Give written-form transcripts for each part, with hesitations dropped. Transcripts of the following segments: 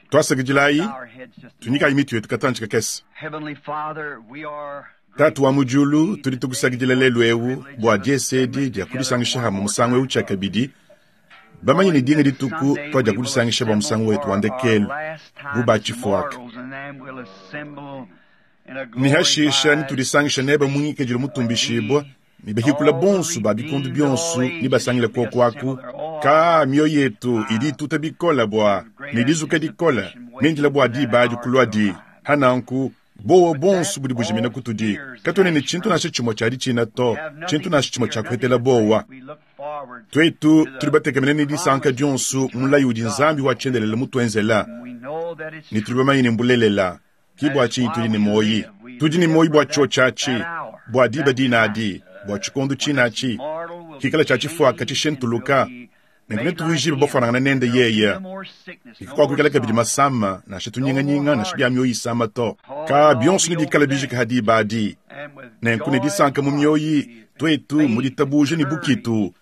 Tuasakidilayi, tunyikayi mitu yetu katantshi kakese. Tatu wa mu diulu, tudi tukusakidila lelu eu bua diese edi dia kudisangisha hamue musangu eu tshiakabidi, bamanye ne dinga dituku tuadia kudisangisha bua musangu wetu wa ndekelu bu ba tshifuaka. Ne hashisha netudisangisha nebe mu ngikadilu mutumbishibua ne bahikula bonso ba bikondo bionso ne basangile kuoku aku. Ka mioyo yetu idi ituta bikole bua ne dizuka dikole mindila bua diba adi kuluadi. Hananku bowa bonso budi bujimina kutudi. Katuena ne tshintu nansha tshimue tshia ditshina to, tshintu nansha tshimue tshia kuhetela bowa. Tuetu tudi batekemene ne disanka dionso mulayi udi Nzambi wa tshiendelele mutuenzela, ne tudi bamanye ne mbulelela. Ki bua tshinyi tudi ne muoyi. Tudi ne muoyi bua tshiotshi atshi, bua diba dina adi, bua tshikondo tshine atshi, kikala tshia tshifuaka tshishintuluka, nenku netuvuijibue bafuanangane nende yeye. Ne kakuakuikala kabidi masama, nansha tunyinganyinga, nansha bia mioyo isama to. Ka bionso nebikale bijike ha diba adi. Nenku ne disanka mu mioyi, tuetu mu ditabuja ne bukitu,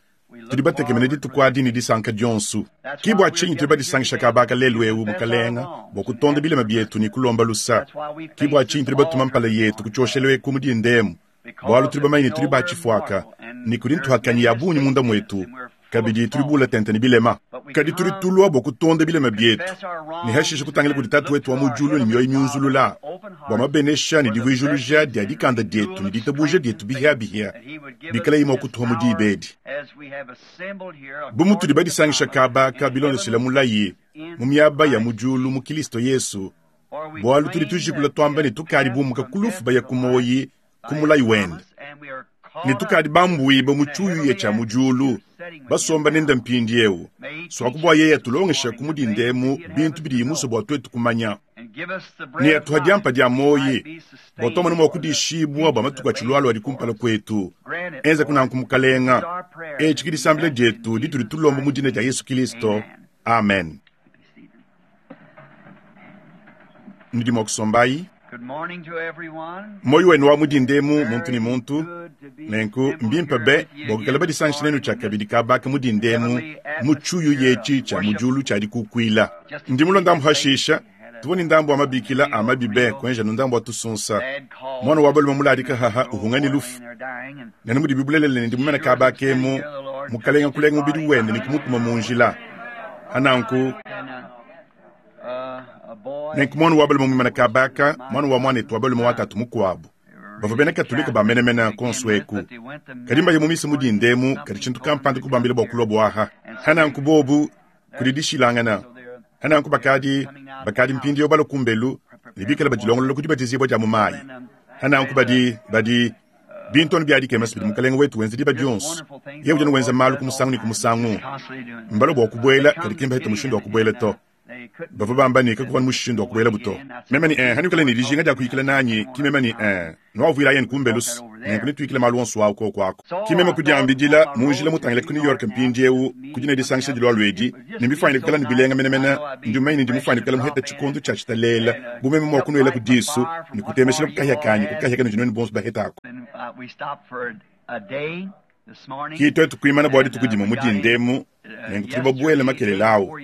Tudi batekemene dituku adi ne disanka dionso. Ki bua tshinyi tudi badisangisha kaba aka lelu eu, Mukalenga, bua kutonda bilema bietu ne kulomba lusa. Ki bua tshinyi tudi batuma mpala yetu ku tshioshelu eku mu dinda emu, bualu tudi bamanye ne tudi ba tshifuaka, ne kudi ntuhakanyi ya bungi munda muetu, kabidi tudi bula tente ne bilema. Kadi tudi tulua bua kutonda bilema bietu, ne hashishe kutangila kudi Tatu wetu wa mu diulu ne mioyo miunzulula, bua mabenesha ne divuijuluja dia dikanda dietu ne ditabuja dietu bihiabihia bikalayi mua kutuha mu diba edi. Bu mutudi badisangisha kaba aka bilondeshila mulayi mu miaba ya mu diulu mu Kilisto Yesu, bualu tudi tujikula tuamba ne tukadi bumuka ku lufu baya ku muoyi ku mulayi wende, ne tukadi bambuibue mu tshiuyuya tshia mu diulu, basomba nende mpindieu, suaku bua yeye atulongesha ku mudinda emu bintu bidiye musue bua tuetu kumanya, ne atuha diampa dia muoyi, bua tuamona mua kudishibua bua matuku atshilualua adi kumpala kuetu. Enza kunanku, Mukalenga. Etshi ke disambila dietu ditudi tulomba mu dina dia Yesu Kilisto. Amen. Nudi mua kusombayi. Muoyo wenu wa mu dinda emu, muntu ne muntu. Nenku mbimpe be bua kuikala badisangisha nenu tshiakabidi kaba aka mu dinda emu mu tshiuyuya etshi tshia mu diulu tshia dikukuila. Ndi mulue ndambu hashisha, tuvua ne ndambu wa mabikila a mabi be kuenja nu ndambu wa tusunsa. Muana wa balume muladika haha uhunga ne lufu. Nenu mudibi bulelela ne ndi mumena kaba aka emu, Mukalenga kulenga mubidi wende ne kumutuma mu njila. Hananku, nenku muana wa balume muimana kaba aka, muana wa muanetu wa balume wa tatu mukuabu, bavua bena Katolike ba menemene konso eku, kadi mbaye mu misa mu dinda emu, kadi tshintu kampanda kubambila bua kulua buaha. Hananku bobu, kudi dishilangana. Hananku bakadi, bakadi mpindieu balua kumbelu ne bikale badilongolola ku dibatizibua dia mu mayi. Hananku badi, badi, bintu anu bia dikema bidi Mukalenge wetu wenza diba dionso. Yeye udi anu wenza malu ku musangu ne ku musangu. Mbalua bua kubuela, kadi ki mbahete mushindu wa kubuela to. Bavua bamba ne kakuvua mushindu wa kubuelabu to. Meme ne, eh, hanuikala ne dijinga dia kuyikila nanyi, ki meme ne, eh, nuavuila yenu kumbelu nenku netuyikile malu onso awu koku aku. Ki meme kudiambidila mu njila mutangile ku New York mpindiewu ku dina disangisha dilualua edi, ne mbifuanyine kuikala ne bilenga menemene. Ndi mumanye ne ndi mufuanyine kuikala muheta tshikondo tshia tshitalela bu meme mua kunuela ku disu ne kutemeshila ku kahia kanyi ku kahia kanudi nuenu bonso bahetaku. Ki tuetu kuimana bua dituku dimue mu dinda emu, nenku tudi babuele makelela awu,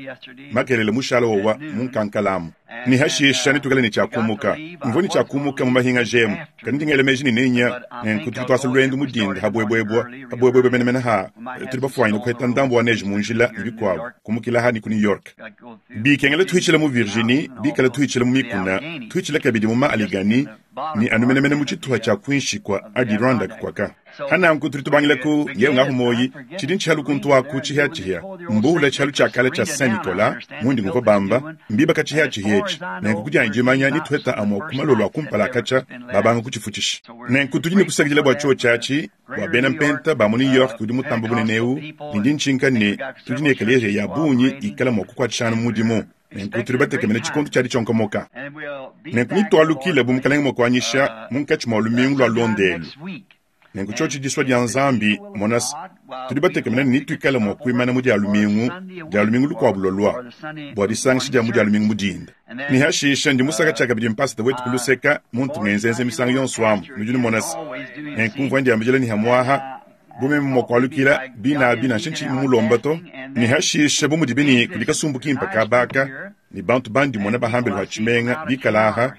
makelela mushala wowa mu nkankalamu, ne hashisha netuikale ne tshia kumuka. Mvua ne tshia kumuka mu mahingaja emu, kadi ndi ngela meji ne nenya, nenku tudi tuasa luendu mu dinda habuebuebua, habuebuebua menemene ha tudi bafuanyine kuheta ndambu wa neige mu njila ne bikuabu, kumukila ha ne ku New York. Bikengela tuhitshila mu Virginie, bikala tuhitshila mu mikuna, tuhitshila kabidi mu ma Allegheny, ne anu menemene mu tshituha tshia kuinshi kua Adirondack kuaka. Hananku tudi tubangila ku yewe ngahu moyi tshidi ntshihalu kuntu aku tshihiatshihia mbuula tshihalu tshia kale tshia Saint Nicolas mundi nguvua bamba mbibaka tshihiatshihia etshi nenku kudianyi dimanya ne tuheta amua ku malolo a kumpala akatshia babanga kutshifutshisha. Nenku tudi ne kusakidila bua tshiotshi atshi bua bena mpenta ba mu New York udi mutamba bunene eu, ne ndi ntshinka ne tudi ne ekeleziya ya bungi ikala mua kukuatshishangana mu mudimu. Nenku tudi batekemene tshikondo tshia ditshionkomoka. Nenku nitualukile bu Mukalenge mua kuanyisha munkatshi mua lumingu lua londa elu. Nenku tshiotshi disua dia Nzambi, mona se, tudi batekemene ne nituikale mua kuimana mu dia lumingu, dia lumingu lukuabu lualua, bua disangisha dia mu dia lumingu mu dinda. Ne hashisha ndi musaka tshiakabidi mpasata wetu ku luseka, muntu ngenzenze misangu yonso amu, nudi numona se, nenku mvua ndiambidila ne hamuaha, bu meme mua kualukila bina abi nansha ntshiyi mumulomba to. Ne hashisha bu mudibi ne kudi kasumbu kimpe kaba aka, Ne bantu bandi mmona bahambelu ha tshimenga bikala aha,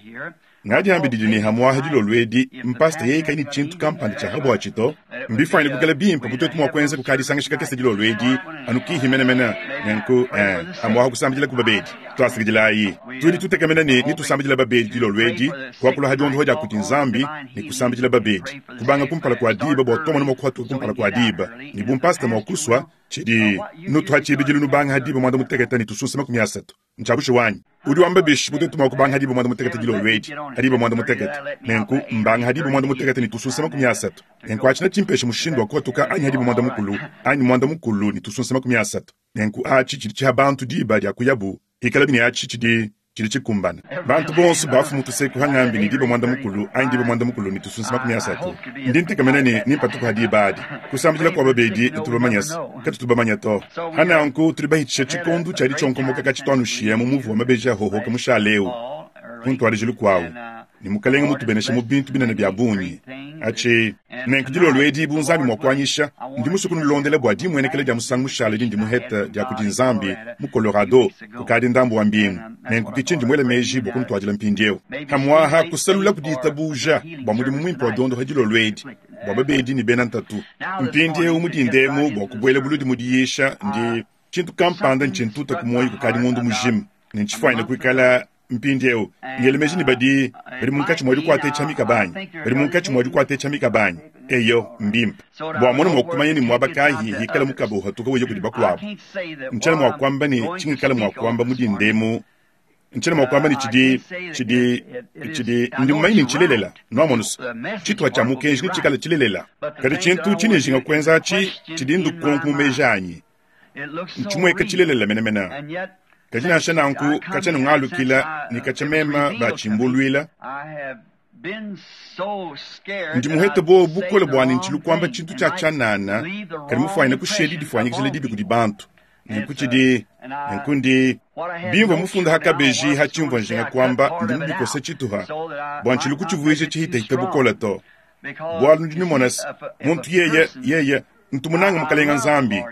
ngadiambididi ne hamuaha dilolo edi, mpasta yeye kayi ne tshintu kampanda tshia habuatshi to. Mbifuanyine kuikala bimpe bu tuetu mua kuenza kukadisangisha kakese dilolo edi, anu kihi menemene. Nenku, eh, hamuaha kusambidila ku babedi. Tuasakidilayi. Tudi tutekemena ne netusambidila babedi dilolo edi, kuakula ha diondoha dia kudi Nzambi ne kusambidila babedi, kubanga kumpala kua diba bua tuamona mua kuhatuka kumpala kua diba. Ne bu mpasta mua kusua, tshidi nutuha tshibidilu nubanga ha diba muanda mutekete ne tususa 30. Ntshia bushuwa anyi? Udi wamba bishi bu tuetu mua kubanga ha diba muanda mutekete dilolo edi, ha diba muanda mutekete? Nenku mbanga ha diba muanda mutekete ne tusunsa 30. Nenku atshi netshimpeshe mushindu wa kuhatuka anyi ha diba muanda mukulu, anyi muanda mukulu ne tusunsa 30. Nenku atshi tshidi tshiha bantu diba dia kuyabu, hikalabi ne atshi tshidi tshidi tshikumbana. Bantu bonso bafu tuseku hangambi ne diba muanda mukulu anyi diba muanda mukulu ne tusunsa 30. Ndi ntekemena ne nimpatuku ha diba adi. Kusambidila kua babedi netubamanyase, katutu bamanya to. Hananku tudi bahitshisha tshikondu tshia ditshionkomoka katshituanushiya mu muvu wa mabeji ahohoka mushale eu ku ntuadijilu kuawu, ne Mukelenge mutubenesha mu bintu binene bia bungi. Atshi nenku dilolo edi bu Nzambi mua kuanyisha, ndi musue kunulondela bua dimuenekela dia musangu mushale dindi muhete dia kudi Nzambi mu Colorado kukadi ndambu wa mbingu. Nenku ke tshindi muele meji bua kunutuadila mpindieu. Pamuaha kusalula ku ditabuja bua mudimu muimpe wa diondopa dilolo edi bua babedi ne bena ntatu. Mpindieu mu dinda emu bua kubuela buludi mu diyisha, ndi tshintu kampanda ntshintuta ku muoyo kukadi ngondo mujima, ne ntshifuanyine kuikala mpindieu ngela meji ne badi badi munkatshi mua dikuata etshia mikaba anyi? Badi munkatshi mua dikuata etshia mikaba anyi? Eyo, mbimpe bua mona mua kumanya ne muaba kayi hikala mukaba uhatuka uya kudi bakuabu. Ntshiena mua kuamba ne tshingikala mua kuamba mu dinda emu. Ntshiena mua kuamba ne tshidi tshidi tshidi ndi mumanye ne ntshilelela. Nuamonu se, tshituha tshia mukenji netshikale tshilelela. Kadi tshintu tshindi njinga kuenza atshi tshidi ndukonko mu meji anyi. Ntshimueka tshilelela menemene. Kadi nansha nanku katshia nungalukila ne katshia mema batshimbuluila, ndi muhete buowa bukole bua ne ntshilu kuamba tshintu tshia tshianana, kadi mufuanyine kushiya didifuanyikijila dibi kudi bantu. Nenku tshidi nenku ndi bimvua mufunda ha kabeji ha tshimvua njinga kuamba, ndi mubikose tshituha bua ntshilu kutshivuija tshihitahita bukole to. Bualu nudi numona se, muntu yeye yeye ntu munanga Mukalenga Nzambi,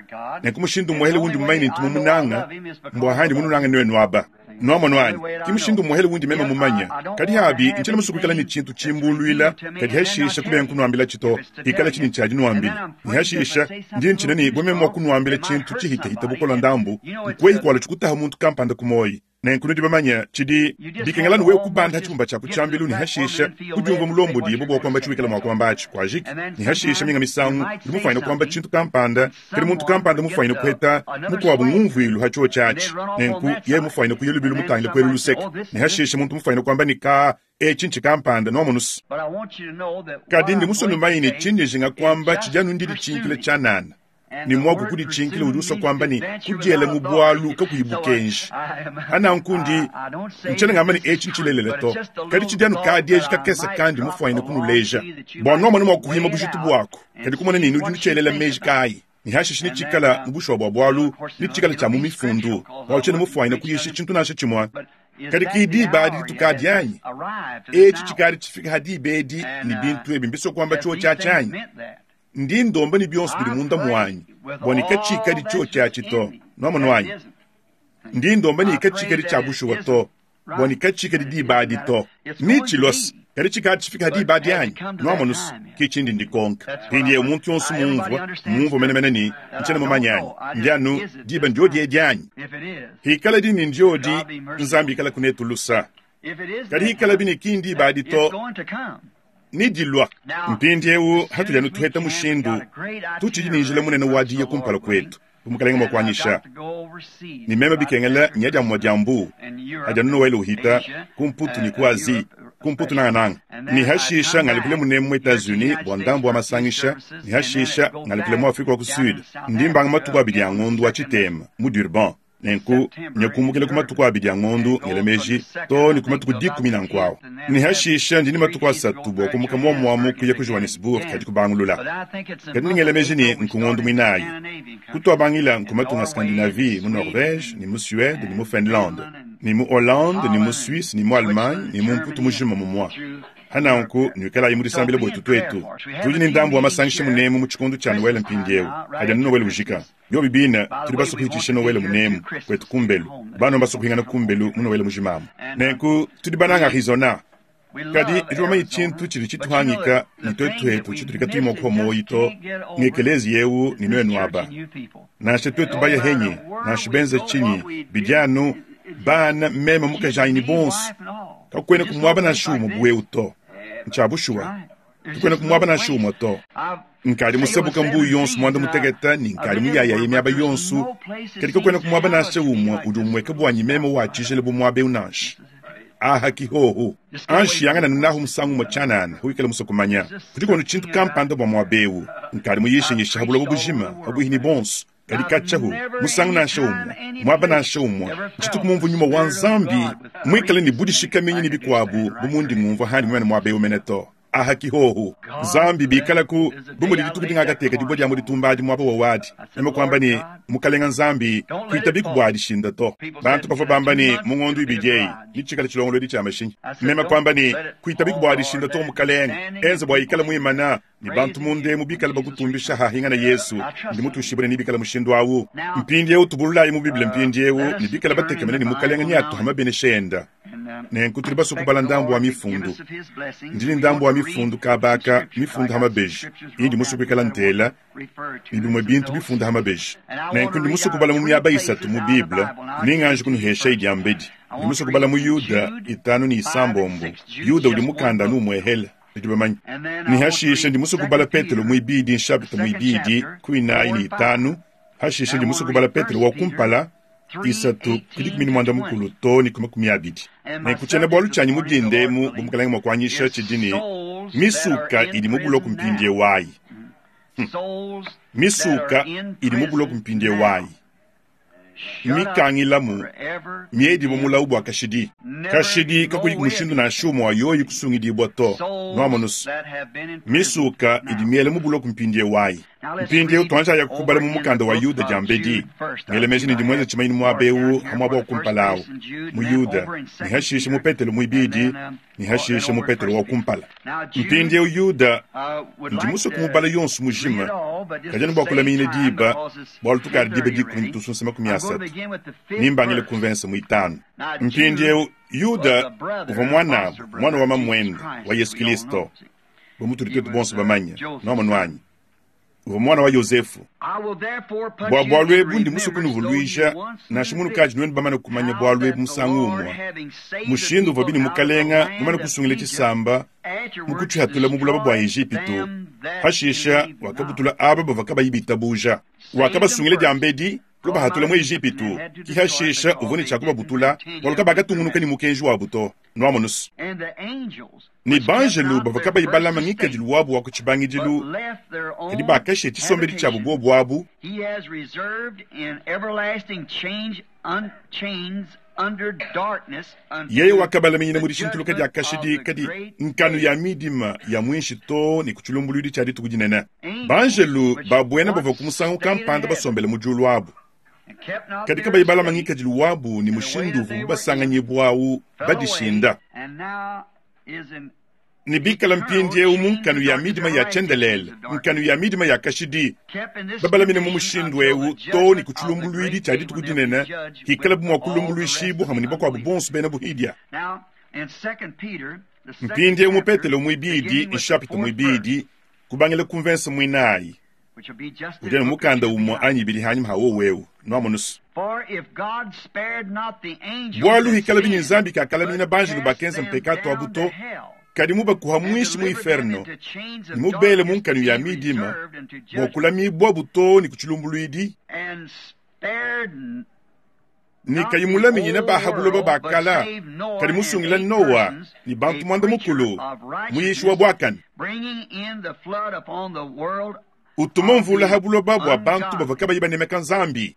nenku mushindu umuehele undi mumanye ne ntu mumunanga mbua handi mununanga nuenu aba. Nuamonu anyi? Ki mushindu umuehele undi meme mumanye. Kadi habi ntshiena musue kuikala ne tshintu tshimbuluila, kadi hashisha kubenga kunuambilatshi to, hikala tshi ne tshia dinuambila. Ne hashisha ndi ntshina ne bu meme mua kunuambila tshintu tshihitahita bukola ndambu, nkuehi kualua tshikutaha muntu kampanda ku muoyi. Nenku nudi bamanye tshidi bikengela anu wewe kubanda ha tshibumba tshia ku tshiambilu ne hashisha kudiumvua mulombodibue bua kuamba tshiwikala mua kuamba atshi kuajiki. Ne hashisha minga misangu udi mufuanyine kuamba tshintu kampanda, kadi muntu kampanda mufuanyine kuheta mukuabu ngumvuilu ha tshiotshi atshi. Nenku yeye mufuanyine kuya lubilu mutangile kuelu luseke, ne hashisha muntu mufuanyine kuamba ne, Ka, etshi ntshi kampanda, nuamonu's. Kadi ndi musue numanye ne tshindi njinga kuamba tshidi anu ndiditshinkila tshianana. Ne muaku kuditshinkila udi usua kuamba ne kudiela mu bualu kakuyi bukenji. Ananku ndi ntshiena ngamba ne etshi ntshilelela to, kadi tshidi anu kadieji kakese kandi mufuanyine kunuleja bua nuamone mua kuhima bujitu buaku, kadi kumona ne nudi nutshielela meji kayi, ne hashishe netshikala mu bushuwa bua bualu, netshikala tshia mu mifundu, bualu tshiena mufuanyine kuyisha tshintu nansha tshimue. Kadi ki diba adi ditukadi anyi? Etshi tshikadi tshifika ha diba edi ne bintu ebi mbisua kuamba tshiotshi atshi anyi? Ndi ndomba ne bionso bidi munda muanyi bua ne katshikadi tshiotshi atshi to. Nuamonu anyi? Ndi ndomba ne katshikadi tshia bushuwa to, bua ne katshikadi diba adi to. Ni tshilose, kadi tshikadi tshifika ha diba adi anyi? Nuamonu se, ke tshindi ndikonka. Mpindieu muntu yonso mumvua, mumvua menemene ne ntshiena mumanye anyi? Ndi anu, diba ndiodi edi anyi? Hikaladi ne ndiodi, Nzambi ikalaku netu lusa. Kadi hikalabi ne ki ndiba adi to, ne dilua. Mpindieu hatudi anu tuheta mushindu, tutshidi ne njila munene wa diya kumpala kuetu, bu Mukelenge mua kuanyisha. Ne meme bikengela nya dia mumue dia mbu adi anu Noele uhita ku Mputu ne ku Asie, ku Mputu nangananga. Ne hashisha ngalukile munemu mu Etats-Unis bua ndambu wa masangisha, ne hashisha ngalukile mu Afrika wa ku Sud. Ndi mbanga matuku abidi a ngondu wa tshitema mu Durban. Nenku nya kumbukila ku matuku abidi a ngondu ngela meji too ne ku matuku dikumi nanku awu. Ne hashisha ndi ne matuku asatu bua kumuka muomuamu kuya ku Johannesburg kadi kubangulula. Kadi ndi ngela meji ne nku ngondu muinayi. Kutuabangila nku matunga a Scandinavie mu Norvege ne mu Suede ne mu Finlande ne mu Hollande ne mu Suisse ne mu Allemagne ne mu Mputu mujima mumua. Hananku nuikalayi mu disambila buetu tuetu. Tudi ne ndambu wa masangisha munemu mu tshikondo tshia Noele mpindieu, adi anu Noele ujika. Biobi bine, tudi basue kuhitshisha Noele munemu kwetu kumbelu. Bana mbasue kuhingana kumbelu mu Noele mujimamu. Nenku tudi bananga Arizona. Kadi tudi bamanye tshintu tshidi tshituhangika ne tuetu hetu tshitudi katuyi mua kuhua muoyo to, ng'ekeleziya eu ne nuenu aba. Nansha tuetu baya henyi, nansha benza tshinyi, bidi anu bana, meme, mukajanyi ne bonso, kakuena ku muaba nansha umue bu eu to. Ntshia bushuwa, tukuena ku muaba nansha umue to. Nkadi musabuka mbuyi yonso muanda mutekete ne nkadi muyayaye miaba yonso, kadi kakuena ku muaba nansha umue udi umueka buanyi meme wa tshijila bu muaba eu nansha. Aha ki hohu. Anji yangana nahu musangu umue tshianana, wikale musue kumanya. Kudiku anu tshintu kampanda bua muaba eu. Nkadi muyishinyisha ha buloba bujima, pabuihi ne bonso, kadi katshiahu musangu nansha umue, muaba nansha umue, ntshituku mumvue nyuma wa Nzambi muikale ne budishikaminyi ne bikuabu bu mundi ngumvua handi mumane muaba eu mene to. Aha ki hohu. Nzambi bikalaku bu mudi dituku dingakateka dibue dia mu ditumba adi muaba wa wadi, meme kuamba ne, Mukalenga Nzambi, kuitabiku bua dishinda to. Bantu bavua bamba ne, mu ngondo ibidi eyi netshikale tshilongolodi tshia mashinyi. Meme kuamba ne, Kuitabiku bua dishinda to, Mukalenga. Enza bua ikale muimana, ne bantu munda emu bikale bakutumbisha hahingana Yesu. Ndi mutuishibue ne nebikale mushindu au. Mpindieu tubululayi mu Bible mpindieu ne bikale batekemene ne Mukalenga neatuha mabenesha enda. Nenku tudi basue kubala ndambu wa mifundu. Ndi ne ndambu wa mifundu kaba aka, mifunda ha mabeji, indi musue kuikala ntela, ne bimue bintu bifunda ha mabeji. Nenku ndi musue kubala mu miaba isatu mu Bible, ne nganji kunuheshayi diambedi. Ndi musue kubala mu Yuda itanu ne isambombo. Yuda udi mukanda anu umuehela, nudi bamanye. Ne hashishe ndi musue kubala Petelo muibidi, nshapita muibidi, ku inayi ne itanu. Hashishe ndi musue kubala Petelo wa kumpala, isatu ku dikumi ne muanda mukulu too ne ku 20. Nenku tshiena-bualu tshianyi mu dinda emu, bu Mukalenge mua kuanyisha, tshidi ne, Misuka idi mu buloko mpindieu ayi. Misuka idi mu buloko mpindieu ayi. Mmikangilamu, miedibue mulawu bua kashidi. Kashidi, kakuyiku mushindu nansha umue wa yoyi kusungidibua to. Nuamonu's, misuka idi miela mu buloko mpindieu ayi. Mpindieu tuanjayaku kubala mu mukanda wa Yuda diambedi. Ngela meji ne ndi muenze tshimanyinu muaba eu ha muaba wa kumpala au, mu Yuda, ne hashishe mu Petelo muibidi, ne hashishe mu Petelo wa kumpala. Mpindieu Yuda, ndi musue kumubala yonso mujima, kadi anu bua kulaminyina diba, bualu tukadi diba dikumi ne tusunsa 30, nimbangile ku mvensa muitanu. Mpindieu Yuda uvua muanabu, muana wa mamuende wa Yesu Kilisto, bu mutudi tuetu bonso bamanye, nuamonu anyi? Uvua muana wa Yozefu. Bua bualu ebu ndi musue kunuvuluija, nansha munukadi nuenu bamane kumanya bualu ebu musangu umue, mushindu uvuabi ne Mukalenga mumane kusungila tshisamba mu kutshihatula mu buloba bua Ejipitu, hashisha wakabutula aba bavua kabayi bitabuja. Wakabasungila diambedi, kubahatula mu Ejipitu, ki hashisha uvua ne tshia kubabutula, bualu kabakatungunuka ne mukenji wabu to. Nuamonu's? Ne banjelu bavua kabayi balama ngikadilu wabu wa ku tshibangidilu, kadi bakashiya tshisombedi tshiabu buobu abu, yeye wakabalaminyina mu dishintuluka dia kashidi kadi nkanu ya midima ya muinshi too ne ku tshilumbuluidi tshia dituku dinene. Banjelu ba buena bavua ku musangu kampanda basombele mu diulu abu, kadi kabayi balama ngikadilu wabu ne mushindu uvuabu basanganyibua au badishinda, ne bikala mpindieu mu nkanu ya midima ya tshiendelele, nkanu ya midima ya kashidi, babalamine mu mushindu eu too ne ku tshilumbuluidi tshia dituku dinene, hikalabu mua kulumbuluishibua pamue ne bakuabu bonso bena buhidia. Mpindieu mu Petelo muibidi, nshapita muibidi, kubangila ku mvensa muinayi, udi anu mukanda umue anyi ibidi hanyima ha wowu eu. Nuamonu's? Bualu hikalabi ne Nzambi kakalamina banjelu bakenza mpekatu abu to, kadi mubakuha muinshi mu inferno ne mubele mu nkanu ya midima bua kulamibuabu too ne ku tshilumbuluidi, ne kayi mulaminyina ba ha buloba ba kala, kadi musungila Noa ne bantu muanda mukulu, muyishi wa buakane, utuma mvula ha buloba bua bantu bavua kabayi banemeka Nzambi,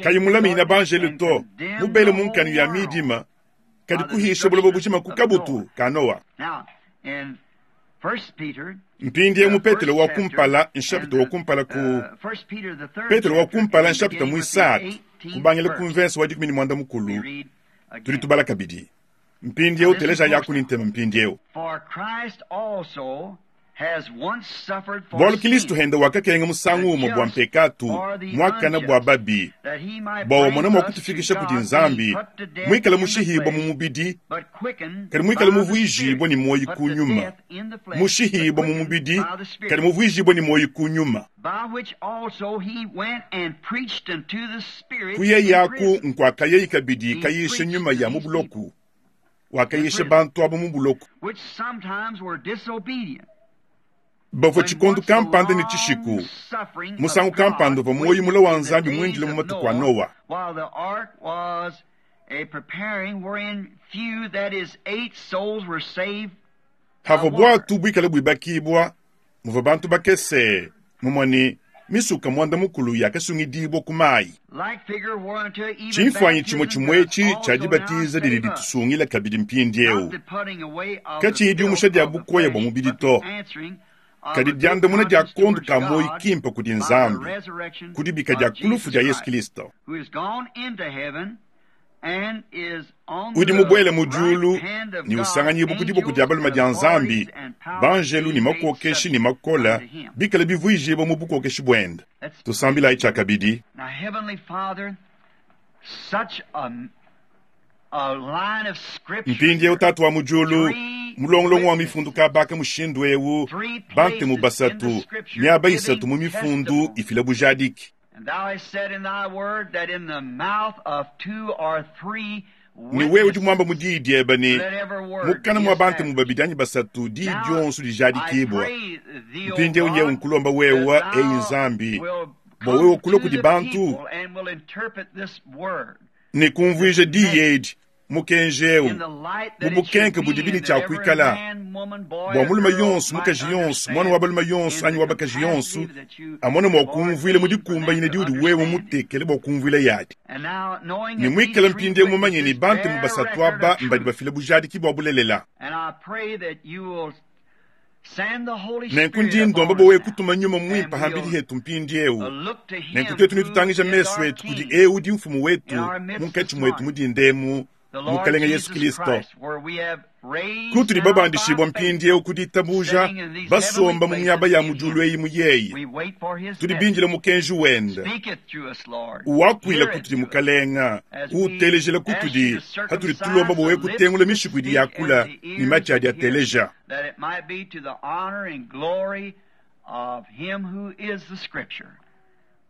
kayi mulaminyina banjelu to, mubele mu nkanu ya midima, kadi kuhisha buloba bujima ku kabutu ka Noa. Mpindieu mu Petelo wa kumpala, nshapita wa kumpala ku Petelo wa kumpala nshapita muisatu, kubangila ku mvensa wa 14, tudi tubala kabidi. Mpindieu telejayaku ne ntema mpindieu. Bualu Kilisto henda wakakenga musangu umue bua mpekatu, muakane bua babi, bua wamona mua kutufikisha kudi Nzambi, muikale mushihibua mu mubidi, kadi muikale muvuijibue ne muoyo ku nyuma. Mushihibua mu mubidi, kadi muvuijibue ne muoyo ku nyuma. Kuyeyaku nkuakayeyi kabidi kayisha nyuma ya mu buloku, wakayisha bantu abo mu buloku. Bavua tshikondo kampanda ne tshishiku, musangu kampanda uvua muoyo mula wa Nzambi muindile mu matuku a Noa. Havua buatu buikale buibakibua, muvua bantu bakese, mumue ne misuka muanda-mukulu yakasungidibua ku mayi. Tshimfuanyi tshimue tshimue etshi tshia dibatiza didi ditusungila kabidi mpindieu, katshiyi diumusha dia bukoya bua mubidi to, kadi diandamuna dia kondo ka muoyo kimpe kudi Nzambi ku dibika dia ku lufu dia Yesu Kristo. Udi mubuele mu diulu ne usanganyibua ku diboko dia balume dia Nzambi, banjelu ne makokeshi ne makole bikale bivuijibua mu bukokeshi buende. Tusambilayi tshiakabidi. Mpindieu, Tatu wa mu diulu, mulongolongo wa mifundu kabaka mushindu eu, bantemu basatu, miaba isatu mu mifundu ifila bujadiki. Ne wewe udi muamba mu diyi diebe ne, mukana mua bantemu babidi anyi basatu diyi dionso dijadikibua. Mpindieu nyewu nkulomba wewe, eyi Nzambi, bua wewe kulua kudi bantu ne kumvuija diyi edi, mukenji eu, mu bukenke budibi ne tshia kuikala, bua mulume yonso, mukaji yonso, muana wa balume yonso anyi wa bakaji yonso amone mua kumvuila mu dikumbanyina diudi wewe mutekele bua kumvuila yadi. Ne muikale mpindieu mumanye ne bantemu basatu aba mbadi bafila bujadiki bua bulelela. Nenku ndi ndomba bua wewe kutuma nyuma muimpe hambidi hetu mpindieu. Nenku tuetu netutangija mesu etu kudi eu udi mfumu wetu munkatshi muetu mu dinda emu, Mukalenge Yesu Kristo, kutudi babandishibua mpindieu ku ditabuja, basomba mu miaba ya mu diulu eyi mu yeye. Tudi bindile mukenji wende. Uwakuila kutudi, Mukalenga, uutelejela kutudi hatudi tulomba bua wewe kutengula mishiku idi yakula ne matshi adi ateleja. That it might be to the honor and glory of him who is the Scripture.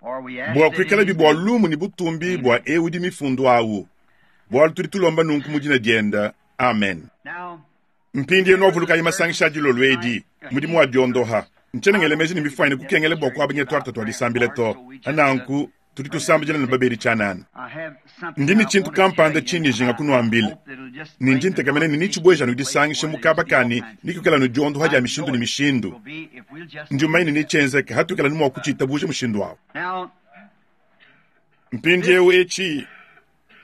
For we ask Bua it in kuikalabi his bua name. lumu ne butumbi bua eu udi mifundu awu, bualu tudi tulomba nunku mu dina diende. Amen. Now, Mpindieu nuavulukayi masangisha a dilolo edi, mudimu wa diondoha. Ntshiena ngela meji ne mifuanyine kukengela bua kuabanya tuarta tua disambila to. Nanku, tudi tusambidila ne babedi tshianana. I have something Ndi ne I tshintu want to tell kampanda you, tshindi and njinga I kunuambila. hope that it'll just Ne bring ndi the ntekemena ne conversation nitshibueja to a place nudisangisha where mu there's kaba all kani kinds of nikukala nudiondoha dia I mishindu know ne it mishindu. will be if we'll just Ndi mumanye ne believe that. netshienzeke hatukala ni mua kutshiitabuja mushindu awu. Now, Mpindieu etshi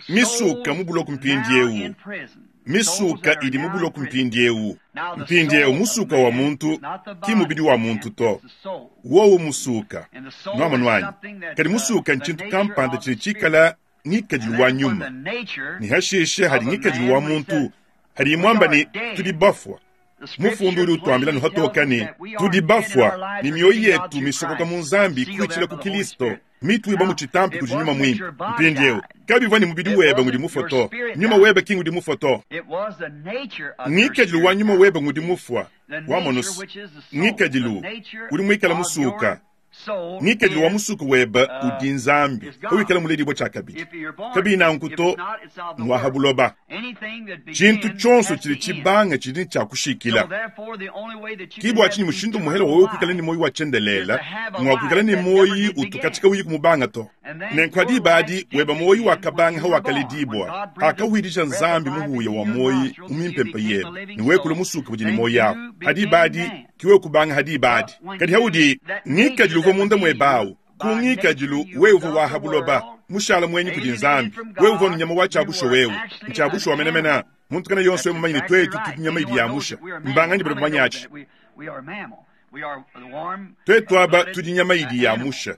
misuka souls mu buloko now mpindieu in prison, souls misuka that are idi mu now in buloko prison. mpindieu. Now, the Mpindieu soul of musuka wa man muntu is not the ki body mubidi wa of man, muntu it's to, the soul. wowu musuka And the soul nuamanu is anyi something that kadi musuka the ntshintu nature kampanda of the tshidi spirit. tshikala And ngikadilu wa that's when nyuma the nature ne hashishe of hadi a ngikadilu man, wa when he muntu said, hadi we muamba are ne tudi dead, bafua. the Mufundu scripture udi utuambila plainly tells nuhatoka us ne that we are tudi dead and our bafua lives ne are mioyo hid in God yetu through misokoka Christ, mu Nzambi sealed kuitshila there ku by the Holy Kristo Spirit. mituiba mu Now, tshitampi it kudi nyuma wasn't that muimpe. your body Mpindieu died. kabivua ne mubidi It webe ngudi wasn't your mufua to, spirit nyuma died. webe ki ngudi mufua to. It was the nature of your Ngikadilu wa spirit nyuma died. webe ngudi mufua The wa nature monosi which is the soul, the ngikadilu nature udi muikala of your musuka soul ngikadilu wa is musuku webe udi Nzambi is God. wikala muledibua tshiakabidi If you're born kabi again, nanku if to it's not, it's of the ngwaha world. buloba. Anything that Tshintu begins tshionso has tshidi to end. tshibanga tshidi tshia So kushikila. therefore, the only way that you Ki can bua have tshinyi mushindu muhele eternal wewe kuikala ne life muoyo wa is to tshiendelela have a ngwa kuikala life ne that never muoyo did begin. utukatsika uyi kumubanga to. And then Nenku your hadi life badi did weba muoyo begin when wakabanga you were born. When hawakaledibua God breathed the akawidija breath of Nzambi life muhuya into wa your muoyo nostrils and you mumimpempe became a yebe living ne wekula soul, musuka budi ne then muoyo awu you hadi became badi man. kiwe kubanga hadi badi But when kadi you, haudi that nature ngikadilu uvua that was munda in muebe you, awu ku by nature ngikadilu you wewe was uvua of waha the buloba world, mushala mwenyi kudi alienated Nzambi from wewe uvua God, nyama wa you tshiabusho were wewe actually an ntshiabusho wa menemena animal. muntu kana yonso That's wewe mumanye ne exactly twetu right. tudi nyama idi Anyone knows yamusha that we are mammals. mbanganyi How badi many knows bamanyachi that we are mammal? We are the warm twetu aba blooded tudi nyama idi animal. yamusha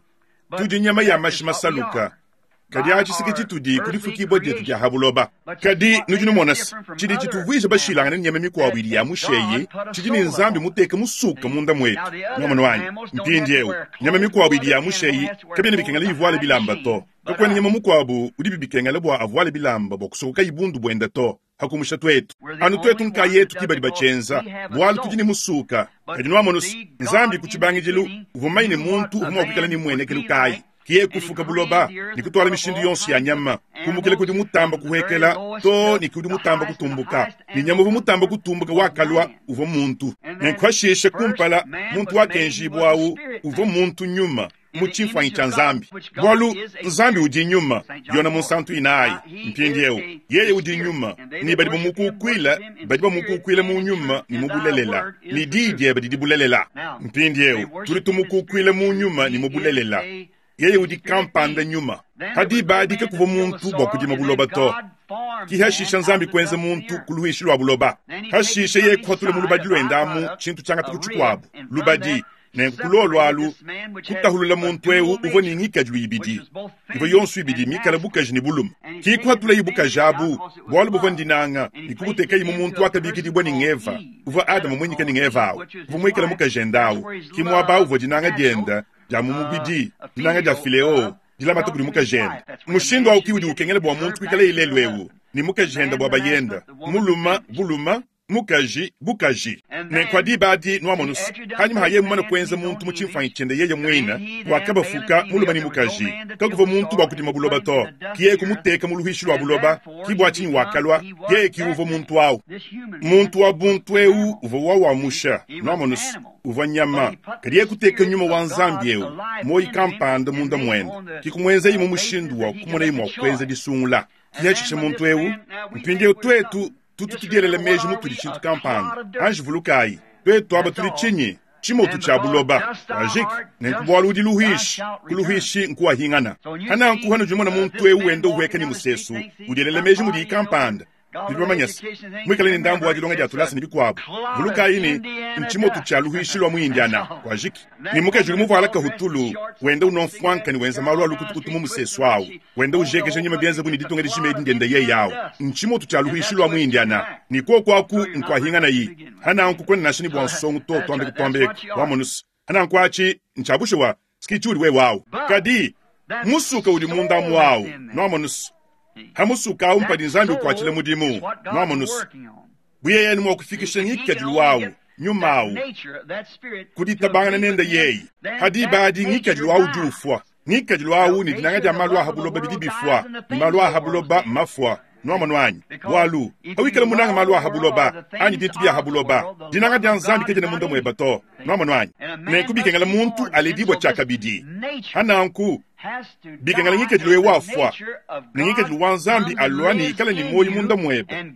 But tudi nyama ya that mashi is what we masaluka are. Kadi atshi si ke tshitudi ku difukibua dietu dia ha buloba. Kadi nudi numona se, tshidi tshituvuija bashilangane ne nyama mikuabu idi ya musheyi tshidi ne Nzambi muteke musuka munda muetu. Nuamonu anyi? Mpindieu, nyama mikuabu idi ya musheyi kabiena bikengela ivuale bilamba to. Kakuena nyama mukuabu udibi bikengela bua avuale bilamba bua kusokokayi bundu buende to, pa kumusha tuetu. Anu tuetu nkayetu ki badi batshienza, bualu tudi ne musuka. Kadi nuamonu se, Nzambi ku tshibangidilu uvua mumanye ne muntu uvua mua kuikala ne mmuenekelu kayi. Ke yeye kufuka buloba ne kutuala mishindu yonso ya nyama, kumukila kudi mutamba kuhuekela too ne kudi mutamba kutumbuka. Ne nyama uvua mutamba kutumbuka wakalua uvua muntu. Nenku pashishe kumpala muntu wakenjibua au uvua muntu nyuma mu tshimfuanyi tshia Nzambi, bualu Nzambi udi nyuma. Yona Munsantu inayi. Mpindieu yeye udi nyuma, ne badi bamukukuila badi bamukukuila mu nyuma ne mu bulelela, ne diyi diebe didi bulelela. Mpindieu tudi tumukukuila mu nyuma ne mu bulelela. Yeye udi kampanda nyuma. Pa diba adi kakuvua muntu bua kudima buloba to. Ki hashisha Nzambi kuenza muntu ku luishi lua buloba. Hashishe yeye kuhatula mu lubadi luende amu tshintu tshiangata ku tshikuabu, lubadi. Nenku ku luolu alu, kutahulula muntu eu uvua ne ngikadilu ibidi, ivua yonso ibidi mikale bukaji ne bulume. Ki kuhatulayi bukaji abu, bualu buvua ndinanga, ne kubutekayi mu muntu wakabikidibua ne ng'Eva, uvua Adama muinyike ne ng'Eva au, uvua muikale mukajende au. Ki muaba uvua dinanga diende dia mu mubidi, dinanga dia phileo, dilamata kudi mukajende. Mushindu au ki udi ukengela bua muntu kuikalaye lelu eu ne mukajende bua bayende, mulume bulume, mukaji bukaji. Nenku ha diba adi nuamonu se, hanyima ha yeye mumane kuenza muntu mu tshimfuanyi tshiende yeye muine, wakabafuka mulume ne mukaji. Kakuvua muntu bua kudima buloba to, ki yeye kumuteka mu luhuishi lua buloba. Ki bua tshinyi wakalua, yeye ki uvua muntu au. Muntu wa buntu eu uvua wawamusha, nuamonu se, uvua nyama, kadi yeye kuteka nyuma wa Nzambi eu, muoyo kampanda munda muende, ki kumuenzaye mu mushindu wa kumonaye mua kuenza disungula. Ki hashishe muntu eu, mpindieu tuetu tutu tudielela meji mutudi tshintu kampanda. Anji vulukayi, tuetu aba tudi tshinyi? Tshimotu tshia buloba. Wajiki, nenku bualu udi luhuishi, ku luhuishi nkuwahingana. Hananku hanudi numona muntu eu wenda uhueka ne musesu, udielela meji mudiyi kampanda, Nudi bamanye se, muikale ne ndambu wa dilonga dia tulasa ne bikuabu, vulukayi ne, ntshimotu tshia luhuishi lua mu Indiana. Kuajiki. Ne mukaji udi muvuala kahutulu, wenda unua mfuanka ne wenza malu a lukutukutu mu musesu au, wenda ujekeja nyima bienze bu ne ditunga dijima edi ndiende yeye au. Ntshimotu tshia luhuishi lua mu Indiana. Ne kuoku aku nkuahinganayi. Hananku kuena nansha ne bua nsongo to, tuambe kutuambeku. Wamonu se, hananku atshi ntshia bushuwa, ski tshiudi wewe au. Kadi, musuka udi munda amu au. Nuamonu se, Ha musuka au mpadi Nzambi ukuatshila mudimu. Nuamonu se, bu yeye anu mua kufikisha ngikadilu au, nyuma au, ku ditabangana nende yeye, ha diba adi ngikadilu au udi ufua. Ngikadilu au ne dinanga dia malu a ha buloba bidi bifua, ne malu a ha buloba mmafua. Nuamonu anyi? Bualu, pawikala munanga malu a ha buloba, anyi bintu bia ha buloba, dinanga dia Nzambi kadiena munda mueba to. Nuamonu anyi? Nenku bikengela muntu aledibua tshiakabidi. Ha nanku, Bikengela ngikadilu eu afua, ne ngikadilu wa Nzambi alua ne ikala ne muoyo munda muebe.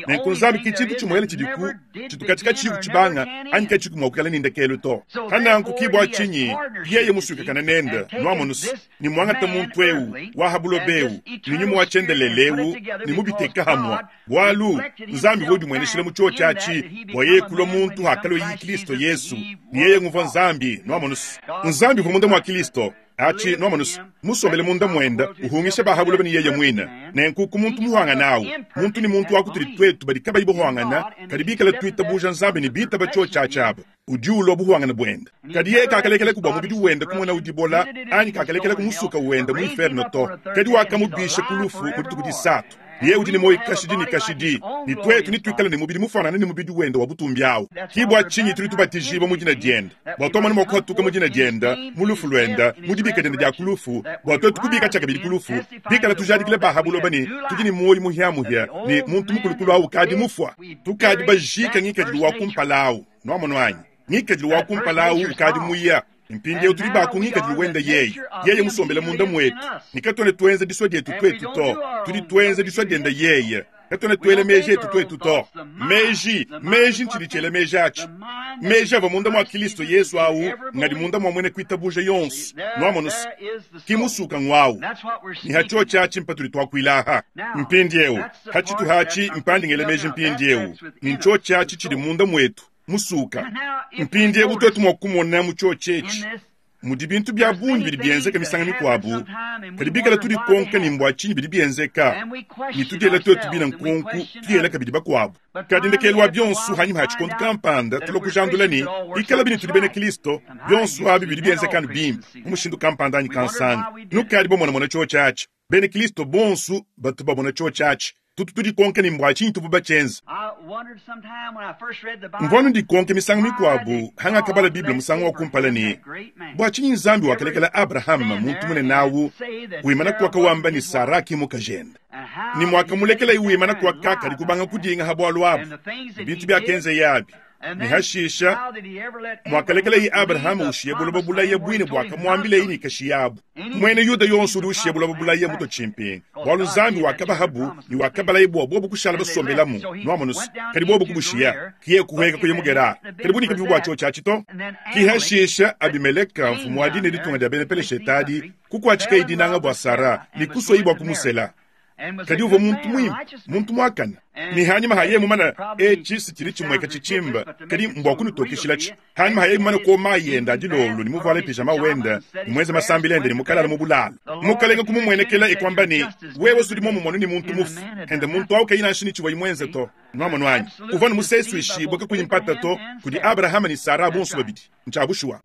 Nenku Nzambi ke tshintu tshimuele tshidiku tshitu katshi katshiyiku tshibanga anyi katshiyiku mua kuikala ne ndekelu to. Pa nanku ki bua tshinyi yeye musuikakane nende, nuamonu se, ne muangata muntu eu wa ha buloba eu ne nyuma wa tshiendelele eu ne mubiteka hamua, bualu Nzambi uvua udimueneshila mu tshiotshi atshi bua yeye kulua muntu hakalueye Kilisto Yesu, ne yeye nguvua Nzambi, nuamonu se, Nzambi uvua munda mua Kilisto. Atshi, nuamonu se, musombele munda muende, uhungisha ba ha buloba ne yeye muine. Nenku ku muntu muhuangane au, muntu ne muntu wa kutudi tuetu badi kabayi buhuangana, kadi bikale tuitabuja Nzambi ne bitaba tshiotshi atshi aba, udi ulua buhuangane buende. Kadi yeye kakalekelaku bua mubidi wende kumona dibola, anyi kakalekelaku musuka wende mu inferno to, kadi wakamubisha ku lufu mu dituku disatu. Yeye udi ne muoyo kashidi ne kashidi, ne tuetu netuikale ne mubidi mufuanangane ne mubidi wende wa butumbi au. Ke bua tshinyi tudi tubatijibua mu dina diende, bua tuamone mua kuhatuka mu dina diende, mu lufu luende, mu dibika diende dia ku lufu, bua tuetu kubika tshiakabidi ku lufu, bikala tujadikile ba ha buloba ne tudi ne muoyo muhia-muhia, ne muntu mukulukulu au ukadi mufua. Tukadi bajika ngikadilu wa kumpala au. Nuamonu anyi? Ngikadilu wa kumpala au ukadi muya. Mpindieu tudi ba ku ngikadilu wende yeye, yeye musombele munda muetu, ne katuena tuenza disua dietu tuetu to, tudi tuenza disua diende yeye. Katuena tuela meji etu tuetu to. Meji, meji ntshidi tshiela meji atshi. Meji avua munda mua Kilisto Yezu au ngadi munda mua muena kuitabuja yonso. Nuamonu se, ki musuka nguau. Ne ha tshiotshi atshi mpatudi tuakuila aha. Mpindieu, ha tshituha atshi mpandi ngela meji mpindieu, ne ntshiotshi atshi tshidi munda muetu. Musuka. Mpindieu tuetu mua kumona mu tshiotshi etshi. Mudi bintu bia bungi bidi bienzeka misangu mikuabu, kadi bikala tudikonka ne mbua tshinyi bidi bienzeka, ne tudiela tuetu bine nkonku, tuyela kabidi bakuabu. Kadi ndekelu wa bionso, hanyima ha tshikondo kampanda, tulua kujandula ne, ikala bine tudi bena Kristo, bionso abi bidi bienzeka anu bimpe mu mushindu kampanda anyi kansanga. Nukadi bamonamona tshiotshi atshi. Bena Kristo bonso batu bamona tshiotshi atshi. Tutu tudikonka ne mbua tshinyi tuvua batshienza. Mvua nudikonke misangu mikuabu hangakabala Bible musangu wa kumpala ne, bua tshinyi Nzambi wakalekela Abrahama muntu munene awu wimana kuaka wamba ne Sara ki mukajende, ne muakamulekelaye wimana kuaka kadi kubanga kudinga ha bualu abu, bintu biakenzeye abi, ne hashisha muakalekelaye Abrahama ushiya buloba bulaya buine buakamuambilaye ne kashiyabu. Muena Yuda yonso udi ushiya buloba bulaya muto tshimpinga, bualu Nzambi wakabahabu ne wakabalaye bua bobu kushala basombelamu nuamonusu, kadi bobu kubushiya kiye kuheka kuya mu Gerare. Kadi bunika bivu bua tshiotshi atshi to. Kihashisha Abimeleka mfumu wa dine ditunga dia bena Peleshetadi kukuatshikaye dinanga bua Sara ne kusoyi bua kumusela. Kadi uvua muntu muimpe, muntu muakane. Ne hanyima haye mumana etshi sitshili tshimueka tshitshimba, kadi mbua kunutokeshilatshi. Hanyima haye mumana kuoma yenda adilolo ne muvuale pijama wenda ne muenze masambila ende ne mukalala mu bulala. Mukalenga kumumuenekela ekuamba ne, wewe sudi momumonu ne muntu mufu. Ende muntu awu kayi nansha ne tshivua muenze to. Nuamonu anyi? Uvua ne musesuishibue kakuyi mpata to kudi Abrahama ne Sara bonso babidi. Ntshiabushuwa.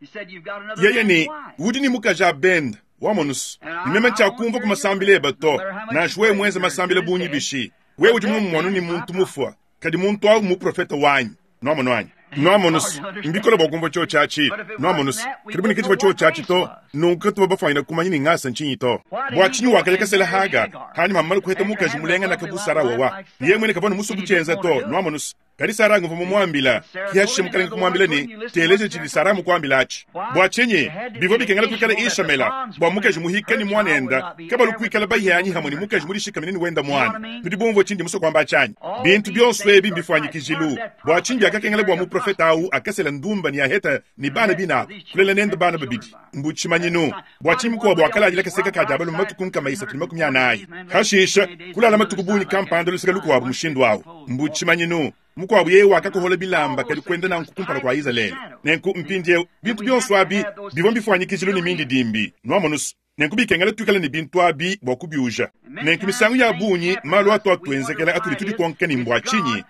Yeye ne udi ne mukaji abenda. Wamonusu, ne meme ntshiakumvua ku masambila eba to, nansha wewe muenze masambila bungi bishi. Wewe udi mumumonu ne muntu mufua, kadi muntu awu muprofeta wanyi. Nuamonu anyi? Nuamonusu, mbikole bua kumvua tshiotshi atshi. Nuamonusu, kadi bunika tshivua tshiotshi atshi to, nunku katuba bafuanyina kumanya ne ngasa ntshinyi to. Bua tshinyi wakalekesela Haga, hanyima hamumana kuheta mukaji mulenganaka bu Sara wawa. Yeye muine kavua ne musu kutshienza to. Nuamonusu. Kadi Sara nguvua mumuambila, kihashishe mukalenga kumuambila ne, teleja tshidi Sara mukuambila atshi. Bua tshinyi bivua bikengela kuikala Ishamela bua mukaji muhika ne muanenda kabalu kuikala bahianyi hamwe ne mukaji mudishikamine ne wenda muana? Nudi bumvua tshindi musue kuamba tshianyi? Bintu bionso ebi mbifuanyikijilu. Bua tshinyi biakakengela bua muprofeta awu akasela ndumba ne aheta ne bana binabu kulela nende bana babidi mbu tshimanyinu? Bua tshinyi mukuabu wakaladila kaseka ka dia balume matuku 340? Hashisha kulala matuku bungi kampanda luseke lukuabu mushindu awu mbu tshimanyinu. Mukuabu yeye wakakohola bilamba kadi kuenda nanku kumpala kua Izalele. Nenku mpindieu bintu bionso abi bivua mbifuanyikijilu ne mindidimbi. Nuamonusu. Nenku bikengela tuikale ne bintu abi bua kubiuja. Nenku misangu ya bungi malu atu atuenzekela atudi tudikonka ne mbua tshinyi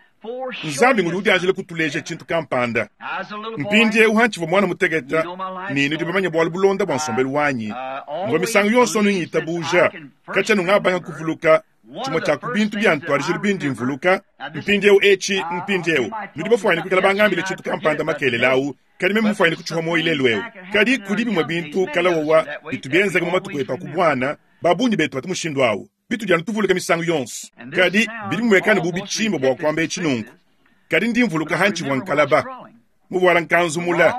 Nzambi ngudi udianjila kutuleja tshintu kampanda. Mpindieu hantshivua mwana muteketa ne nudi bamanye bualu bulonda bua nsombelu wanyi, mvua misangu yonso anu ngitabuja katshia nungabanga kuvuluka tshimue tshia ku bintu bia ntuadijilu bindi mvuluka. Mpindieu etshi, mpindieu nudi bafuanyine kuikala bangambile tshintu kampanda makelela awu, kadi meme mufuanyine kutshiha muoyo lelu eu. Kadi kudi bimue bintu kalawawa bitu bienzeka mu matuku etu a ku buana, babungi betu batu mushindu awu. Bitudi anu tuvuluka misangu yonso, kadi bidi bimuekane bu bitshimba bua kuamba etshi nunku. Kadi ndi mvuluka hantshivua nkalaba muvuala nkanzu mula.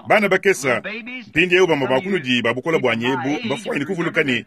Bana bakesa mpindieu bamue ba kunudi ba bukola buanyi ebu mbafuanyine kuvuluka ne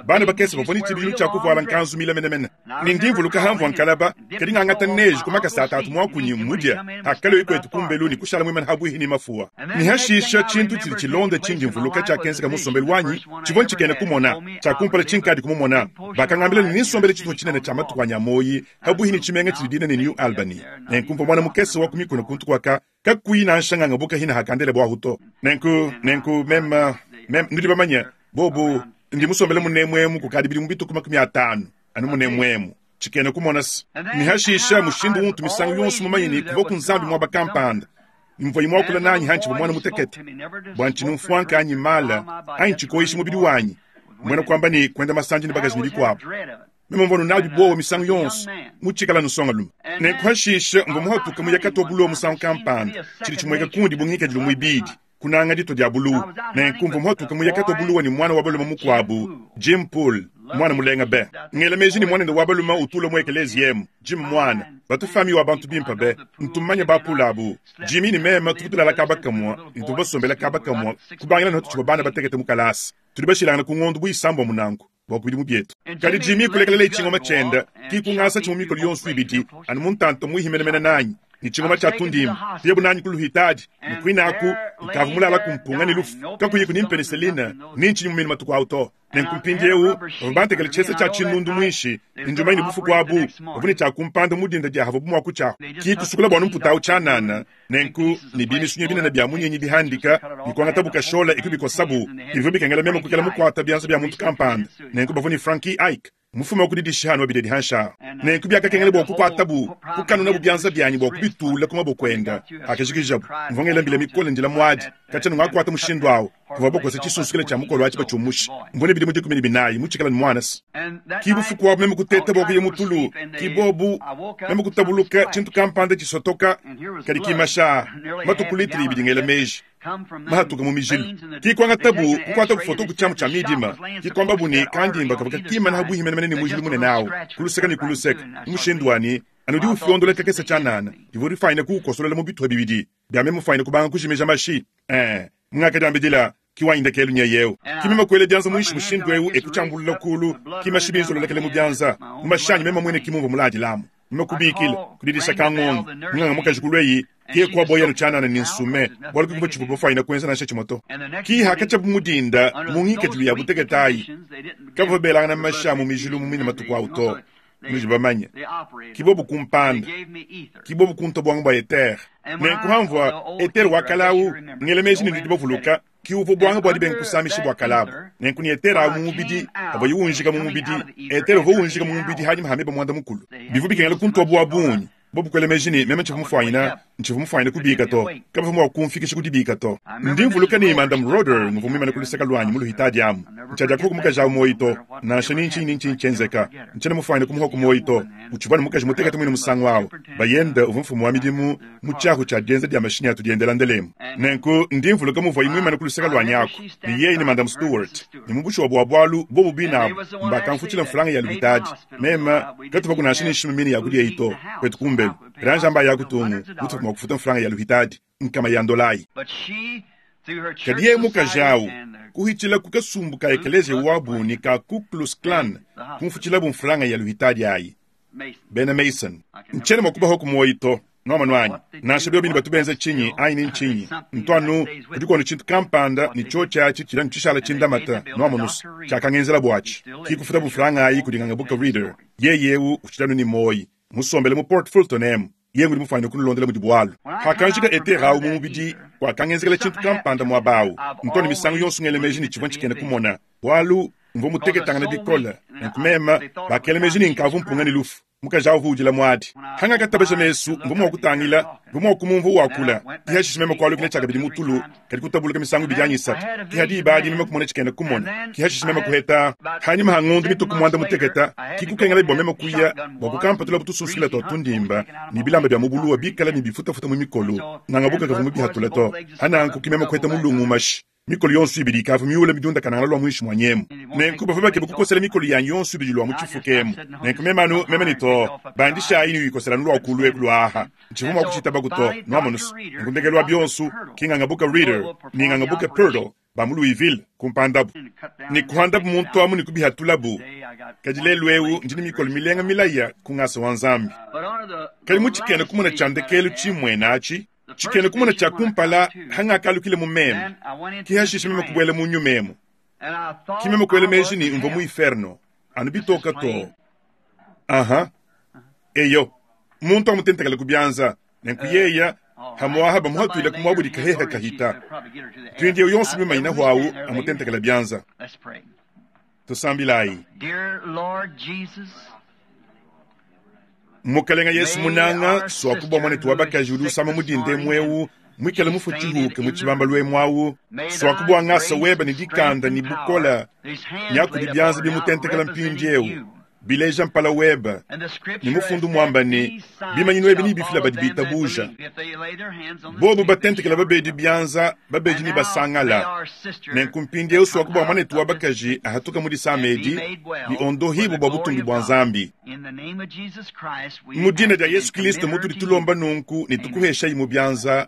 bana bakese bavua ne tshibidilu tshia kuvuala nkanzu mila menemene. Ne ndi mvuluka hamvua nkalaba, kadi ngangata neje ku makasa a tatu muakunyi mmudia hakaloyi kuetu kumbelu ne kushala muimane habuihi ne mafuwa. Ne hashisha tshintu tshidi tshilonda tshindi mvuluka tshiakenzeka mu nsombelu wanyi tshivua ntshikena kumona. Tshia kumpala tshinkadi kumumona, bakangambila ne ninsombele tshitupa tshinene tshia matuku anyi a muoyi habuihi ne tshimenga tshidi dina ne New Albany. Nenku mvua muana mukese wa ku mikuna kuntu kuaka kakuyi nansha nganga bukahina hakandele buahu to. Nenku nenku meme meme nudi bamanye bobu ndi musombele munemuemu kukadi bidimu bituku 50 anu munemuemu tshikena kumona se. Ne hashisha mushindu untu misangu yonso mumanye ne kuvua ku Nzambi muaba kampanda mvua muakula nanyi hantshivua mwana mutekete bua ntshinu mfuanka anyi mala anyi tshikoyishi mubidi wanyi muena kuamba ne kuenda masandi ne bakaji ne bikuabu. Meme mvua nunabi buowa misangu yonso mutshikala nusonga lume. Nenku hashisha mvua muhatuka muyakata bulowa musangu kampanda tshidi tshimueka kundi bu ngikadilu muibidi kunanga dito dia buluwu. Nenku mvua muhatuka muyakata buluwa ne mwana wa balume mukuabu Jim Poole, mwana mulenga be. Ngela meji ne mwanende wa balume utula mu ekelezi emu Jim mwana batufami wa bantu bimpe be ntumanye bapula abu. Jimmy ne meme tuvua tulala kaba kamua ne tuvua basombela kaba kamua kubangila ne tutshivua bana batekete mu kalasa. Tudi bashilangana ku ngondu bu isambombo nanku bua ku bidimu bietu. Kadi Jimmy kulekelela tshingoma tshienda ki kungasa tshimue mikolo yonso ibidi anu mu ntanta muihi menemene nanyi. Ne tshingoma tshia tundimba, kuyabu nanyi ku luhitadi, ne kuine aku nkavua mulala ku mpunga ne lufu, kakuyiku ni mpeneseline ni ntshinyi mu mine matuku au to. Nenku mpindieu bavua bantekele tshiesa tshia tshinundu muinshi, ne ndi mumanye ne bufuku abu bavua ne tshia kumpanda mu dinda dia havuabu mua kutshiaku. Ki kusukula bua numputa au tshianana, nenku ne bimisunya binene bia munyinyi bihandika, ne kuangatabu kashola e kubikosabu. Bivua bikengela meme kuikala mukuata bianza bia muntu kampanda. Nenku bavua ne Frankie Ike mufume wa ku didisha anu wa hanshi ahu. Nenku biakakengela bua kukuatabu, kukanunabu bianza bianyi bua kubitula ku maboko enda. Pakajikijabu, mvua ngela mbila mikole ndila muadi. Katshia ngakuata mushindu awu, bavua bakosa tshisunsukile tshia mukolo atshi batshiumusha. Mvua ne bidimu 14, mutshikale ne muana se. Ki bufuku abu meme kuteta bua kuya mu tulu, ki bobu meme kutabuluka tshintu kampanda tshisotoka, kadi kimasha aa matuku litre ibidi ngela meji mahatuka mu mijilu. Ki kuangatabu kukuatabu foto ku tshiamu tshia midima, ki kuambabu ne kandimba kavua kakimana habuihi menemene ne mujilu munene awu, ku luseke ne ku luseke, mu mushindu wa ne anu udi ufiondola kakese tshianana, divua difanyine kuukosolola mu bitupa bibidi bia meme mufanyine kubanga kujimija mashi. Ee, mungakadiambidila, ki wanyi ndekelu nyeye eu. Ki meme kuela bianza muinshi mushindu eu e kutshiambulula kulu, ki mashi binzololekele mu bianza, mu mashi anyi meme muine ki mumvua muladilamu. Meme kubikila, kudidisha kangongo, munganga mukaji kulua ke kuaboya anu tshianana ne nsume, bualu kakuvua tshivua bafanyine kuenza nansha tshimue to. Ki hakatshiabu mu dinda mu ngikadilu ya butekete ayi, kabavua belangana mashi a mu mijilu mu mine matuku au to. Nudi bamanye, ki bobu kumpanda, ki bobu kunta buanga bua etere. Nenku hamvua etere wa kale au, ngela meji ne nudi bavuluka, ki uvua buanga bua dibenga kusamisha bua kale abu. Nenku ne etere au mu mubidi, avuaye unjika mu mubidi, etere uvua unjika mu mubidi hanyima ha meba 10. Bivua bikengela kuntua bua bungi. Bobu kuela meji ne meme ntshivua mufuanyina kubika to, kabavua mua kumfikisha ku dibika to. Ndi mvuluka ne Madam Roder nguvua muimane ku luseke luanyi mu luhitadi amu. Ntshiadiakuhoku mukaji awu muoyi to, nansha ni ntshinyi ni ntshinyi tshienzeka. Ntshiena mufuanyine kumuhoku muoyi to. Utshivua ne mukaji mutekete muine musangu awu. Bayende uvua mfumu wa midimu mu tshiahu tshia dienza dia mashinyi atu diendela ndelemu. Nenku ndi mvuluka muvuaye muimane ku luseke luanyi aku, ne yeye ne Madam Stewart, ne mu bushuwa bua bualu bobu bine abu mbakamfutshila mfranga ya luhitadi. Meme katuvaku nansha ne nshima mine ya kudia eyi to, kwetu kumbelu. Kadi amba ya kutungu mutuvua mua kufuta mfranga ya luhitadi nkama ya ndolayi. Kadi yeye mukaji awu kuhitshila ku kasumbu ka ekeleziya wabu ne ka Ku Klux Klan kumfutshilabu mfranga ya luhitadi ayi. Bena Mason, ntshiena mua kubahoku muoyi to. Nuamanu anyi, nansha biobi ne batu benza tshinyi anyi ne ntshinyi, ntu anu kudi kuonu tshintu kampanda ne tshiotshi atshi tshidi anu tshishala tshindamata. Nuamonusu tshiakangenzela buatshi ki kufutabu mfranga ayi kudi nganga Booker Reader. Yeye eu utshidi anu ne muoyi, musombele mu Port Fulton emu. Yeye ngudi mufuanyine kunulondela mudi bualu. Pakanjika etere au mu mubidi, kuakangenzekela tshintu kampanda muaba au. Ntu anu misangu yonso ngela meji ne tshivua ntshikena kumona, bualu mvua muteketangane bikole. Nenku meme bakela meji ne nkavua mpunga ne lufu. Mukaji au uvua udila muadi. Hangakatabaja mesu, mvua mua kutangila, mvua mua kumumvua wakula. Ki hashishe meme kualukila tshiakabidi mu tulu, kadi kutabuluka misangu ibidi anyi isatu. Ki ha diba adi meme kumona tshikena kumona. Ki hashishe meme kuheta hanyima ha ngondu mituku 11, ki kukengela bua meme kuya bua kukampatulabu tusunsukila tua tundimba ne bilamba bia mu buluwa bikala ne bifutafuta mu mikolo. Nganga kavua mubihatula to. Hananku ki meme kuheta mulungu mashi. Mikolo yonso ibidi ikavua miule midiundakanangana lua muinshi mua nyemu. Nenku bavua bakeba kukosela mikolo yanyi yonso ibidi lua mu tshifuka emu. Nenku meme anu meme ne to, bandishayi ne uyikosela anu lua kulu eku lua aha. Ntshivua mua kutshitabaku to, nuamonusu. Nenku ndekelu wa bionso, ki nganga Booker Reader ne nganga Booker Pirtle ba mu Louisville kumpandabu. Ne kuhandabu muntu amu ne kubihatulabu. Kadi lelu eu ndi ne mikolo milenga milaya ku ngasa wa Nzambi. Kadi mu tshikena kumona tshia ndekelu tshimuena atshi, tshikena kumona tshia kumpala hangakalukile mu meme, ki hashishe meme kubuela mu nyuma emu, ki meme kuela meji ne mvua mu inferno anu bitoka to. Aha, eyo, muntu amutentekele ku bianza, nenku yeya hamuaha bamuhatuile ku muabu dikaheha kahita. Mpindieu yonso mimanyina huawu amutentekele bianza. Tusambilayi. Mukalenga Yesu munanga, suaku bua mwanetu wa bakaji udi usama mu dinda emu eu, muikale mufue tshihuke mu tshibambalu emu au, suaku bua ngasa weba ne dikanda ne bukola nyakudi bianza bimutentekela mpindieu, bileja mpala weba ne mufundu muamba ne bimanyinu ebi nibifila badi bitabuja. Bobu batentekela babedi bianza, babedi ne basangala. Nenku mpindieu suaku bua mwanetu wa bakaji ahatuka mu disama edi ne ondohibu bua butumbi bua Nzambi. Mu dina dia Yesu Kristo mutudi tulomba nunku ne tukuheshayi mu bianza.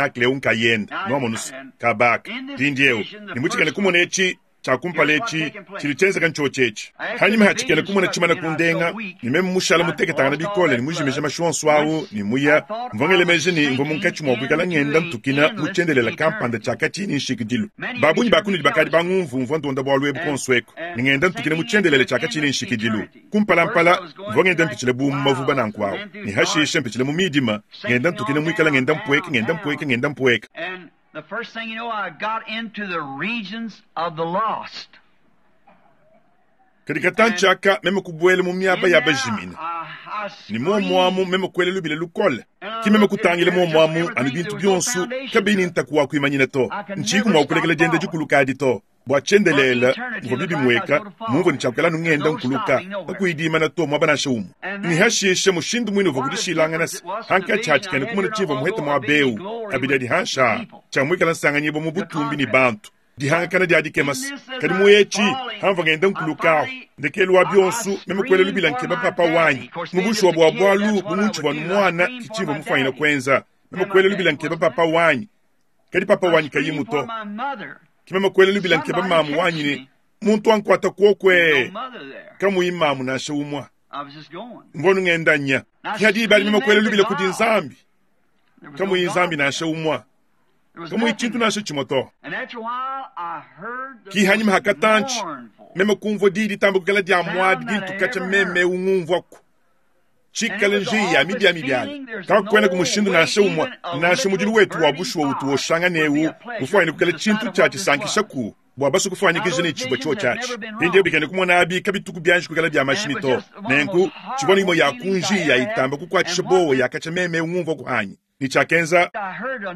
tabernacle ewu nkayende, nwamonu's, kaaba aka. Mpindyewu, ne mu cikena-kumona eci. Tshia kumpala etshi tshidi tshienzeka ntshiotshi etshi. Hanyima ha tshikena kumona tshimana kundenga, ne meme mushala muteketangana bikole ne mujimije mashi onso awu ne muya, mvua ngela meji ne mvua munkatshi mua kuikala ngenda ntukina mu tshiendelela kampanda tshia katshiyi ne nshikidilu. Ba bungi ba kunudi bakadi bangumvu mvua ndonda bualu ebu kuonso eku, ne ngenda ntukina mu tshiendelele tshia katshiyi ne nshikidilu. Kumpalampala, mvua ngenda mpitshila bu mu mavuba nanku awu, ne hashishe mpitshila mu midima, ngenda ntukina muikala ngenda mpueka, ngenda mpueka, ngenda mpueka. The first thing you know, I got into the regions of the lost. Kadi katantshi aka meme kubuela mu miaba ya bajimine, ne muomu amu meme kuela lubila lukole. Ke meme kutangila muomu amu anu bintu bionso kabiyi ne ntaku wa kuimanyina to. Ntshiyiku mua kulekela dienda dikuluka adi to. Bua tshiendelele muvua bibimueka mumvua ne tshia kuikala anu ngenda nkuluka kakuyi diimana to muaba nansha umue. Ne hashishe mushindu muine uvua kudishilangana se hankatshi ha tshikena kumona tshimvua muhete muaba eu abidi adi hanshi aa tshia muikala nsanganyibua mu butumbi ne bantu. Dihangakana dia dikema se kadi mu etshi hamvua ngenda nkuluka ahu ndekelu wa bionso meme kuela lubila nkeba papa wanyi. Mu bushuwa bua bualu bu muntshivua anu muana ki tshimvua mufuanyina kuenza. Meme kuela lubila nkeba papa wanyi kadi papa wanyi kayimu to. Ke meme kuela lubila nkeba mamu wanyi ne, Muntu ankuata kuokue! Kamuyi mamu nansha umua. Mvua anu ngenda nya. Ke diba adi meme kuela lubila kudi Nzambi. Kamuyi Nzambi nansha umua. Kamuyi tshintu nansha tshimue to. Ki hanyima ha katantshi, meme kumvua diyi ditamba kuikala dia muadi dintu katshia meme eu ngumvuaku. Tshikale njiyi ya mibiamibiala, kakuenaku mushindu nansha umue, nansha mudilu wetu wa bushuwa utu woshangana eu mufuanyine kuikala tshintu tshia tshisankishaku bua basue kufuanyikija ne tshivua tshiotshi atshi. Mpindieu bikena kumona abi kabituku bianji kuikala bia mashimi to. Nenku, tshivua ne imue ya ku njiyi ya itamba kukuatshisha buowa ya katshia meme eu ngumvuaku anyi? Ne tshiakenza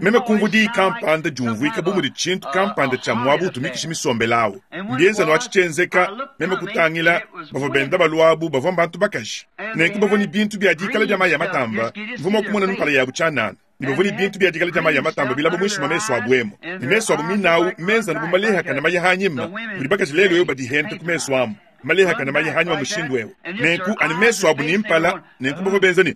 meme kumvua diyi kampanda diumvuika bu mudi tshintu kampanda tshia muaba utu mikishi misombele awu. Mbienza nu atshi tshienzeka, meme kutangila, bavua benda balua abu bavua mbantu bakaji. Nenku bavua ne bintu bia dikala dia mayi a matamba, mvua mua kumona mpala yabu tshianana, ne bavua ne bintu bia dikala dia mayi a matamba bilaba muinshi mua mesu abu emu, ne mesu abu mine awu menza anu bu malehakane maya anyima, mudi bakaji lelu eu badihente ku mesu amu. Malehakane maya anyima mushindu eu. Nenku anu mesu abu ne mpala, nenku bavua benza ne,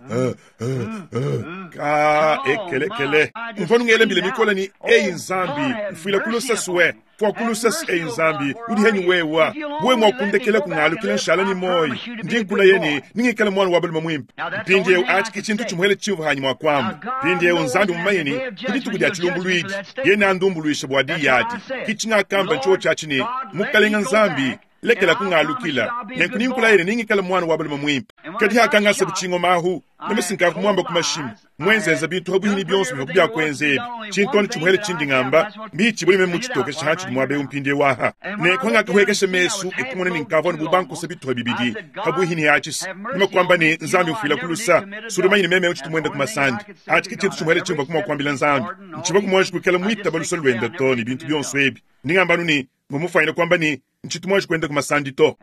Ka ekelekele. Mvua nungela mbila mikole ne, Eyi Nzambi, mfuila ku luse sue, fua ku luse, eyi Nzambi, udi henyi wewa? Wewe mua kundekela kungalukila nshala ne muoyo, ndi nkulaya ne, nengikale muana wa balume muimpe. Mpindieu atshi ke tshintu tshimuele tshimvua hanyi mua kuamba. Mpindieu Nzambi mumanye ne, ku dituku dia tshilumbuluidi, yeye neandumbuluishe bua diyi adi. Ke tshingakamba ntshiotshi atshi ne, Mukalenga Nzambi, lekela kungalukila, nenku ninkulaye ne ningikale muana wa balume muimpe. Kadi hakangasa bu tshingoma ahu, meme sinkavu muamba ku mashimi, muenzenza bintu ha buhini bionso bivua biakuenza ebi. Tshintu anu tshimuele tshindi ngamba, mbihitshibue ne meme mutshitokeshe hantshidi muaba eu mpindieu aha. Nenku hangakahuekesha mesu e kumona ne nkavua anu bu bankosa bituha bibidi ha buhini atshi, meme kuamba ne, Nzambi mfuila ku lusa, sudi mumanye ne meme eu tshitu muende ku masandi. Atshi ke tshintu tshimuele tshimvua ku mua kuambila Nzambi. Ntshivua ku muanji kuikala muitaba lusa luende to ne bintu bionso ebi. Ndi ngamba anu ne, mvua mufuanyine kuamba ne, Ntshitu muanji kuenda ku masandi to.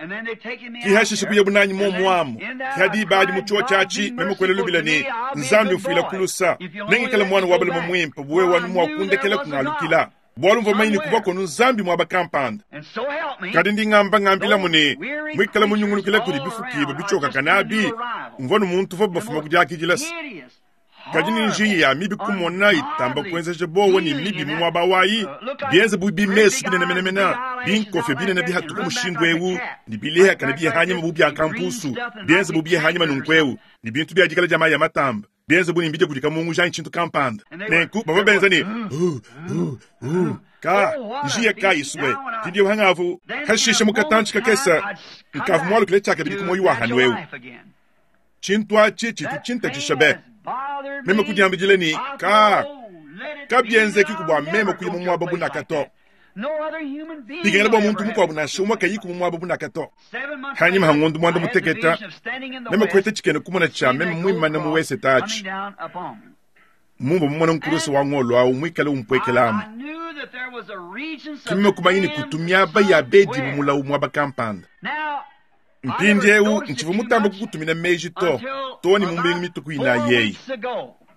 Ki hashishe kuyabu nanyi muomu amu. Ki ha diba adi mu tshiotshi atshi, meme kuela lubila ne, Nzambi mfuila ku lusa, nengikale muana wa balume muimpe bu wewe anu mua kundekela kungalukila. Bualu mvua mumanye ne kuvua konu Nzambi muaba kampanda. Kadi ndi ngamba ngambilamu ne, muikale munyungulukila kudi bifukibua bitshiokakane abi, mvua nu muntu uvuabu bafuma ku diakidila se, Kadi ne njiya ya mibi kumona itamba kuenzeja buowa ne mibi mu muaba wayi, bienze bu bimesu binene menemene, binkofia binene bihatuka mushindu eu, ne bilehakana biya hanyima bu bia kampusu, bienze bu biya hanyima nunku eu, ne bintu bia dikala dia mayi a matamba, bienze bu ne mbidia kudi kamunguja anyi tshintu kampanda. Nenku bavua benza ne, Hu, hu, hu. Ka, njiya kayi sue, mpindieu hangavu. Hashishe mu katantshi kakese, nkavu mualukile tshiakabidi ku muoyo wa hanu eu. Tshintu atshi tshitu tshintatshisha be. Meme kudiambidila ne, Kaa, kabienzekiku bua meme kuya mu muaba bu naka to. Bikengela bua muntu mukuabu nansha umue kayiku mu muaba bu naka to. Hanyima ha ngondo muanda muteketa, meme kuheta tshikena kumona tshia meme muimane mu wesete atshi. Mumvua mumone nkuruse wa ngolo au muikale umpuekelamu. Ke meme kumanya ne kutu miaba ya bedibu mulawu muaba kampanda. Mpindieu ntshivua mutambe kukutumina meji to, too ne mu mbingu mitue ku inayi eyi.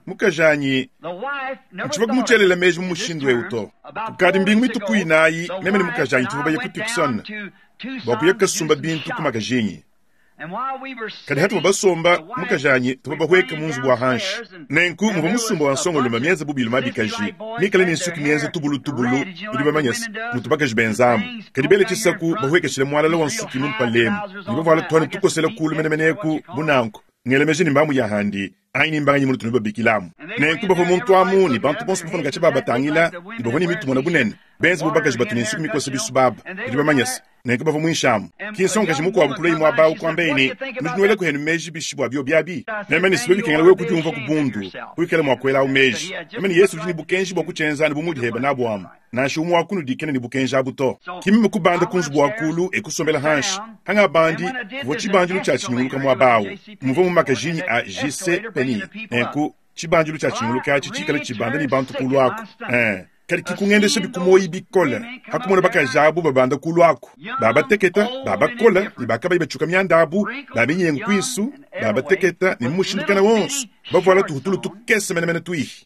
Mukajanyi, ntshivua kumutshielela meji mu mushindu eu to. Kukadi mbingu mitue ku inayi, meme ne mukajanyi tuvua baye ku Tucson bua kuya kasumba bintu ku makajinyi. Kadi hatuvua basomba, mukajanyi tuvua bahueka mu nzubu wa hanshi. Nenku muvua musumba wa nsongolume mienze bu biluma bikaji, mikale ne nsuki mienze tubulutubulu, nudi bamanye se, mutu bakaji benzamu. Kadi bele tshisaku bahuekeshile mualala wa nsuki mu mpalemu, ne bavuala tuanu tukosela kulu menemene eku bu nanku. Ngela meji ne mbamu ya handi anyi ne mbanganyi munutu nubabikilamu. Nenku bavua muntu amu ne bantu bonso bavua katshia babatangila ne bavua ne mitu mona bunene, benze bu bakaji batu ne nsuki mikosa bisu baba. Nudi bamanye se, nenku bavua muinshi amu. Ki nsongakaji mukuabu kulua muaba awu kuambaye ne, Nudi nuelaku henu meji bishi bua biobi abi? Meme ne sibe bikengela wewe kudiumvua ku bundu, kuikala mua kuelawu meji. Meme ne Yesu udi ne bukenji bua kutshienza anu bu mudi heba nabu amu. Nansha umue wa kunudi kena ne bukenji abu to. Ki meme kubanda ku nzubu wa kulu e kusombela hanshi. Hangabandi, kuvua tshibandilu tshia tshinyunguluka muaba awu. Muvua mu makajinyi a JC Penney. Nenku, tshibandilu tshia tshinyunguluka atshi tshikale tshibanda ne bantu kulu aku. Ee, kadi ki kungendesha ku muoyi bikole ha kumona bakaji abu babanda kulu aku, babateketa, babakola ne bakabayi batshiuka mianda abu, ba minyengu kuisu, babateketa ne mu mushindu kana wonso, bavuala tuhutulu tukese menemene tuihi.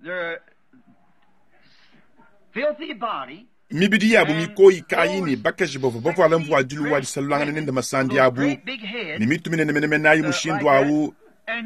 Mibidi yabu mikoyi kayi ne bakaji bavua bavuala mvuadilu wa disalulangana nende masandi abu ne mitu minene menemene ayi mushindu awu,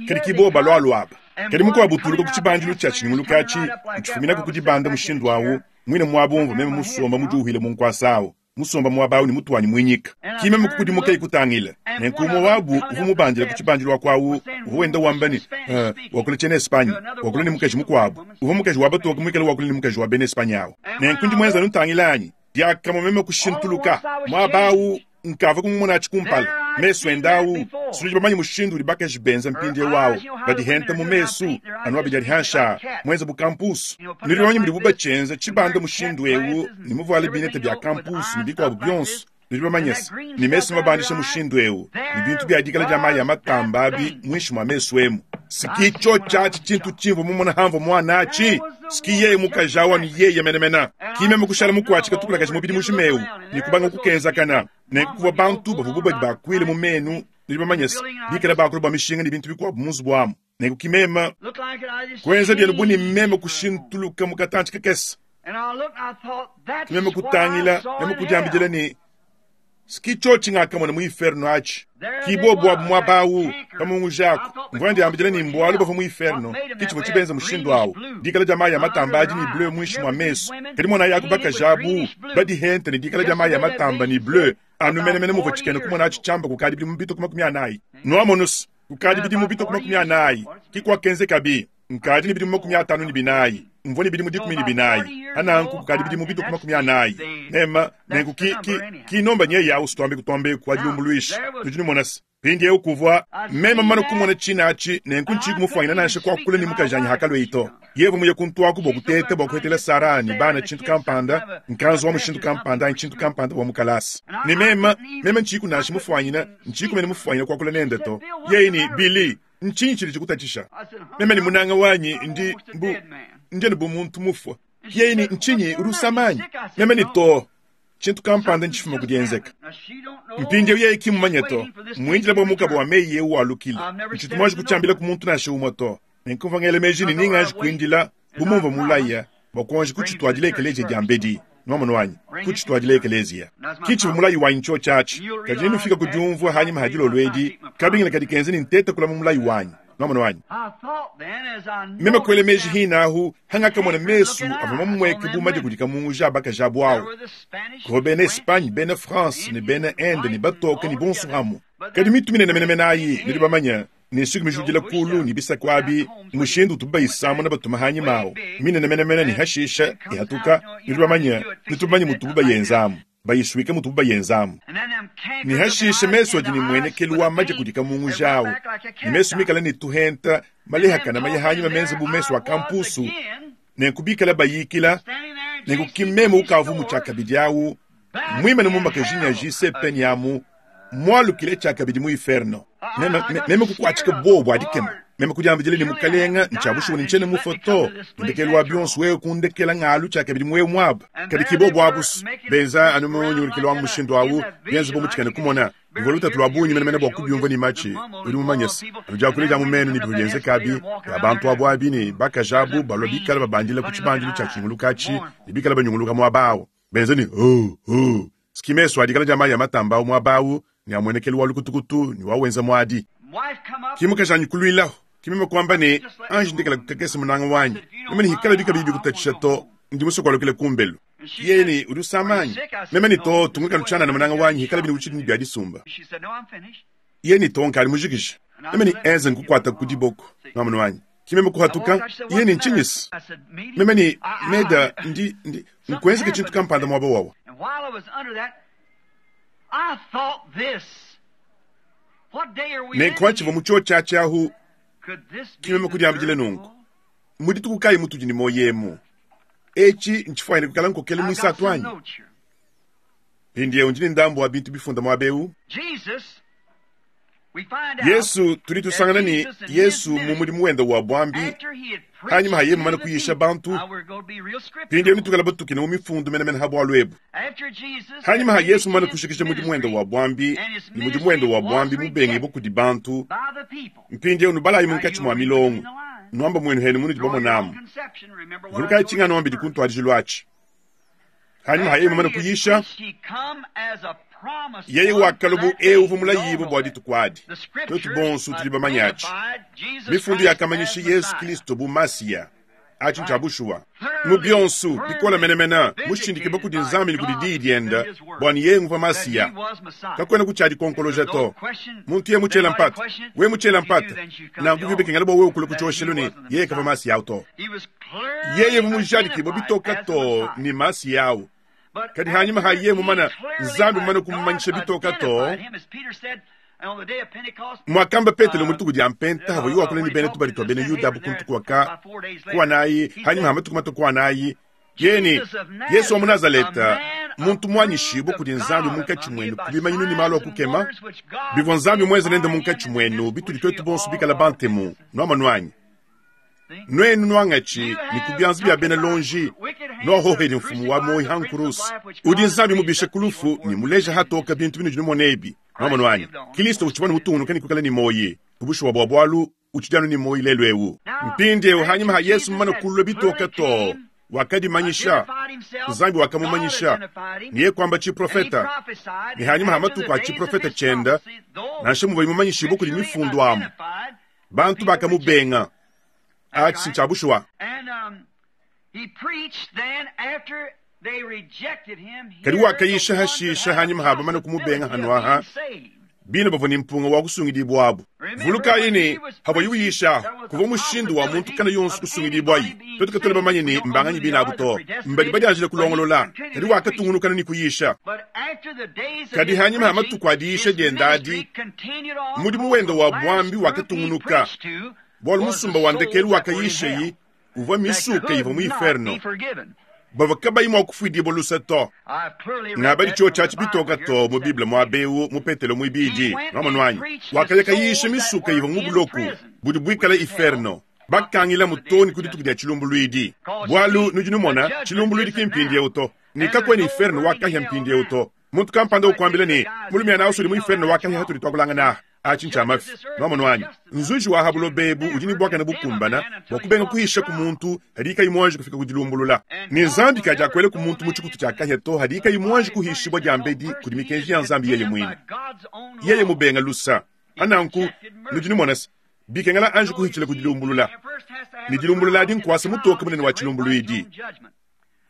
kadi ki bobu balualua aba. Kadi mukuabu utuluka ku tshibandilu tshia tshinyunguluka atshi, utshifuminaku ku dibanda mushindu awu, muine muaba umvua meme musomba mudiuwile mu nkuasa awu. Musomba muaba awu ne mutu wanyi muinyika. Ki meme kukudimuka e kutangila, nenku umue wabu uvua mubandile ku tshibandilu aku awu uvua wenda wamba ne, Uh, wakula tshiena Espagne, wakula ne mukaji mukuabu. Uvua mukaji wa batoke muikale wakula ne mukaji wa bena Espagne awu. Nenku ndi muenza anu ntangila anyi? Diakamue meme kushintuluka. Muaba awu nkavua kumumonatshi kumpala. Mesu ende awu, si nudi bamanye mushindu udi bakaji benza mpindieu awu, badihenta mu mesu, anu abidi adi hanshi aa, muenze bu kampusu. Nudi bamanye mudibu batshienza tshibanda mushindu eu ne muvuale binete bia kampusu ne bikuabu bionso, nudi bamanye se, ne mesu mabandisha mushindu eu ne bintu bia dikala dia mayi a matamba abi muinshi mua mesu emu. Siki tshiotshi atshi tshintu tshimvua mumona hamvua muana atshi, siki yeye mukaji awu anu yeye menemene. Ki meme kushala mukuatshika tukulakaji mubidi mujima eu ne kubanga kukenzakana. Nenku kuvua bantu bavua bu badi bakuile mu menu, nudi bamanye se, bikale bakula bua mishinga ne bintu bikuabu mu nzubu amu. Nenku ki meme kuenza bienu bu ne meme kushintuluka mu katantshi kakese. Ki meme kutangila, meme kudiambidila ne, Ski tshiotshi ngakamona mu inferno atshi. Ki bobu abu muaba awu, kamunguja aku. Mvua ndiambidila ne mbualu bavua mu inferno, ki tshivua tshibenza mushindu awu. Dikala dia mayi a matamba adi ne bleu muinshi mua mesu. Kadi monayi aku bakaji abu, badihente ne dikala dia mayi a matamba ne bleu, anu menemene muvua tshikena kumona atshi tshiamba kukadi bidimu bipite ku 40. Nuamonu's, kukadi bidimu bipite ku 40, ki kuakenzekabi. Nkadi ne bidimu 54, mvua ne bidimu 14, ananku kukadi bidimu bitue ku 40. Mema, nenku ki, ki, ki nomba nyeye awu situambe kutuambe ku adilumbuluisha. Nudi numona se, mpindiewu kuvua meme mumane kumona tshina atshi, nenku ntshiyi kumufuanyina nansha kuakula ne mukajanyi hakalueyi to. Yeye muye kuntuaku bua kuteta bua kuhetela Sara ne bana tshintu kampanda, nkanzu wa mushindu kampanda anyi tshintu kampanda bua mu kalasa. Ne meme, meme ntshiyiku nansha mufuanyina, ntshiyiku mene mufuanyina kuakula nende to. Yeye ne, Billy, Ntshinyi tshidi tshikutatshisha? Meme ne munanga wanyi ndi bu ndi anu bu muntu mufua. Yeye ne, ntshinyi udi usama anyi? Meme ne, to, tshintu kampanda ntshifuma ku dienzeka. Mpindieu yeye ki mmumanye to, mmuindile bua mukaba wa meyi eu walukile. Ntshitu muanji kutshiambila ku muntu nansha umue to. Nenku mvua ngela meji ne ninganji kuindila bu mumvua mulaya bua kuanji kutshituadila ekeleziya diambedi. Nwamonu anyi? Kutshituadila ekeleziya. Ki tshivua mulayi wanyi tshiotshi atshi. Kadi nenufike ku diumvua hanyima ha dilolo edi kabingila kadi kenza ne nteta kulama mulayi wanyi. Nwamonu anyi? Meme kuela meji hine ahu hangakamona mesu avua mamumueke bu madi kudi kamunguja a bakaji abu awu. Kuvua bena Espagne, bena France, ne bena Inde, ne batoke, ne bonso amu. Kadi mitu minene menemene ayi, nudi bamanye, ne nsuki mijudila kulu ne bisaku abi, mushindu utubu bayisamuna batuma hanyima awu, minene menemene ne hashisha ihatuka, nudi bamanye, nutu bamanye mutubu bayenzamu, bayisuika mutubu bayenzamu. Ne hashisha mesu adi ne muenekelu wa maja kudi kamunguja awu, ne mesu mikale ne tuhenta malehakana maya hanyima menza bu mesu a kampusu, nenku bikale bayikila, nenku ki meme ukavu mu tshiakabidi awu, muimane mu makajinyi a JC Penney amu, mualukile tshiakabidi mu inferno. Meme, meme kukuatshika buowa bua dikema. Meme kudiambidila ne, Mukalenga, ntshia bushuwa ne ntshiena mufue to. Ndekelu wa bionso wewe kundekela ngalu tshiakabidi mu eu muaba. Kadi ki bobu abu benza anu mu nyungulukilu wa mushindu awu, bienze bu mu tshikena kumona. Bivua lutatu lua bungi menemene bua kubiumvua ne matshi. Udi mumanye se, anu diakula dia mu menu ne bivua bienzeka abi, bia bantu abu abi ne bakaji abu balua bikale babandila ku tshibandilu tshia tshinguluka atshi ne bikale banyunguluka muaba awu, benza ne, Oh, oh! Ski mesu a dikala dia mayi a matamba awu muaba awu. Ne amuenekelu wa lukutukutu ne wawenza muadi. Ki mukajanyi kuluilahu, ki meme kuamba ne, Anji ndekela kakese munanga wanyi. Meme ne hikalabi kabiyi bikutatshisha to, ndi musue kualukila kumbelu. Yeye ne, Udi usama anyi? Meme ne, Too, tungunuka tshianana munanga wanyi, hikalabi ne utshidi ne bia disumba. Yeye ne, Too, nkadi mujikije. Meme ne, Enze nkukuata ku diboko, nwamonu anyi. Ki meme kuhatuka. Yeye ne, Ntshinyi-se? Meme ne, Meda, ndi, ndi, nkuenzeke tshintu kampanda muaba wawa. Nenku pantshivua mu tshiotshi atshi ahu, ki meme kudiambidila nunku, Mu dituku kayi mutudi ne muoyo emu? Etshi ntshifuanyine kuikala nkokelu muisatu anyi? Mpindieu ndi ne ndambu wa bintu bifunda muaba eu. Yesu, tudi tusangana ne Yesu mu mudimu wende wa buambi, hanyima ha yeye mumane kuyisha bantu. Mpindieu netuikale batukine mu mifundu menemene ha bualu ebu. Hanyima ha Yesu mumane kushikisha mudimu wende wa buambi, ne mudimu wende wa buambi mubengibue kudi bantu, mpindieu nubalayi munkatshi mua milongo, nuamba muenu henu munudi bamonamu. Vulukayi tshinganuambidi ku ntuadijilu atshi. Hanyima ha yeye mumane kuyisha, yeye wakalua bu eu uvua mulayibue bua dituku adi. Tuetu bonso tudi bamanye atshi. Mifundu yakamanyisha Yesu Kristo bu Masiya. Atshi ntshia bushuwa. Mu bionso, bikole menemene, mushindikibue kudi Nzambi ne kudi Diyi diende bua ne yeye nguvua Masiya. Kakuena ku tshia dikonkoloja to. Muntu yeye mutshiela mpata, wewe mutshiela mpata, nanku bivua bikengela bua wewe kulua ku tshioshelu ne yeye kavua Masiya au to. Yeye uvua mujadikibue bitoka too ne Masiya au. Kadi hanyima ha yeye mumana, Nzambi mumane kumumanyisha bitoka too, muakamba Petelo mu dituku dia Mpenta havua yeye wakula ne bena tubadi tua bena Yuda abu ku ntuku waka kuanayi hanyima ha matuku matue kuanayi, yeye ne, Yesu wa mu Nazaleta, muntu muanyishibue kudi Nzambi munkatshi muenu ku bimanyinu ne malu a kukema bivua Nzambi muenze nende munkatshi muenu, bitudi tuetu bonso bikale bantemu, nuamonu anyi? Nuenu nuangatshi ne ku bianza bia bena lonji, nuahohedi mfumu wa muoyi ha nkuruse, udi Nzambi mubishe ku lufu ne muleja hatoka bintu binudi numona ebi. Nuamonu anyi? Kilisto utshivua ne mutungunuka ne kuikala ne muoyi ku bushuwa bua bualu utshidi anu ne muoyi lelu eu. Mpindieu hanyima ha Yesu mumane kulua bitoka too, wakadimanyisha, Nzambi wakamumanyisha, ne yeye kuamba tshiprofeta, ne hanyima ha matuku a tshiprofeta tshienda, nansha muvuaye mumanyishibue kudi mifundu amu, bantu bakamubenga. Atshi ntshia bushuwa. Kadi wakayisha hashisha hanyima ha bamane kumubenga hanuaha, bine bavua ne mpunga wa kusungidibuabu. Vulukayi ne, pavuaye uyisha, kuvua mushindu wa muntu kana yonso kusungidibuayi. Tuetu katuena bamanye ne mbanganyi bine abu to, mbadi badianjile kulongolola. Kadi wakatungunuka ne kuyisha. Kadi hanyima ha matuku a diyisha diende adi, mudimu wende wa buambi wakatungunuka, bualu musumba wa ndekelu wakayishayi uvua misuke ivua mu inferno, bavua kabayi mua kufuidibua luse to. Ngabadi tshiotshi atshi bitoka to mu Bible muaba eu mu Petelo muibidi, nwamonu anyi? Wakaya kayisha misuke ivua mu buloku budi buikale inferno, bakangilamu too ne ku dituku dia tshilumbuluidi. Bualu nudi numona, tshilumbuluidi ki mpindieu to, ne kakuena inferno wa kahia mpindieu to. Muntu kampanda ukuambila ne, mulumiana au udi mu inferno wa kahia hatudi tuakulangana aha. Atshi ntshia mafi. Nwamonu anyi? Nzuji wa ha buloba ebu udi ne buakane bukumbana bua kubenga kuhisha ku muntu hadiye kayi muanji kufika ku dilumbulula. Ne Nzambi kadiakuela ku muntu mu tshikutu tshia kahia to hadiye kayi muanji kuhishibua diambedi kudi mikenji ya Nzambi yeye muine. Yeye mubenga lusa. Pa nanku, nudi numona se, bikengela anji kuhitshila ku dilumbulula. Ne dilumbulula adi nkuasa mutoke munene wa tshilumbuluidi.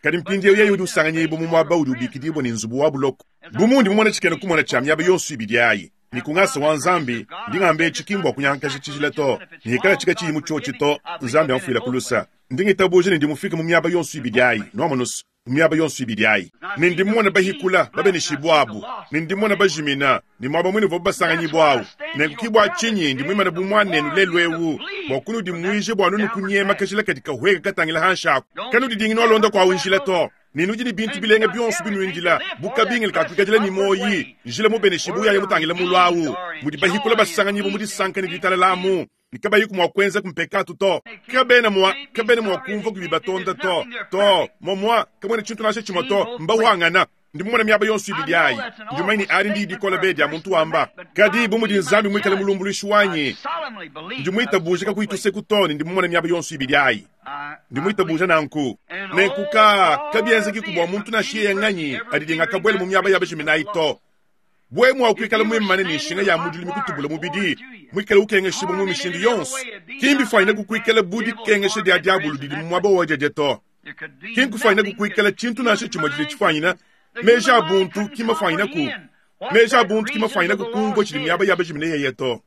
Kadi mpindieu yeye udi usanganyibua mu muaba udi ubikidibua ne nzubu wa buloko. Bu mundi mumone tshikena-kumona tshia miaba yonso ibidi ayi, ne ku ngasa wa Nzambi, ndi ngamba etshi ki mbua kunyangakaja tshijila to, ne hikala tshika tshiyi mu tshiotshi to, Nzambi amfuila ku lusa. Ndi ngitabuja ne ndi mufike mu miaba yonso ibidi ayi, nuamonu's, mu miaba yonso ibidi ayi. Ne ndi mmona bahikula, babeneshibua abu, ne ndi mmona bajimina, ne muaba muine uvuabu basanganyibua au. Nenku ki bua tshinyi ndi muimane bu muanenu lelu eu, bua kunudimuija bua nunu kunyema kajila kadi kahueka katangila hanshi aku. Kanudidingi nualonda kuawu njila to, ne nudi ne bintu bilenga bionso binuindila bu kabingila ka kuikadila ne muoyi, njila mubeneshibue uyaya mutangila mulu au, mudi bahikula basanganyibua mu disanka ne ditalala amu, ne kabayiku mua kuenzaku mpekatu to. Kabena mua, kabena mua kumvua kubibatonda to, to, momua, kamuena tshintu nansha tshimue to, mbawangana. Ndi mumone miaba yonso ibidi ayi. Ndi mumanye ne adi ndiyi dikole be dia muntu wamba. Kadi bu mudi Nzambi muikale mulumbuluishi wanyi, ndi muitabuje kakuyi tuseku to ne ndi mumone miaba yonso ibidi ayi. Ndi muitabuje nanku. Nenku ka, kabienzekiku bua muntu nansha yeye nganyi adidinga kabuela mu miaba ya bajiminayi to. Bwe mua kuikala muimane ne nshinga ya mudilu mikutubula mubidi, muikale ukengeshibua mu mishindu yonso, ki mbifuanyine kukuikala bu dikengesha dia diabulu didi mu muaba wa diadia to. Ki nkufuanyine kukuikala tshintu nansha tshimue tshidi tshifuanyine meji a buntu ki mafuanyine meji a buntu ki mafuanyine kumvua tshidi miaba ya bajimine yeye to.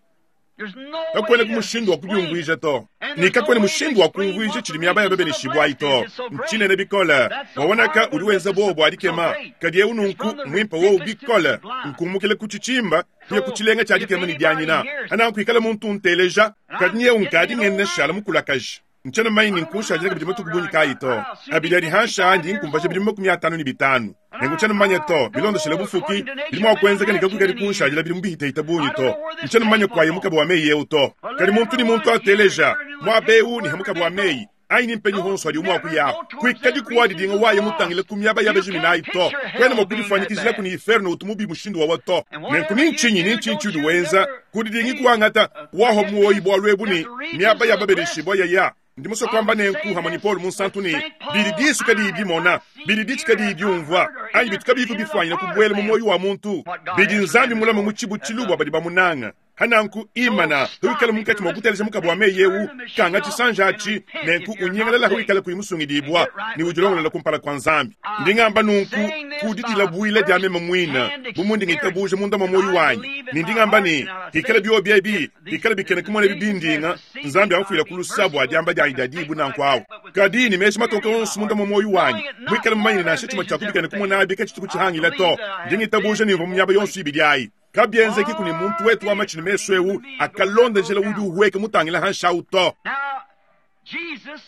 Kakuena ku mushindu wa kubiumvuija to, ne kakuena mushindu wa kumvuija tshidi miaba ya babeneshibua ayi to. Ntshinene bikole. Wawonaka udi wenza buowa bua dikema, kadi eu nunku muimpe wowu bikole. Nkumukila ku tshitshimba kuya ku tshilenga tshia dikema ne dianyina. Ananku ikala muntu unteleja, kadi nyeu nkadi ngenda nshala mukulakaje. Ntshiena mumanye ne nkushadila kabidi matuku bungi kayi to. Abidi adi hansha ndi nkumbaja bidimu 55. Nenku tshiena mumanye to, bilondeshile bufuki, bidi mua kuenzeka ne kakuikadi kunshadila bidimu bihitahita bungi to. Ntshiena mumanye kuaye mukaba wa meyi eu to. Kadi muntu ne muntu ateleja, muaba eu ne ha mukaba wa meyi, anyi ni mpenyi honso adi mua kuyaho. Kuikadi kuwadidinga waye mutangile ku miaba ya bajiminayi to. Kuena mua kudifuanyikijila ku ni inferno utu mubi mushindu wawa to. Nenku ni ntshinyi ni ntshinyi tshiudi wenza, kudidingi kuangata waho muoyi bualu ebu ne miaba ya babeneshibua yaya. Ndi musue kuamba nenku hamwe ni Paul munsantu ne bidi disu kadiyi dimona, bidi ditshi kadiyi diumvua, anyi bitu kabiyi kubifuanyina kubuela mu muoyo wa muntu, bidi Nzambi mulame mu tshibutshilu bua badi bamunanga. Hananku imana wikale munkatshi mua kuteleja mukaba wa meyi eu, kanga tshisanja atshi, nenku unyingalala wikale kuyi musungidibua ne udilongolola kumpala kua Nzambi. Ndi ngamba nunku kudidila buila dia meme muina, bu mundi ngitabuja munda mua muoyo wanyi, ne ndi ngamba ne hikala biobi ebi bikale bikene kumona bibindinga, Nzambi amfuila ku lusa bua diamba dianyi dia dibu nanku awu. Kadi ne meji matoke onso munda mua muoyo wanyi, muikale mumanye nansha tshimue tshia kubikene kumona abi katshituku tshihangila to. Ndi ngitabuja ne mvua mu miaba yonso ibidi ayi. Kabienzeki ku ne muntu wetu wa matshi ne mesu eu akalonda njila udi uhueka mutangila hanshawu to.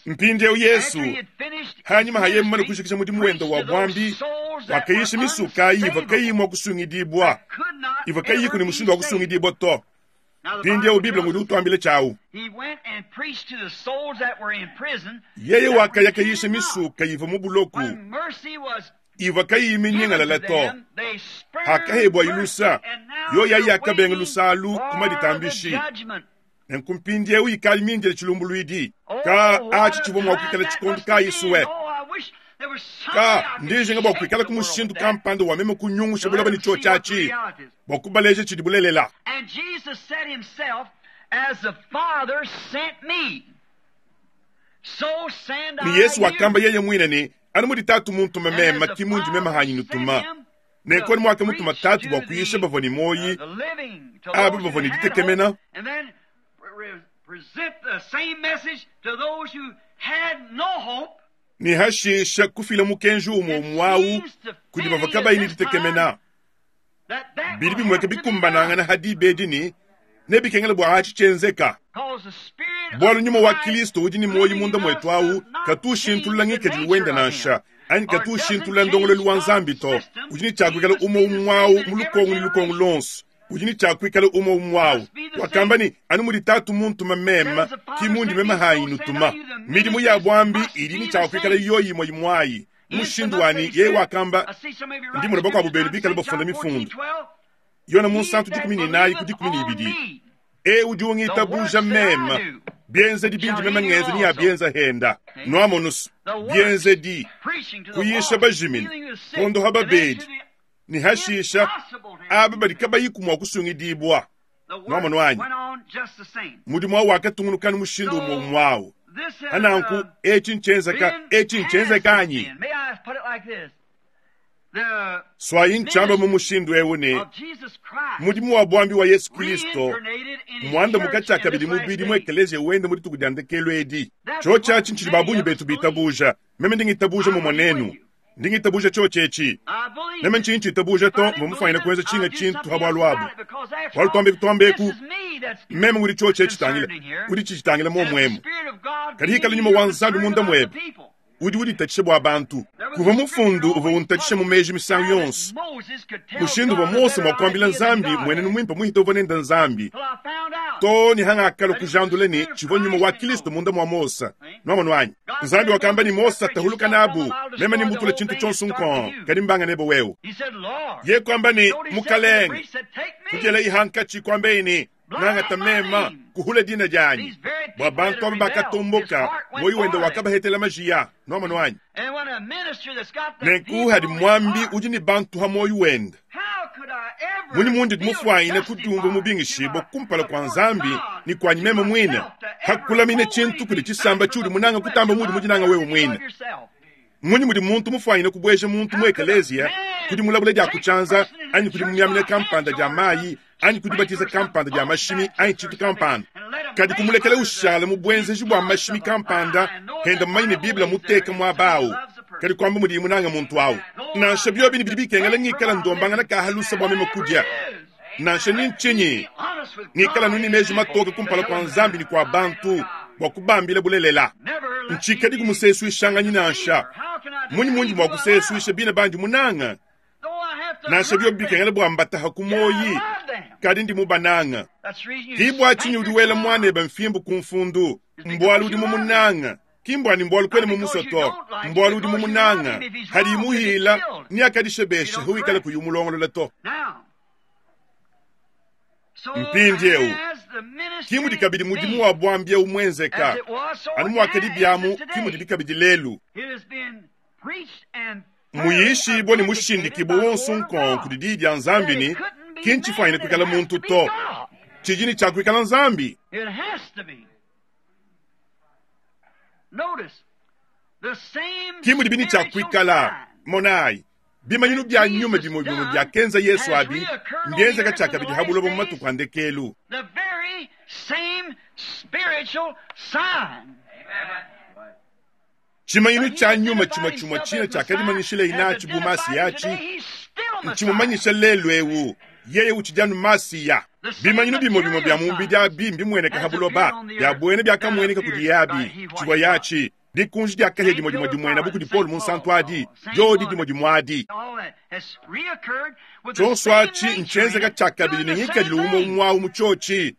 Mpindieu Yesu hanyima haye mumane kujikija mudimu wende wa buambi, wakayisha misuka ivua kayiyi mua kusungidibua, ivua kayiyiku ne mushindu wa kusungidibua to. Mpindieu Bible ngudi utuambila tshiawu. Yeye wakaya kayisha misuka ivua mu buloku, ivua kayiyi minyingalala to. Hakahebua ilusa, yoya yakabenga lusalu ku maditambishi. Nenku mpindieu ikali mindile tshilumbuluidi. Ka atshi tshivua mua kuikala tshikondo kayi suwe. Ka ndijinga bua kuikala ku mushindu kampanda wa meme kunyungusha buloba ne tshio tshiatshi bua kubaleja tshidi bulelela. And Jesus said himself, As the Father sent me, so send Ne I Yesu you. wakamba yeye mwine ne anu mudi tatu muntuma And meme as the ki mundi meme Father hanyi sent nutuma. him Nenku to anu muakamutuma preach tatu to bua kuyisha the, bavua ne muoyi, the living, to aba those who bavua ne had ditekemena. hope, and then present the same message to those who had no hope. Ne hashisha kufila mukenji umue It umue awu seems to kudi fitting bavua at kabayi ne this time ditekemena. that that Bidi will bimueka have to be bikumbanangana done. hadi bedi ne nebikengela bua atshi tshienzeka. Because the Spirit Bualu of nyuma wa Christ Kristo udi ne muoyo living munda in us mwetu awu does not katushintulula change the ngikadilu wende nature of him nansha anyi or doesn't katushintulula ndongoluelu change wa God's Nzambi to. system. Udi ne He tshiakuikala must umue be the umue awu same in mu every lukongo ne lukongo generation. lonso. Udi ne tshiakuikala umue umue awu. Must be the Wakamba same. ne anu mudi tatu muntuma Said meme as the ki Father mundi sent meme me, hanyi so send I nutuma. you. The Midimu ya ministries buambi must idi ne be the tshiakuikala same. yoyi imue imue ayi. Mushindu wani Intimate yeye said, wakamba I see some of you ndi writing muna bakuabu scriptures benu down, bikala St. bafunda John mifundu. 14:12. Yona He munsantu that dikumi ne inayi ku believeth dikumi ne on ibidi. me, E udi the works ungitabuja that I meme do bienzedi bindi shall meme he do ngenze ni also. yabienza henda. See? Nwamonusu The works, bienzedi preaching to the kuyisha lost, bajimine, healing the sick, kondoha and then babedi, to the ne hashisha impossible to aba have badi kabayi kumua kusungidibua. The work Nwamono wanyi. went on just the same. Mudimu awu wakatungunuka mushindu umue So umue awu. this has Hananku etshi nchenzeka been etshi has nchenzeka anyi. been. May I put it like this? The Swayi nchamba mu ministry mushindu ewu ne of Jesus Christ mudimu wa buambi wa Yesu Kristo reincarnated in his mwanda church mukatshi in this akabidi last mubidi mu day. ekeleziya wende mu dituku dia ndekelu edi. That's Tsho what tshiatshi ntshidi many babunyi of us betu believe. bitabuja. Meme ndingitabuja I mumue believe with nenu. you. Ndingitabuja tsho tshetshi. I believe Meme it. ntshinyi tshitabuja If to I didn't mumufanyina believe it, kuenza I'd tshinga do tshintu something ha else bwalu about abu. it because after Bwalu all, twambe this twambeku is me that's meme ngudi tsho tshetshi tangila. concerned in here. Udi tshitangila And if the momwemu. Spirit of God Kadi be hikala in nyuma you, wa you're Nzambi concerned munda about the mwebe. people. Udi uditatshisha bua bantu. There was Kuva a scripture mufundu uvua always untatshisha mu puzzled me meji misangu how that yonso. Moses could tell Mushindu uvua God a Mose better mua kuambila idea than Nzambi God mwenenu had. mwimpe muhita uvua nenda Nzambi. Till I found out To ni hanga akalo that it was the kujandula ne Spirit of tshivua nyuma wa Christ in Kristo Moses. munda mua Mose. See? Nwamono wanyi. God Nzambi said to wakamba ni Moses, Mose separate tahuluka yourself from nabu. them, I'll Meme destroy ni the mbutula whole tshintu thing and tshonso start with nkon. you. Kadi mbanga nebe wewe. He said, Lord. Ye kwamba ni Notice he said to the mukalenge. priest, said, Take Kujela me. ihankachi kwambeini nangata Blot my mema name. kuhula dina dyanyi. These very Bua people that bantu had aba rebelled, his bakatomboka heart went moyo wende for them. wakabahetela majiya. Nwamono wanyi. And when a minister that's got the Nenku people hadi on his mwambi heart, udi ne bantu ha moyo wende. how could I Munyi mundi mufuanyine kudiumvua mubingishibue kumpala kua Nzambi ne kuanyi meme muine, hakulamina tshintu kudi tshisamba tshiudi munanga kutamba muudi mudinanga wewe muine? Mmunyi mudi muntu mufuanyine kubueja muntu mu ekeleziya kudi mulabula dia ku tshianza anyi kudi mumiamina kampanda dia mayi anyi ku dibatiza kampanda dia mashimi anyi tshintu kampanda, kadi kumulekela ushala mu buenzeji bua mashimi kampanda henda mumanye ne Bible muteka muaba au, kadi kuamba mudiye munange muntu au? Nansha biobi ne bidi bikengela ngikala ndombangana ka halusa bua meme kudia, nansha ni ntshinyi, ngikala anu ne meji matoke kumpala kua Nzambi ne kua bantu bua kubambila bulelela. Ntshikadiku musesuishanganyi nansha. Munyi mundi mua kusesuisha bina bandi munanga? Nansha biobi bikengela bua mbataha ku muoyi, kadi ndi mubananga. Ki bua tshinyi udi wela muanebe mfimbu ku mfundu? Mbualu udi mumunanga. Ki mbua ne mbualu kuena mumusue to, mbualu udi mumunanga. Hadiyi muhila, neakadishebeshe hawikala kuyi umulongolola to. Mpindieu, ki mudi kabidi mudimu wa buambi eu muenzeka, anu muakadi biamu, ki mudibi kabidi lelu. Muyishibue ne mushindikibue wonso nkong kudi Diyi dia Nzambi ne, ki ntshifuanyine kuikala muntu to, tshidi ne tshia kuikala Nzambi. Ki mudibi ne tshia kuikala. Monayi, bimanyinu bia nyuma bimue bimue biakenza Yesu abi mbienzeka tshiakabidi ha buloba mu matuku a ndekelu. Tshimanyinu tshia nyuma tshimue tshimue tshine tshiakadimanyishileye natshi bu Masiya atshi ntshimumanyisha lelu eu, yeye utshidi anu Masiya. Bimanyinu bimue bimue bia mubidi abi mbimueneke ha buloba, bia buena biakamueneka kudiye abi, tshivua yatshi dikunji dia kahia dimue dimue dimuena bu kudi Paulo Munsantu adi, diodi dimue dimue adi. Tshionso atshi ntshienzeka tshiakabidi ne ngikadilu umue umue au mu tshiotshi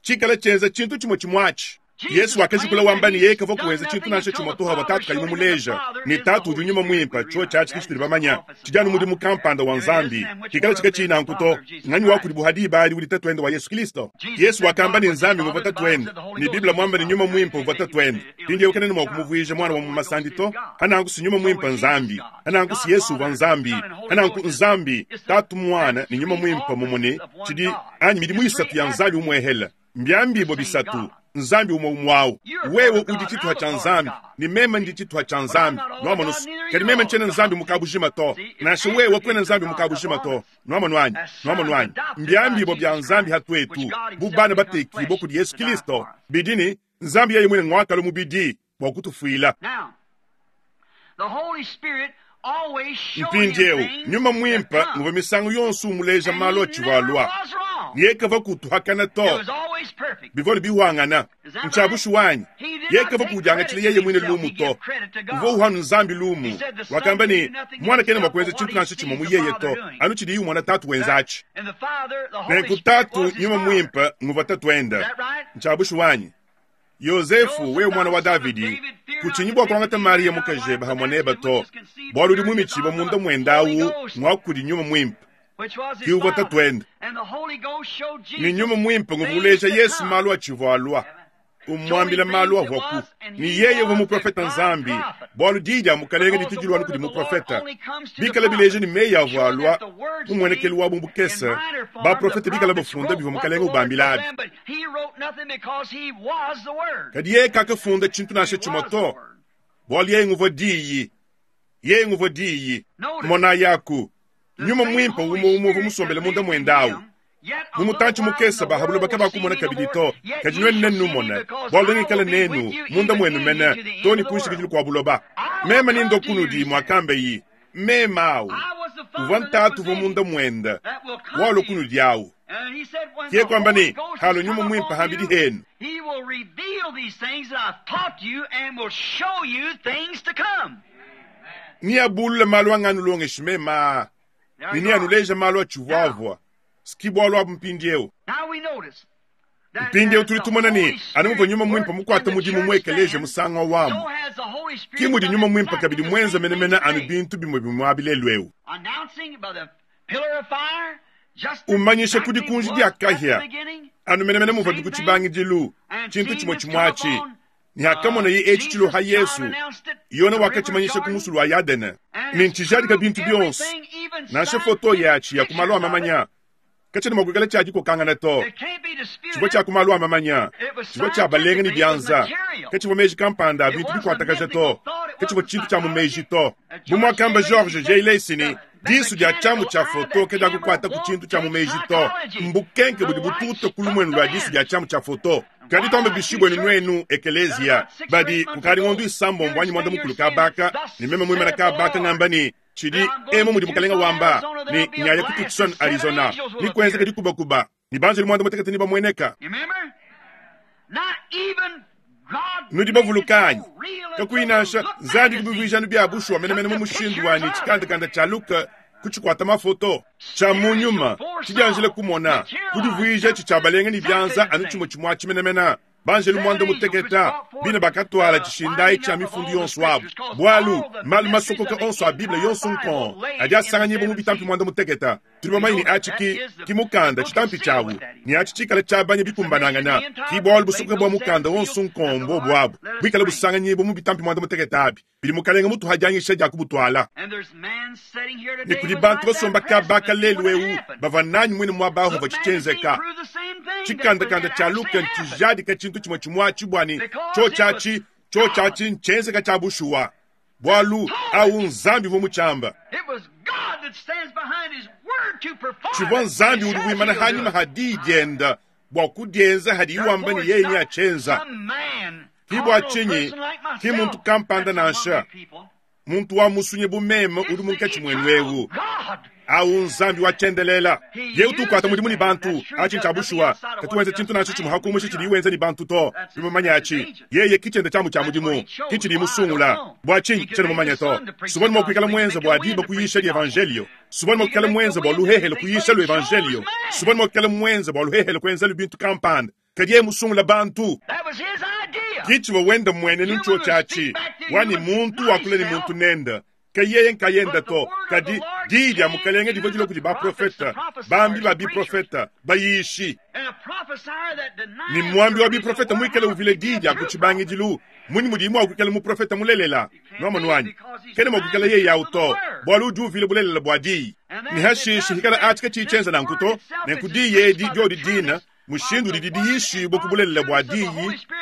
tshikala tshienza tshintu tshimue tshimue atshi. Yesu wakajikula wamba ne yeye kavua kuenza tshintu nansha tshimue to havua Tatu kayi mumuleja ne Tatu udi Nyuma Muimpe. Tshiotshi atshi ke tshitudi bamanya, tshidi anu mudimu kampanda wa Nzambi. Kikala tshika nanku to, nganyi wa kudibu ha diba adi udi Tatuende wa Yesu Kristo? Yesu wakamba ne Nzambi nguvua Tatuende, ne Bible muamba ne Nyuma Muimpe uvua Tatuende. Mpindieu kena ne mua kumuvuija muana wa mu masandi to. Hananku si Nyuma Muimpe Nzambi, hananku si Yesu uvua Nzambi, hananku Nzambi Tatu, Muana ne Nyuma Muimpe mumue ne tshidi anyi midimu isatu ya Nzambi umuehela. Mbiambibua bisatu, Nzambi umue umue au. Wewe udi tshituha tshia Nzambi, ne meme ndi tshituha tshia Nzambi. Nuamonu? Kadi meme ntshiena Nzambi mu kabujima to, nansha wewe kuena Nzambi mu kabujima to. Nuamonu anyi? Nuamonu anyi? Mbiambibua bia Nzambi ha tuetu, bu bana batekibua kudi Yesu Kilisto, bidi ne Nzambi yeye muine nguakalua mubidi bua kutufuila. Mpindieu Nyuma Muimpe nguvua misangu yonso umuleja malu atshivua alua, ne yeye kavua kutuhakana to, bivua bihuangana. Ntshia bushuwa anyi? Yeye kavua kudiangatshila yeye muine lumu to, uvua uhanu Nzambi lumu. Wakamba ne, Muana kena mua kuenza tshintu nansha tshimue mu yeye to, anu tshidiye umona Tatu wenza atshi. Nenku Tatu Nyuma Muimpe nguvua Tatuende. Ntshia bushuwa anyi? Yozefu, wewe muana wa Davidi, kutshinyi bua kuangata Mariya mukajebe hamue nebe to, bualu udi mumitshibue munda muende au ngua kudi Nyuma Muimpe, ki uvua tatuende. Ne Nyuma Muimpe nguvua uleja Yesu malu atshivua alua, umuambila malu avuaku, ne yeye uvua muprofete Nzambi, bualu diyi dia Mukalenge ditu dilua anu kudi muprofete. Bikala bileja ne meyi avua alua mu muenekelu wabu bukese, baprofete bikala bafunda bivua Mukalenge ubambila abi. Kadi yeye kakafunda tshintu nansha tshimue to, bualu yeye nguvua Diyi. Yeye nguvua Diyi. Monayaku, Nyuma Muimpe umue umue uvua musombele munda muende au. Mu mutantshi mukese ba ha buloba kabakumona kabidi to, kadi nuenu nenumone, bualu nengikale nenu munda muenu mene, to ne ku nshikidilu kua buloba. Meme nindua kunudi, muakambeyi. Meme au uvua ntatu uvua munda muende, walua kunudi au. Kiye kuamba ne, Halua Nyuma Muimpe hambidi henu. Neabulule malu anganulongeshi meme aa, ne neanuleje malu atshivuavua. Ski bualu abu mpindieu. Mpindieu tudi tumona ne, anu muvua Nyuma Muimpe mukuate mudimu mu ekeleziya musangu au amu, ke mudi Nyuma Muimpe kabidi muenze menemene anu bintu bimue bimue abi lelu'eu. Umanyisha ku dikunji dia kahia, anu menemene muvuabi ku tshibangidilu, tshintu tshimue tshimue atshi. Ne hakamoneye etshi tshiloha Yesu, Yone wakatshimanyisha ku musulu wa Yadene. Ne ntshijadika bintu bionso, nansha foto yatshi ya ku malu a mamanya. Katshiena mua kuikala tshia dikokangana to. Tshivua tshia ku malu a mamanya. Tshivua tshia balenga ne bianza. Katshivua meji kampanda a bintu bikuatakaja to. Katshivua tshintu tshia mu meji to. Bu muakamba George J. Lacy ne, Disu dia tshiamu tshia foto kadiakukuata ku tshintu tshia mu meji to. Mbukenke budi bututa ku lumuenu lua disu dia tshiamu tshia foto. Kadi tuambe bishi buenu nuenu, ekeleziya, badi kukadi ngondo isambombo anyi muanda-mukulu kabaka, ne meme muimana kabaka ngamba ne, Tshidi emu mudi Mukalenga wamba, ne nyaya ku Tucson, Arizona, ne kuenzeka dikubakuba, ne banjelu muanda-mutekete nebamueneka. Nudi bavuluka anyi? Kakuyi nansha Nzambi kubivuija anu bia bushuwa menemene mu mushindu wa ne tshikandakanda tshia Luka kutshikuata mafoto, tshia mu nyuma, tshidianjila kumona, kudivuija tshi tshia balenga ne bianza anu tshimue tshimue atshi menemene. Banjelu muanda mutekete bine bakatuala tshishindayi tshia mifundu yonso abu, bualu malu masokoka onso a Bible yonso nkong adi asanganyibua mu bitampi muanda mutekete. Tudi bamanye ne atshi ki, ki mukanda, tshitampi tshiawu, ne atshi tshikale tshiabanya bikumbanangana. Ki bualu busokoka bua mukanda wonso nkong mbuobu abu, buikale busanganyibua mu bitampi muanda mutekete abi, bidi Mukalenge mutuha dianyisha dia kubutuala. Ne kudi bantu basomba kaba ka lelu eu bavua nanyi muine muaba awu havua tshienzeka. Tshikandakanda tshia Luka ntshijadika tshintu tshimue tshimue atshi bua ne tshiotshi atshi, tshiotshi atshi ntshienzeka tshia bushuwa, bualu awu Nzambi uvua mutshiamba. Tshivua Nzambi udi wimana hanyima ha diyi dienda bua kudienza hadiyi wamba ne yeye neatshienza. Ki bua tshinyi ki muntu kampanda nansha, muntu wa musunyi bu meme udi munkatshi muenu eu, au Nzambi wa tshiendelela. Yeye utu ukuata mudimu ne bantu, atshi ntshia bushuwa. Katu wenza tshintu nansha tshimue hakumusha tshidiye wenza ne bantu to. Tudi bamanye atshi. Yeye ki tshiende tshiamu tshia mudimu, ki tshidiye musungula. Bua tshinyi? Tshiena mumanye to. Suvua ne mua kuikala muenza bua diba kuyisha dievanjelio. Suvua ne mua kuikala muenza bua luhehele kuyisha luevanjelio. Suvua ne mua kuikala muenza bua luhehele kuenzalu bintu kampanda. Kadi yeye musungula bantu. Ki tshivua wenda mmuenenu ntshiotshi atshi, wa ne muntu wakula ne muntu nende, ke yeye nkayende to, kadi diyi dia Mukalenge divua dilua kudi baprofete, bambi ba biprofete, bayishi. Ne muambi wa biprofete muikale uvila diyi dia ku tshibangidilu, munyi mudiye mua kuikala muprofete mulelela? Nuamonu anyi? Kena mua kuikala yeye au to, bualu udi uvila bulelela bua diyi. Ne hashishe hikala atshi katshiyi tshienza nanku to, nenku diyi edi diodi dina mushindu udidi diyishibua ku bulelela bua diyi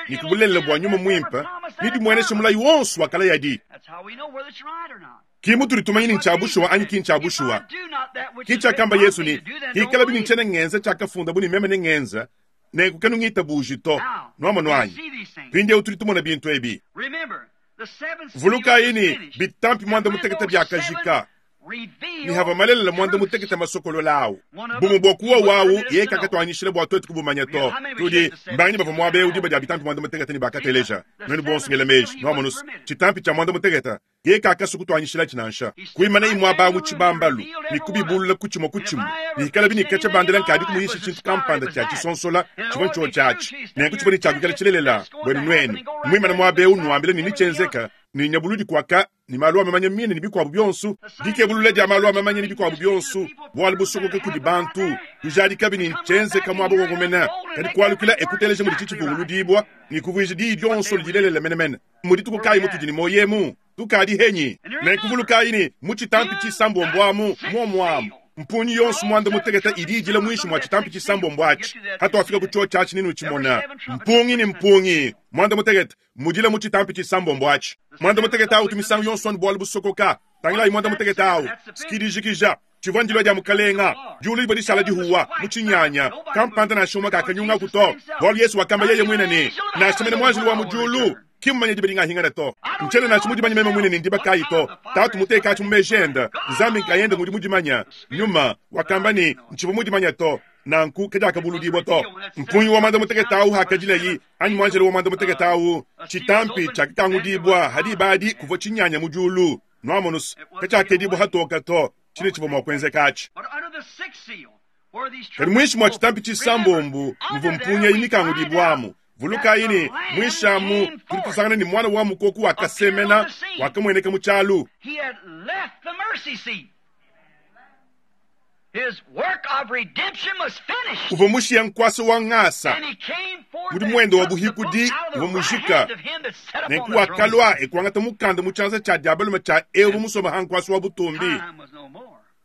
ne ku bulelela bua nyuma muimpe ne dimuenesha mulayi wonso wa kalayadi. Ki mutudi tumanya ne ntshia bushuwa anyi ki ntshia bushuwa. Ki tshiakamba Yesu ne, Hikalabi ne ntshiena ngenza tshiakafundabu ne meme nengenza, nenku kanungitabuji to. Nuamonu anyi? Mpindieu tudi tumona bintu ebi. Vulukayi ne, bitampi muanda mutekete biakajika. Ne havua malelela muanda mutekete masokolola awu, bumue bua kuwa wawu yeye kakatuanyishila bua tuetu kubumanya to. Tudi mbanganyi bavua muaba eu diba dia bitampi muanda mutekete ne bakateleja? Nuenu bonso ngela meji, nuamonu tshitampi tshia muanda mutekete yeye kakasua kutuanyishilatshi nansha. Kuimanayi muaba awu mu tshibambalu ne kubibulula ku tshimue ku tshimue, ne hikalabi ne katshia bandela nkadi kumuyisha tshintu kampanda tshia tshisonsola tshivua ntshiotshi atshi, nenku tshivua ne tshia kuikala tshilelela buenu nuenu. Muimane muaba eu nuambila ne netshienzeka, ne nyabuludi kuaka ne malu a mamanya mine ne bikuabu bionso, dikebulula dia malu a mamanya ne bikuabu bionso, bualu busokoka kudi bantu, kujadikabi ne ntshienzeka muaba wowo mene, kadi kualukila e kuteleja mudi tshitshivunguludibua ne kuvuija diyi dionso dilelela menemene. Mmu dituku kayi mutudi ne muoyo emu? Tukadi henyi? Nenku vulukayi ne, mu tshitampi tshisambombo amu, muomu amu, mpungi yonso muanda mutekete idi idila muinshi mua tshitampi tshisambombo atshi. Hatuafika ku tshiotshi atshi nenutshimona, mpungi ne mpungi muanda mutekete mudila mu tshitampi tshisambombo atshi. Muanda mutekete awu utu misangu yonso anu bualu busokoka. Tangilayi muanda mutekete awu, sikidijikija. Tshivua ndilua dia Mukalenga. Diulu divua dishala dihuwa mu tshinyanya. Kampanda nansha umue kakanyungaku to, bualu Yesu wakamba yeye muine ne, Nansha mene muanjelu wa mu diulu ki mmumanye diba dingahingana to. Ntshiena nansha mudimanye meme muine ne ndiba kayi to. Tatu mutekatshi mu meji ende, Nzambi nkayende ngudi mudimanye. Nyuma wakamba ne, Ntshivua mudimanye to. Nanku kadiakabuludibua to. Mpungi wa muanda mutekete awu hakadilayi, anyi muanjelo wa muanda mutekete awu, tshitampi tshiakakangudibua ha diba adi kuvua tshinyanya mu diulu. Nuamonus, katshiakedibua hatoka to, tshine tshivua mua kuenzeka atshi. Kadi muinshi mua tshitampi tshisambombo muvua mpungi eyi mikangudibuamu. Vulukayi ne, muinshi amu tudi tusangana ne muana wa mukoko wakasemena, wakamueneka mu tshialu. Uvua mushiya nkuasa wa ngasa, mudimu wende wa buhikudi uvua mujika, nenku wakalua e kuangata mukanda mu tshianza tshia dia balume tshia eu uvua musombe ha nkuasa wa butumbi.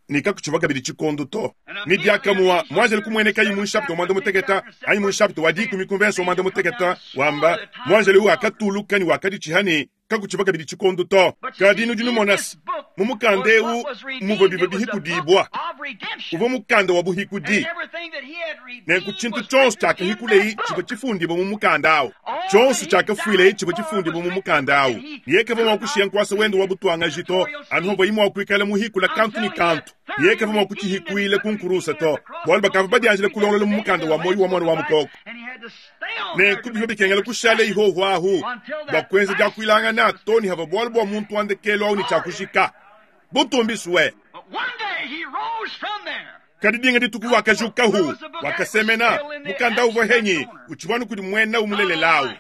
Ne kakutshivua kabidi tshikondo to. Ne diakamue muanjelu kumuenekaye mu nshapita wa muanda mutekete anyi mu nshapita wa dikumi ku mvese wa muanda mutekete wamba, muanjelu eu wakatuluka ne wakaditshiha ne, kakutshivua kabidi tshikondo to. Kadi nudi numona se, mu mukanda eu muvua bivua bihikudibua. Uvua mukanda wa buhikudi. Nenku tshintu tshionso tshiakahikuleye tshivua tshifundibua mu mukanda au. Tshionso tshiakafuileye tshivua tshifundibua mu mukanda au. Yeye kavua mua kushiya nkuasa wende wa butuangaji to, anu pavuaye mua kuikala muhikula kantu ne kantu. Yeye kavua mua kutshihikuila ku nkurusa to, bualu bakavua badianjile kulongolola mu mukanda wa muoyo wa Muana wa Mukoko. Nenku bivua bikengela kushala ihoho ahu bua kuenza diakuilangana to ne havua bualu bua muntu wa ndekelu au ne tshiakujika. Butumbisue! Kadi dinga dituku wakajukahu, wakasemena, mukanda uvua henyi utshivua anu kudi muena umulelelawu,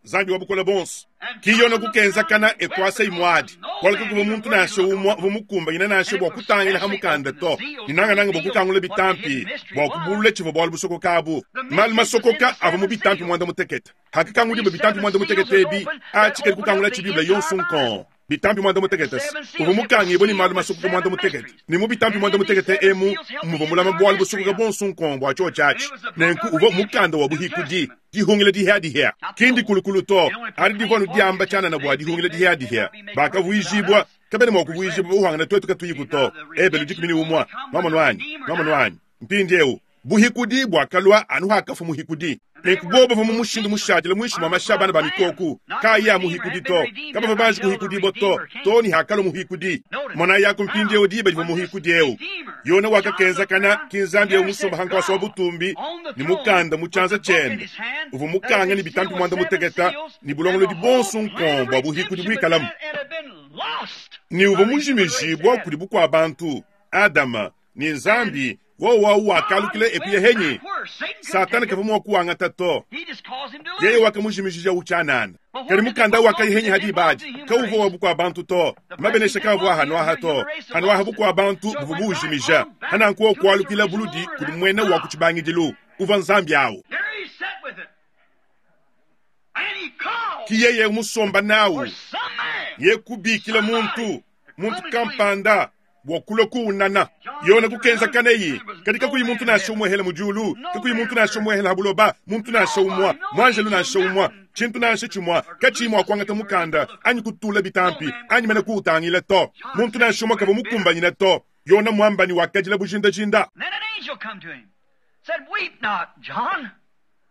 Nzambi wa bukole buonso. Ki Yona kukenzakana e kuasa imuadi, bualu kakuvua muntu nansha umue uvua mukumbanyine nansha bua kutangila ha mukanda to, ne nangananga bua kukangula bitampi bua kubulula tshivua bualu busokoka abu. Malu masokoka avua mu bitampi muanda mutekete. Hakakangudibua bitampi muanda mutekete ebi, atshi kadi kukangulatshi Bible yonso nkong. Bitampi muanda mutekete uvua mukangibue ne malu masokoka muanda mutekete, ne mu bitampi muanda mutekete emu muvua mulama bualu busokoka buonso nkong bua tshiotshi atshi. Nenku uvua mukanda wa buhikudi, dihungila dihiadihia, ki ndikulukulu to, adi divua anu diamba tshianana bua dihungila dihiadihia. Bakavuijibua, kabena mua kuvuijibua buhuangane tuetu katuyiku to. Ebelu 11. Nwamonu anyi? Nwamonu anyi? Mpindieu, buhikudi buakalua anu hakafua muhikudi. Nenku bobo bavua mu mushindu mushadile muinshi mua mashi a bana ba mikoku, kaayi a muhikudi to. Kabavua banji kuhikudibua to, too ne hakalua muhikudi. Monayi aku mpindieu diba divua muhikudi eu, Yona wakakenzakana, ki Nzambi eu musomba ha nkuasa wa butumbi ne mukanda mu tshianza tshiende, uvua mukanga ne bitampi muanda mutekete ne bulongolodi buonso nkong bua buhikudi buikalamu, ne uvua mujimijibua kudi bukua-bantu, Adama, ne Nzambi, wowo au wakalukila ekuya henyi. Satana kavua mua kuwangata to, yeye wakamujimijija tshianana. Kadi mukanda wakayi henyi ha diba adi kauvua wa bukua bantu to, mabenesha kaavua hanuaha to, hanuaha bukua bantu buvua buujimija. Hananku wowo kualukila buludi kudi muena wa ku tshibangidilu, uvua Nzambi au. Ki yeye musomba nawu, ye kubikila muntu, muntu kampanda bua kulua kuunana. Yona kukenza kaneyi, kadi kakuyi muntu nansha umue hela mu diulu, kakuyi muntu nansha umue hela ha buloba, muntu nansha umue, muanjelu nansha umue, tshintu nansha tshimue katshiyi mua kuangata mukanda anyi kutula bitampi anyi mene kuutangila to. Muntu nansha umue kavua mukumbanyine to. Yona muamba ne wakadila bujindajinda.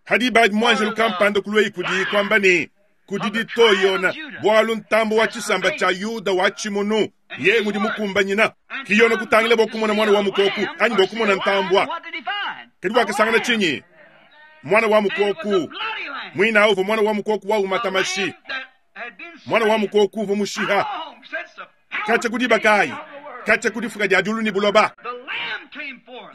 Hadi badi muanjelu kampanda kulueyi kudi kuamba ne, Kudidi to, Yona, bualu ntambo wa tshisamba tshia Yuda wa tshimunu yeye ngudi mukumbanyina. Ki Yona kutangila bua kumona muana wa mukoku anyi bua kumona ntambua. Kadi wakasangana tshinyi? Muana wa mukoku. Muina au uvua muana wa mukoku wa umata mashi. Muana wa mukoku uvua mushiha. Katshia ku diba kayi? Katshia ku difuka dia diulu ne buloba.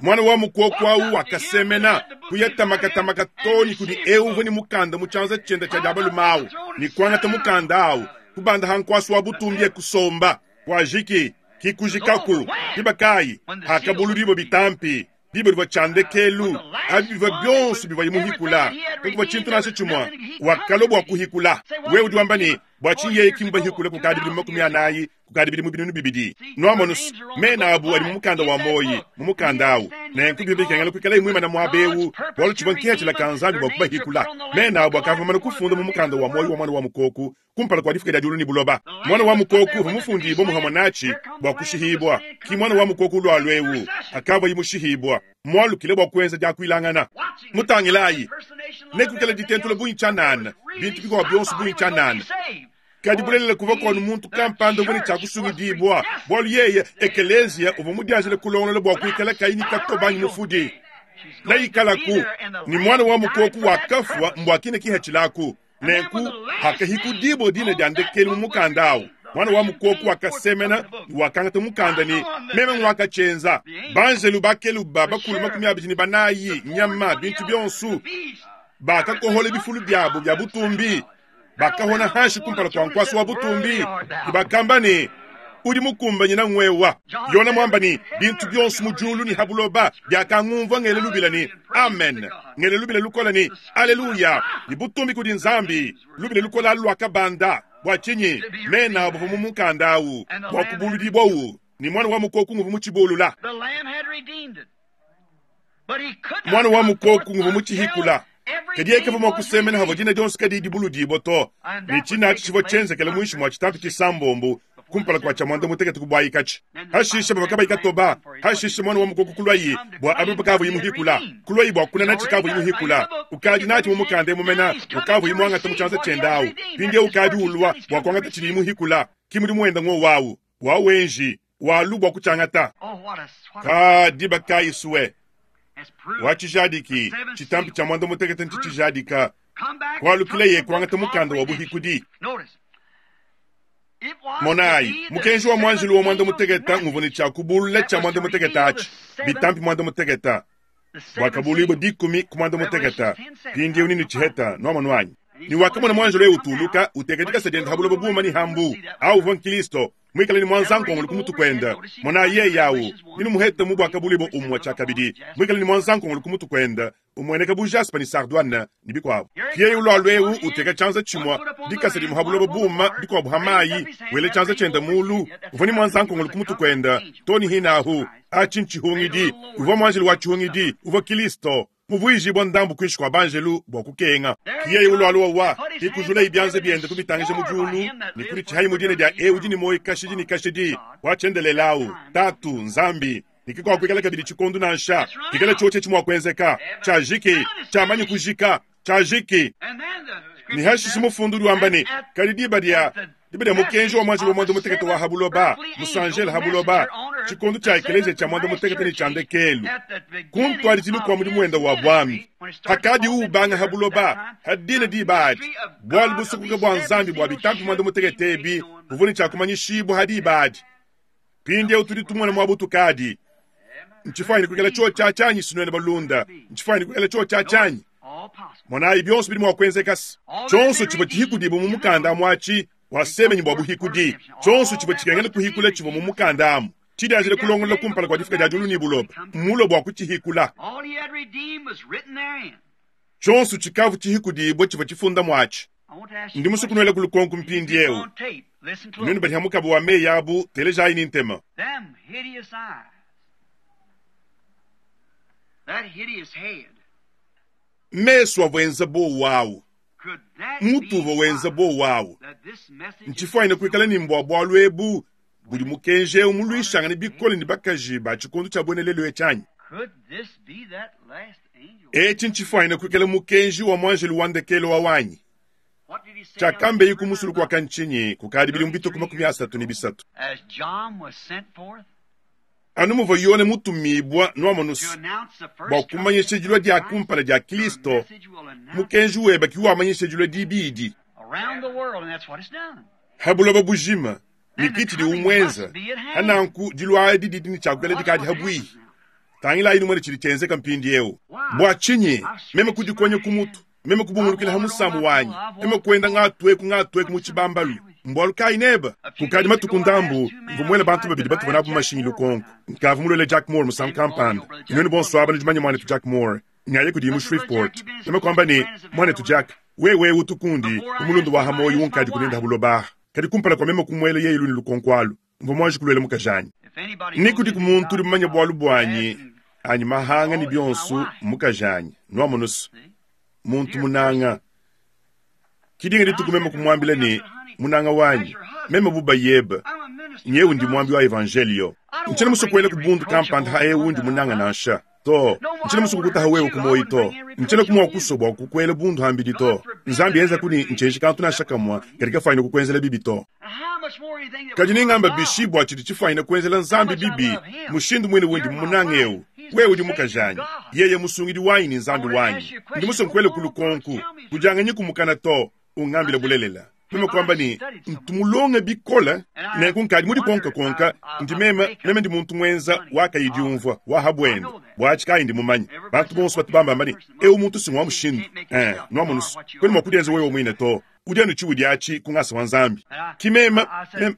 Muana wa mukoku au wakasemena, kuya tamakatamaka too ne kudi eu uvua ne mukanda mu tshianza tshiende tshia dia balume au, ne kuangata mukanda au, kubanda ha nkuasa wa butumbi e kusomba. Kuajiki, ki kujikaku. Diba kayi? Hakabuludibua bitampi. Diba divua tshia ndekelu, abi bivua bionso bivuaye muhikula, kakuvua tshintu nansha tshimue. Wakalua bua kuhikula. Wewe udi wamba ne, Bua tshinyi yeye ki mubahikule kukadi bidimu 40, kukadi bidimu 2000? Nuamonu se, mena abu adi mu mukanda wa muoyi, mu mukanda awu. Nenku bivua bikengela kuikalaye muimane muaba eu, bualu tshivua nkehitshila ka Nzambi bua kubahikula. Mena abu akavua mamane kufunda mu mukanda wa muoyi wa Muana wa Mukoku kumpala kua difuka dia diulu ne buloba. Muana wa Mukoku uvua mufundibue muhamue natshi bua kushihibua. Ki Muana wa Mukoku ulualua eu akavuaye mushihibua, mualukile bua kuenza diakuilangana. Mutangilayi, nekuikale ditentula bungi tshianana, bintu bikuabu bionso bungi tshianana. Kadi bulelela kuvua kuanu muntu kampanda uvua ne tshia kusungidibua, bualu yeye, ekeleziya, uvua mudianjile kulongolola bua kuikala kayi ne katoba anyi mufudi. Neikalaku ne muana wa mukoku wakafua mbua kine kihatshilaku. Nenku hakahikudibua dina dia ndekelu mu mukanda au, muana wa mukoku wakasemena ne wakangata mukanda ne, Meme nguakatshienza. Banjelu bakeluba bakulu 24, nyama, bintu bionso, bakakohola bifulu biabo bia butumbi, bakahona hanshi kumpala kua nkuasa wa butumbi, ne bakamba ne, Udi mukumbanyina nguewa. Yona muamba ne, bintu bionso mu diulu ne ha buloba biakangumvua ngela lubila ne, Amen, ngela lubila lukola ne, Aleluya, ne butumbi kudi Nzambi. Lubila lukola alu luakabanda. Bua tshinyi? Mena abu mu mukanda au bua kubuludibua u. Ne muana wa mukoku nguvua mutshibulula. Muana wa mukoku nguvua mutshihikula. Kadi yeye kavua mua kusemena havua dina dionso kadiyi dibuludibua to, ne tshina atshi tshivua tshienzekele muinshi mua tshitampi tshisambombo kumpala kua tshia muanda mutekete kubuayikatshi. Hashishe bavua kabayi katoba. Hashishe muana wa mukoko kuluayi bua abe pakavuyi muhikula, kuluayi bua kunana tshikavuyi muhikula. Ukadi natshi mu mukanda emu mena, ukavuyi muangata mu tshianza tshiende awu. Mpindieu ukadi ulua bua kuangata tshidiyi muhikula. Ki mudimu wenda ngowu awu, wa wenji walu bua kutshiangata. Ka diba kayi sue wa tshijadiki tshitampi tshia muanda mutekete ntshitshijadika kualukileye kuangata mukanda wa buhikudi. Monayi, mukenji wa muanjelu wa muanda mutekete nguvua ne tshia kubulula tshia muanda mutekete atshi, bitampi muanda mutekete, buakabuluibua dikumi ku muanda mutekete. Mpindieu ninu tshiheta, nuamonu anyi? Ne wakamona muanjelu eu utuluka, uteka dikasa diende ha buloba buuma ne ha mbu. Au uvua nkristo, muikale ne muanzankongolo ku mutu kuende. Monayi yeye au, ninu muhete mu buakabuluibua umue tshiakabidi, muikale ne muanzankongolo ku mutu kuende, umueneka bu jaspe ne sardoine ne bikuabu. Yeye ulualua eu uteka tshianza tshimue dikasa dimue ha buloba buuma, dikuabu ha mayi, wela tshianza tshiende mulu, uvua ne muanzankongolo ku mutu kuende to ne hinahu. Atshi ntshihungidi. Uvua muanjelu wa tshihungidi, uvua Kilisto muvuijibua ndambu kuinshi kua banjelu bua kukenga. Yeye ulualua wa kikujulayi bianza biende kubitangija mu diulu ne kuditshihayi mu dina dia eu udi ne muoyo kashidi ne kashidi wa tshiendelele au, Tatu Nzambi. Ne kikuakuikala kabidi tshikondo nansha kikala tshiotshi etshi mua kuenzeka, tshiajiki, tshiamanyi kujika, tshiajiki. Ne hashishe mufundu udi wamba ne, kadi diba dia diba dia mukenji wa muanjelu wa muanda mutekete wa ha buloba, musanjele ha buloba, tshikondo tshia ekeleziya tshia muanda mutekete ne tshia ndekelu, ku ntuadijilu kua mudimu wende wa buambi, hakadi ubanga ha buloba, ha dina diba adi, bualu busokoka bua Nzambi bua bitampi muanda mutekete ebi buvua ne tshia kumanyishibua ha diba adi. Mpindieu tudi tumona muaba utukadi. Ntshifuanyine kuikala tshiotshi tshianyi sinuena balunda. Ntshifuanyine kuikala tshiotshi tshianyi. Monayi, bionso bidi mua kuenzeka. Tshionso tshivua tshihikudibua mu mukanda amu atshi wasemenyi bua buhikudi. Tshionso tshivua tshikengela kuhikula tshivua mu mukanda amu, tshidianjila kulongolola kumpala kua difuka dia diulu ne buloba, mmulue bua kutshihikula. Tshionso tshikavua tshihikudibua tshivua tshifunda muatshi. Ndi musue kunuela ku lukonko mpindieu. Nuenu badi ha mukaba wa meyi abu, telejayi ne ntema. Mesu avua enza buowa awu, mutu uvua wenza buowa awu. Ntshifuanyine kuikala ne mbua bualu ebu budi mukenji eu muluishangane bikole ne bakaji ba tshikondo tshia buena lelu etshi anyi? Etshi ntshifuanyine kuikala mukenji wa muanjelu wa ndekelu wa wanyi. Tshiakambeyi ku musulu kua ntshinyi kukadi bidimu bitue ku 33. Anu muvua Yone mutumibua nuamonusu bua kumanyisha dilua dia kumpala dia Kristo, mukenji webe ki wamanyisha dilua dibidi ha buloba bujima ne ki tshidi umwenza. Hananku dilua adi didi ne tshiakuikala dikadi habuihi. Tangilayi numone tshidi tshienzeka mpindieu. Bua tshinyi meme kudikonya ku mutu, meme kubungulukila ha musamu wanyi, meme kuenda ngatueku ngatueku mu tshibambalu? Mbualu kayi neba? Kukadi matuku ndambu, mvua muele bantu babidi batuvua nabu mashinyi lukonko. Nkavua muluele Jack Moore musangu kampanda. Nuenu bonso aba nudi manya muanetu Jack Moore. Ngaye kudiye mu Shreveport. Meme kuamba ne, Muanetu Jack, wewe utu kundi bu mulunda wa ha muoyo unkadi kunenda ha buloba aha. Kadi kumpala kua meme kumuela yeye lune lukonko alu, mvua muanji kuluela mukajanyi. Ni kudiku muntu udi mumanye bualu buanyi anyi mahanga ne bionso, mmukajanyi. Nuamonusu, muntu munanga. Kidinga dituku meme kumuambila ne, munanga wanyi, meme bu bayebe, nyewu ndi muambi wa evanjelio. Ntshiena musue kuela ku bundu kampanda ha eu ndi munanga nansha. To, ntshiena musue kukutaha wewe ku muoyo to. Ntshiena kumua kusua bua kukuela bundu hambidi to. Nzambi enza kuni ntshienji kantu nansha kamua kadi kafuanyine kukuenzela bibi to. Kadi ningamba bishi bua tshidi tshifuanyine kuenzela Nzambi bibi, mushindu muine undi mumunange eu? Wewe udi mukajanyi, yeye musungidi wanyi ne Nzambi wanyi. Ndi musue nkuele ku lukonku, kudianganyi kumukana to, ungambile bulelela. Meme kuamba ne, ntu mulonge bikole, nenku nkadi mudikonkakonka, ndi meme, meme ndi muntu muenza wa kayi diumvua, wa ha buende, buatshi kayi ndi mumanye. Bantu bonso batu bambamba ne, eu muntu si ngua mushindu. Eh, nuamonusu, kuena mua kudienza wewe muine to. Udi anu tshiudi atshi ku ngasa wa Nzambi. Ki meme,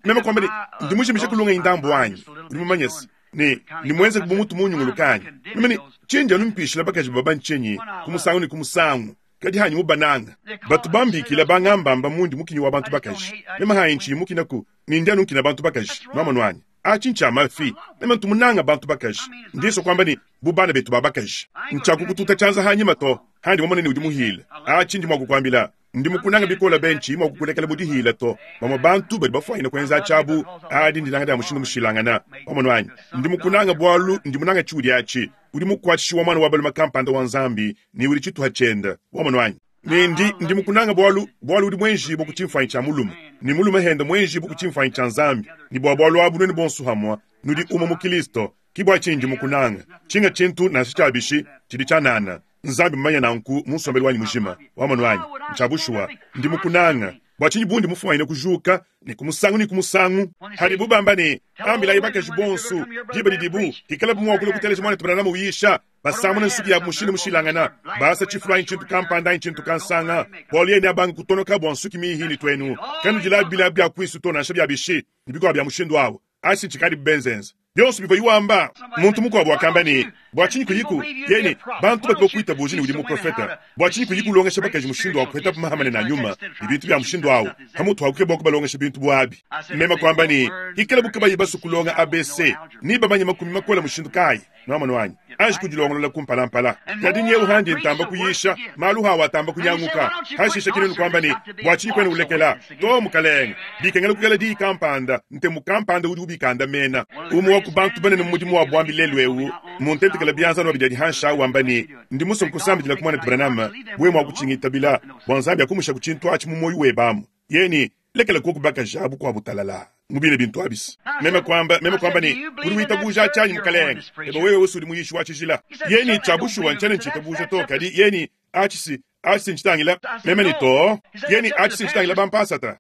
meme kuamba ne, ndi mujimishe kulonga ndambu wanyi. Udi mumanye se, ne ne muenze bu mutu munyunguluka anyi? Meme ne, tshindi anu mpishila bakaji baba ntshinyi ku musangu ne ku musangu, kadi hanyi mubananga. Batu bambikila bangambamba mundi mukinyi wa bantu bakaji. Meme hanyi ntshiyi mukinaku, ne ndi anu nkina bantu bakaji. Nuamonu anyi? Atshi ntshia mafi. Meme ntu munanga bantu bakaji. Ndi nsua kuamba ne, bu bana betu ba bakaji. Ntshiakukututa tshianza hanyima to, handi mumone ne udi muhile. Atshi ndi mua kukuambila. Ndi mukunanga bikole be, ntshiyi mua kukulekela mu dihila to. Bamue bantu badi bafuanyine kuenza tshiabu adi ndinanga dia mushindu mushilangana. Wamonu anyi? Ndi mukunanga bualu ndi munanga tshiudi atshi. Udi mukuatshishi wa muana wa balume kampanda wa Nzambi ne udi tshituha tshiende. Wamonu anyi? Ne ndi, ndi mukunanga bualu, bualu udi muenjibue ku tshimfuanyi tshia mulume, ne mulume hende muenjibue ku tshimfuanyi tshia Nzambi, ne bua bualu abu nuenu bonso hamue nudi umue mu Kilisto. Ki bua tshinyi ndi mukunanga. Tshinga tshintu nansha tshia bishi tshidi tshianana. Nzambi mmumanye nanku mu nsombelu wanyi mujima. Wamonu anyi? Ntshia bushuwa. Ndi mukunanga. Bua tshinyi bundi mufuanyine kujuka ne ku musangu ne ku musangu? Padibu bamba ne, Ambilayi bakaji bonso, diba didibu hikalabu mua kulua kuteleja muanetu Branham uyisha, basamuna nsuki yabu mushindu mushilangana, basa tshifulu anyi tshintu kampanda anyi tshintu kansanga, bualu yeye neabange kutonoka bua nsuki mihi ne tuenu kanudilabi bilabi bia kuisu to nansha bia bishi ne bikuabu bia mushindu awu. Atshi ntshikadibu benzenza. Bionso bivua wamba. Muntu mukuabu wakamba ne, Bua tshinyi kuyiku? Yeye ne, Bantu badi bakuitabuja ne udi muprofete. Bua tshinyi kuyi kulongesha bakaji mushindu wa kupetabu maha manene a nyuma ne bintu bia mushindu au, pamutu pa kukeba kubalongesha bintu bu abi? Meme kuamba ne, Hikalabu kabayi basue kulonga ABC, nebamanye makumi makole mushindu kayi? Nuamonu anyi? Anji kudilongolola kumpalampala. Kadi nyewu handi ntamba kuyisha, malu hawu atamba kunyanguka. Hashishe kinunu kuamba ne, Bua tshinyi kuena ulekela? To, mukalenge, bikengela kuikala diyi kampanda, ntemu kampanda udi ubikandamena. Umue wa ku bantu banene mu mudimu wa buambi lelu eu mmuntentekele bianza anu abidi adi hanshi awu wamba ne, Ndi musue kukusambidila ku muanetu Branham, wewe mua kutshingitabila, bua Nzambi akumusha ku tshintu atshi mu muoyo webe amu. Yeye ne, Lekela kuoku bakaji abu kuabu talalaa mu bine bintu abis. Meme kuamba, meme kuamba ne, Udi witabuja tshianyi, mukalenge? Ebe wewe wese udi muyishi wa tshijila. Yeye ne, Tshia bushuwa ntshiena ntshitabuja to, kadi yeye ne, atshi si, atshi si ntshitangila. Meme ne, To. Yeye ne, Atshi si ntshitangila bampasata.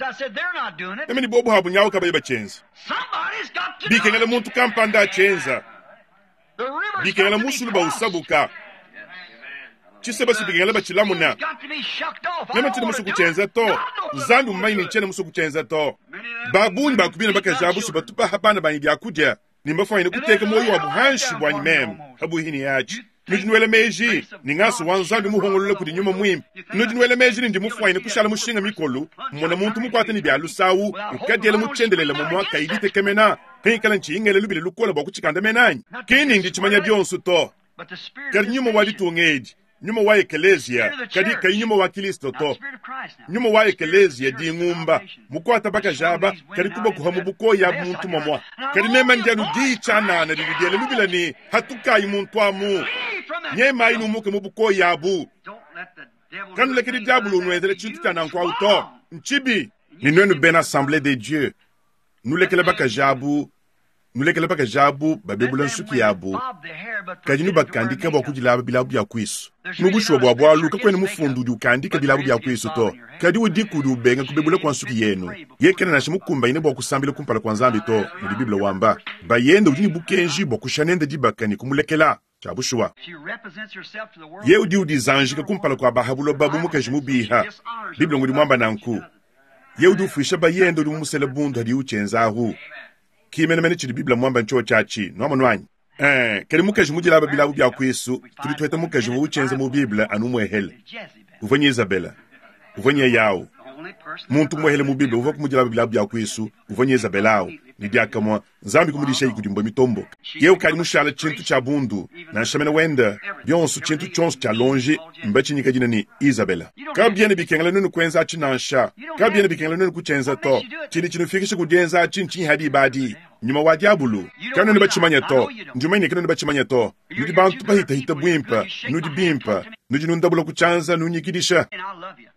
Meme ne, Bobu abu nyawu kabayi batshienza. Bikengela muntu kampanda atshienza. Bikengela musulu bawusabuka. Tshiseba si bikengela batshilamuna. Meme tshiena musue kutshienza to. Nzambi mmumanye ne ntshiena musue kutshienza to. Ba bungi ba ku bina bakaji abu si batu baha bana banyi biakudia ne mbafuanyine kuteka muoyo wabu hanshi buanyi meme pabuihi ne atshi. Nudi nuela meji ne ngasa wa Nzambi muhongolola kudi Nyuma Muimpe? Nudi nuela meji ne ndi mufuanyine kushala mushinga mikolu, mmona muntu mukuate ne bia lusawu, ukadiela mu tshiendelele mumua kayi ditekemena, pingikala ntshiyi ngela lubila lukole bua kutshikandamena anyi? Ki ni ndi tshimanya bionso to. Kadi nyuma wa ditunga edi, nyuma wa ekeleziya, kadi kayi nyuma wa Kilisto to. Nyuma wa ekeleziya dingumba, mukuata bakaji aba, kadi kubakuha mu bukoya abu muntu mamua. Kadi meme ndi anu diyi tshianana didi diela lubila ne, Hatukayi muntu amu, nyemayi numuke mu bukoya abu. Kanulekedi diabolo unuenzela tshintu tshia nanku awu to. Ntshibi. Ne nuenu bena Assemblee de Dieu, nulekele bakaji abu, nulekele bakaji abu babebula nsuki yabu, kadi nubakandika bua kudilaba bilabu bia kuisu. Mu bushuwa bua bualu, kakuena mufundu udi ukandika bilabu bia kuisu to, kadi udiku udi ubenga kubebula kua nsuki yenu. Yeye kena nansha mukumbanyine bua kusambila kumpala kua Nzambi to, mudi Bible wamba. Bayende udi ne bukenji bua kushiya nende dibaka ne kumulekela. Tshia bushuwa, yeye udi udizanjika kumpala kua ba ha buloba bu mukaji mubiha. Bible ngudi muamba nanku. Yeye udi ufuisha bayende udi mumusele bundu hadiye utshienza ahu. Ki menemene tshidi Bible muamba ntshiotshi atshi. Nuamonu anyi? Eh, kadi mukaji mudilaba bilabu bia kuisu, tudi tuheta mukaji uvua utshienza mu Bible anu umuehele. Uvua nye Izabela. Uvua nye yawu. Muntu umuehele mu Bible uvua kumudilaba bilabu bia kuisu, uvua nye Izabela awu. Ne diakamue Nzambi kumudishayi kudi mbua mitomboke. Yeye ukadi mushala tshintu tshia bundu, nansha mene wenda, bionso tshintu tshionso tshia lonji mbatshinyika dina ne Izabela. Kabiena bikengela nuenu kuenza atshi nansha. Kabiena bikengela nuenu kutshienza to. Tshidi tshinufikisha ku dienza atshi ntshinyi ha diba adi? Nyuma wa diabulu. Kanuena batshimanya to. Ndi mumanye ne kanuena batshimanya to. Nudi bantu bahitahita buimpe, nudi bimpe, nudi nundabula ku tshianza nunyikidisha.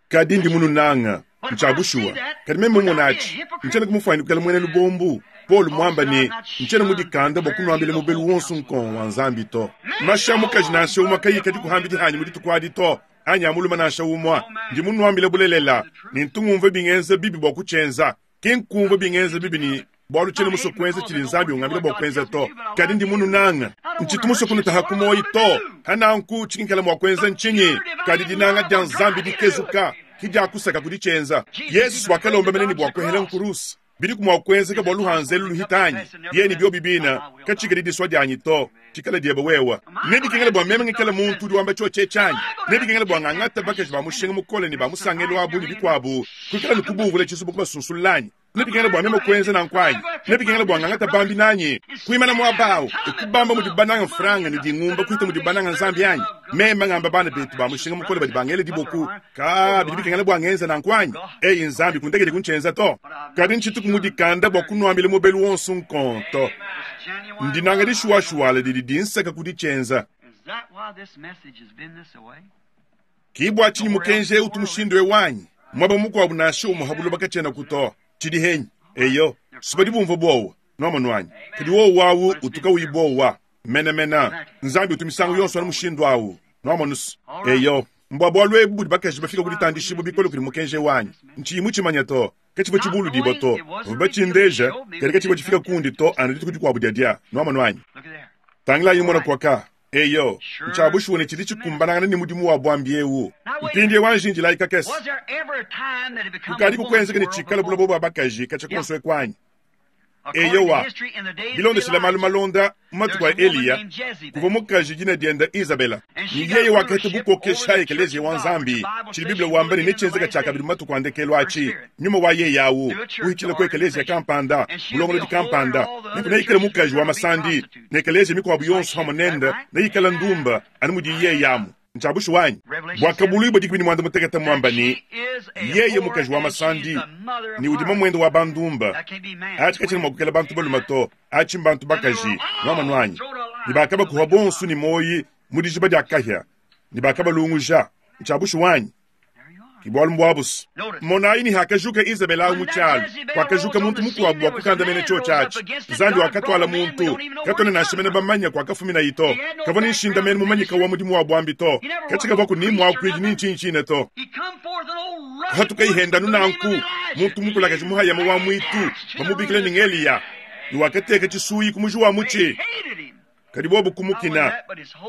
Kadi ndi mununanga. Ntshia bushuwa. Kadi meme mumone atshi, ntshiena kumufuanyina kuikala muena lubombu. Paulo muamba ne, Ntshiena mudikanda bua kunuambila mubelu wonso nkongo wa Nzambi to. Mashi a mukaji nansha umue kayikadi kuhambidi hanyi mu dituku adi to, anyi a mulume nansha umue. Ndi munuambile bulelela ne ntu ngumvua bingenza bibi bua kutshienza. Ki nkumvua bingenza bibi ne bualu tshiena musue kuenza tshidi Nzambi ungambila bua kuenza to, kadi ndi mununanga. Ntshitu musue kunutaha ku muoyo to. Hananku tshinkala mua kuenza ntshinyi? Kadi dinanga dia Nzambi dikezuka ki diakusaka ku ditshienza. Yesu wakalomba mene ne bua kuehela nkuruse. Bidiku mua kuenzeka bua luhanza elu luhita anyi? Yeye ne biobi bina, katshikadi disua dianyi to, tshikale diebe wewe. Nebikengele bua meme ngikale muntu udi wamba tshiotshi etshi anyi? Nebikengele bua ngangate bakaji ba mushinga mukole ne ba musangelu abu ne bikuabu, kuikala ne kubuvula tshizubu kubasunsulula anyi? Nebikengela bua meme kuenza nanku anyi? Nebikengela bua ngangata bambi nanyi, kuimana muaba awu e kubamba mudibu banange mfranga ne dingumba kuhita mudibu banange Nzambi anyi? Meme ngamba bana betu ba mushinga mukole badi bangela diboku, Kaa, bidi bikengela bua ngenza nanku anyi? Eyi Nzambi, kundekedi kuntshienza to. Kadi ntshituku mudikanda bua kunuambila mubelu wonso nkonto. Ndinanga dishuwashuwala didi dinsaka ku ditshienza. Ki bua tshinyi mukenji eu utu mushindu eu anyi? Muaba mukuabu nansha umue ha buloba katshienaku to. Tshidi henyi? Eyo, si badi bumvua buowa, nuamonu anyi? Kadi wowu awu utu kawuyi buowa menemene. Nzambi utu misangu yonso anu mushindu awu, nuamonu's. Eyo, mbua bualu ebu budi bakaji bafika ku ditandishibua bikole kudi mukenji eu anyi? Ntshiyi mutshimanya to. Katshivua tshibuludibua to. Bavua batshindeja, kadi katshivua tshifika kundi to anu dituku dikuabu diadia, nuamonu anyi? Tangilayi numona kuaka. Eyo, ntshia bushuwa ne tshidi tshikumbanangana ne mudimu wa buambi eu. Mpindieu anji indilayi kakese. Kukadiku kuenzeka ne tshikale buloba bua bakaji katshia kuonso eku anyi? Eyowa, bilondeshile malu malonda mu matuku a Eliya, kuvua mukaji dina diende Izabela, ne yeye wakaheta bukokeshi ha ekeleziya wa Nzambi. Tshidi Bible wamba ne netshienzeka tshiakabidi mu matuku a ndekelu atshi, nyuma wa yeye au uhitshila ku ekeleziya kampanda, bulongolodi kampanda, nenku neikale mukaji wa masandi, ne ekeleziya mikuabu yonso pamue nende neikale ndumba anu mudiyi yeye amu. Ntshia bushuwa anyi? Buakabuluibua 18 mmuamba ne, Yeye mukaji wa masandi ne udi mamuende wa bandumba. Atshi katshiena mua kuikala bantu balume to, atshi mbantu bakaji. Nuamonu anyi? Ne bakabakuha bonso ne muoyi mu dijiba dia kahia, ne bakabalunguja. Ntshia bushuwa anyi? Ki bualu mbuabu's. Monayi ne hakajuka Izebele awu mu tshialu, kuakajuka muntu mukuabu bua kukandamena tshiotshi atshi. Nzambi wakatuala muntu, katuena nansha mene bamanya kuakafuminayi to. Kavua ne nshindamenu mumanyika wa mudimu wa buambi to. Katshikavuaku ni muakuidi ni ntshinyi to. Kuhatukayi henda anu nanku, muntu mukulakaji muhayama wa muitu, bamubikila ne ng'Eliya, ne wakateka tshisuyi ku muji wa mutshi. Kadi bobu kumukina.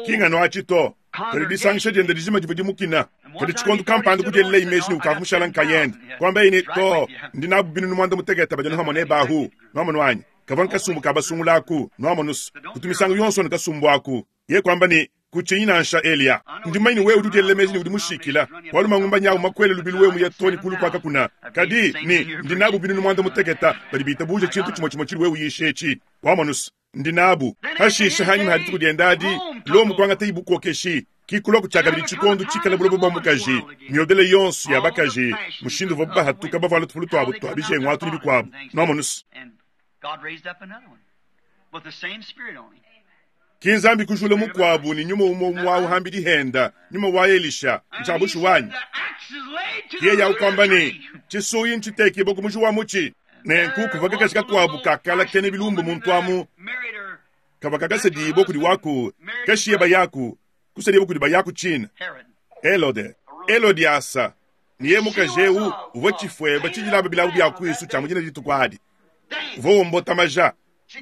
Ki nganu atshi to, kadi disangisha diende dijima divua dimukina. Kadi tshikondo kampanda kudielelaye meji ne ukavua mushala nkayende, kuambaye ne, Too, ndi nabu binunu muanda-mutekete badi anu pamue nebe ahu. Nuamonu anyi? Kavua nkasumbu ka basungula aku, nuamonu's. Kutu misangu yonso anu kasumbu aku. Yeye kuamba ne, Kutshinyi nansha, Eliya. Ndi mumanye ne wewe udi udielela meji ne udi mushikila, bualu mangumba nyawu makuele lubilu wewe muye too ne kulu kua kakuna. Kadi, ne, ndi nabu binunu muanda-mutekete badi bitabuja tshintu tshimue tshimue tshidi wewe uyisha etshi. Wamonu's? Ndi nabu. Hashishe, hanyima ha dituku diende adi, Lomo kuangatayi bukokeshi. Ki kuluaku tshiakabidi tshikondo tshikala buloba bua mukaji, miodele yonso ya bakaji, mushindu uvuabu bahatuka bavuala tufulu tuabu tua bijengu atu ne bikuabu. Nuamonu's? Ki Nzambi kujula mukuabu ne nyuma umue umue awu hambidi henda, nyuma wa Elisha. Ntshia bushuwa anyi? Yeye awu kuamba ne, Tshisuyi ntshitekibue ku muji wa mutshi. Nenku kuvua kakaji kakuabu kakala kena bilumbu muntu amu, kavua kakasedibua kudi waku kashiye bayaku, kusedibua kudi bayaku tshina Helode. Helodiasa ne yeye mukaji eu uvua tshifueba tshidilamba bilabu bia kuisu tshia mu dina dituku adi, uvua wombota maja.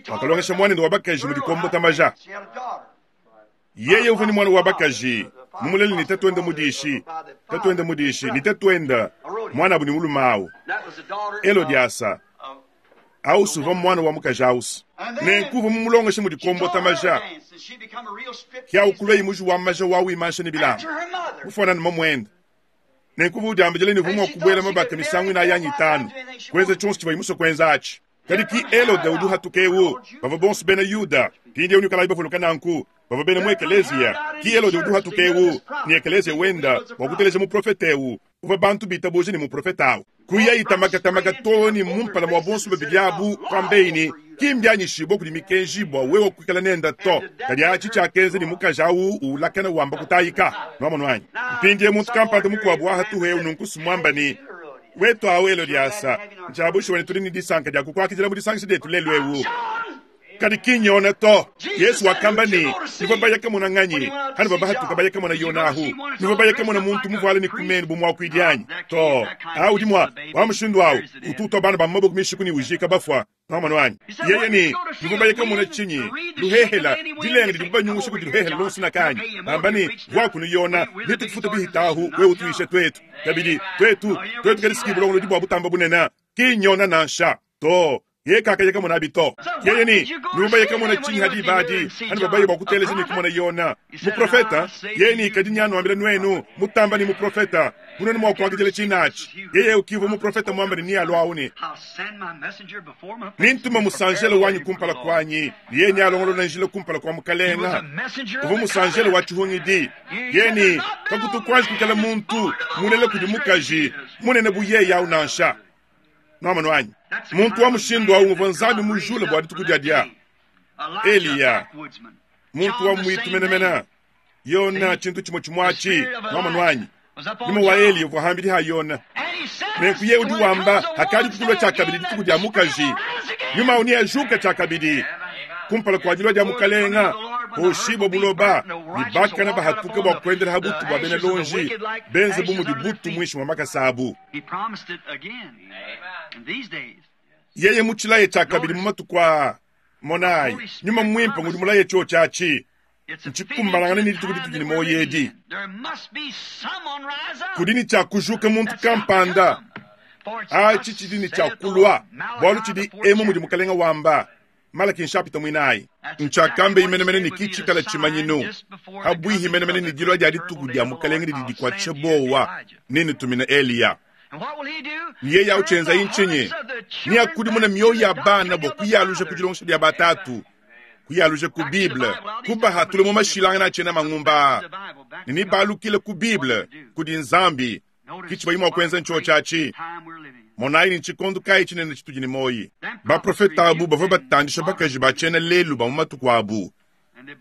Wakalongesha muanende wa bakaji mu dikombota maja. Yeye uvua ne muana wa bakaji mumulele ne tatuende mudishi, tatuende mudishi ne tatuende muanabu ne mulume awu Helodiasa. Ausi uvua muana wa mukaji ausi, nenku uvua mumulongeshe mu dikombota maja. Ke awu kuluaye muji wa maja wa wimansha ne bilamba, mufuanane mamuende. Nenku uvua udiambidila ne uvua mua kubuela mabaka misangu inayi anyi itanu, kuenza tshionso tshivuaye musue kuenza atshi. Kadi ki Helode udi uhatuka eu, bavua bonso bena Yuda. Mpindieu nuikalayi bavuluka nanku, bavua bena mu ekeleziya. Ki Helode udi uhatuka eu ne ekeleziya wenda bua kuteleja muprofete eu uvua bantu bitabuja ne muprofete au. Kuyayi tamakatamaka too ne mu mpala mua bonso babidi abu, kuambeyi ne, Ki mbianyishibue kudi mikenji bua wewe kuikala nende to. Kadi atshi tshiakenza ne mukaji au uwulakana wamba kutayika. Nuamonu anyi? Mpindieu muntu kampanda mukuabu wa hatuhu eu nunku smuamba ne, Wetu awu Helodiasa, ntshia bushuwa ne tudi ne disanka dia kukuakidila mu disangisha dietu lelu eu. Kadi ki n'Yona to. Yezu wakamba ne, Nuvua baya kamona nganyi? Hanuvua bahatuka baya kamona Yona ahu? Nuvua baya kamona muntu muvuale ne ku menu bu muakuidi anyi? To. Awu udi mua wa mushindu awu utu utua bana ba mu maboko mishiku ne ujika bafua. Nwamonu anyi? Yeye ne, Nuvua baye kamona tshinyi? Luhehela, dilenga didibu banyungusha kudi luhehela luonso nakanyi? Bamba ne, Vuaku Yona, netukufuta bihitahu, wewe utuishe tuetu. Kabidi, tuetu, tuetu kadi bulongolodi bua butamba bunene. Ki nyona nansha. To, yeye kakaya kamonabi to. Yeye ne, Nuvua baye kamona tshinyi ha diba adi? Hanuvua baye bua kuteleja ne kumona Yona, muprofeta? Yeye ne, Kadi nyanuambila nuenu, mutamba ne muprofeta. Munene mwa kuakidila tshinatshi yeye ukivua muprofeta muambe ne nialua awu ne, Nintuma musanjelo wanyi kumpala kuanyi, ne yeye nealongolole njila kumpala kua Mukalenga. Uvua musanjelo wa tshihungidi. Yeye ne, Kakutu kuanji kuikala muntu mulela kudi mukaji munene bu yeye awu nansha. Nuamonu anyi? Muntu wa mushindu awu nguvua Nzambi mujule bua dituku dia dia Eliya, muntu wa muitu menemene. Yona, tshintu tshimue tshimue atshi. Nuamonu anyi? Nyuma wa Eliya uvua hambidi ha Yona. Nenku yeye udi wamba hakadi kukulua tshiakabidi dituku dia mukaji, nyuma awu neajuke tshiakabidi kumpala kua dilua dia Mukalenga, hoshibua buloba, ne bakana bahatuke bua kuendela ha butu bua bena lonji, benze bu mudi butu muinshi mua makasa abu. Yeye mutshilaye tshiakabidi mu matuku aa. Monayi, Nyuma Muimpe ngudi mulaye tshiotshi atshi. Ntshikumbanangane ne dituku ditudi ne muoyo edi. Kudi ne tshia kujuka muntu kampanda. Atshi tshidi ne tshia kulua, bualu tshidi emu mudi Mukalenga wamba. Malaki nshapita muinayi. Ntshiakambeyi menemene ne ki tshikala tshimanyinu pabuihi menemene ne dilua dia dituku dia Mukalenga didi dikuatshisha buowa, Nennutumine Eliya. Ne yeye au tshienzayi ntshinyi? Neakudimune mioyo ya bana bua kuyaluja ku dilongesha dia batatu, kuyaluja ku Bible, kubahatula mu mashilangana a tshiena mangumba aa, ne nebalukile ku Bible, kudi Nzambi. Ki tshibayi mua kuenza ntshiotshi atshi. Monayi ne tshikondo kayi tshinene tshitudi ne muoyi. Baprofete abu bavua batandisha bakaji ba tshiena lelu ba mu matuku abu,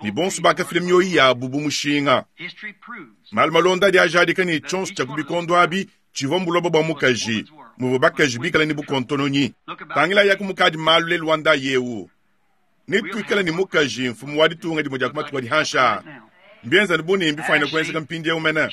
ne bonso bakafila mioyo yabu bu mushinga. Malu malonda adi ajadika ne, tshionso tshia ku bikondo abi tshivua mbuloba bua mukaji, muvua bakaji bikale ne bukontononyi. Tangilayaku mukadi malu lelu wa ndayi eu. Netuikale ne mukaji mfumu wa ditunga dimue dia ku matuku adi hanshi aa. Mbienza anu bu ne mbifuanyine kuenzeka mpindieu mene.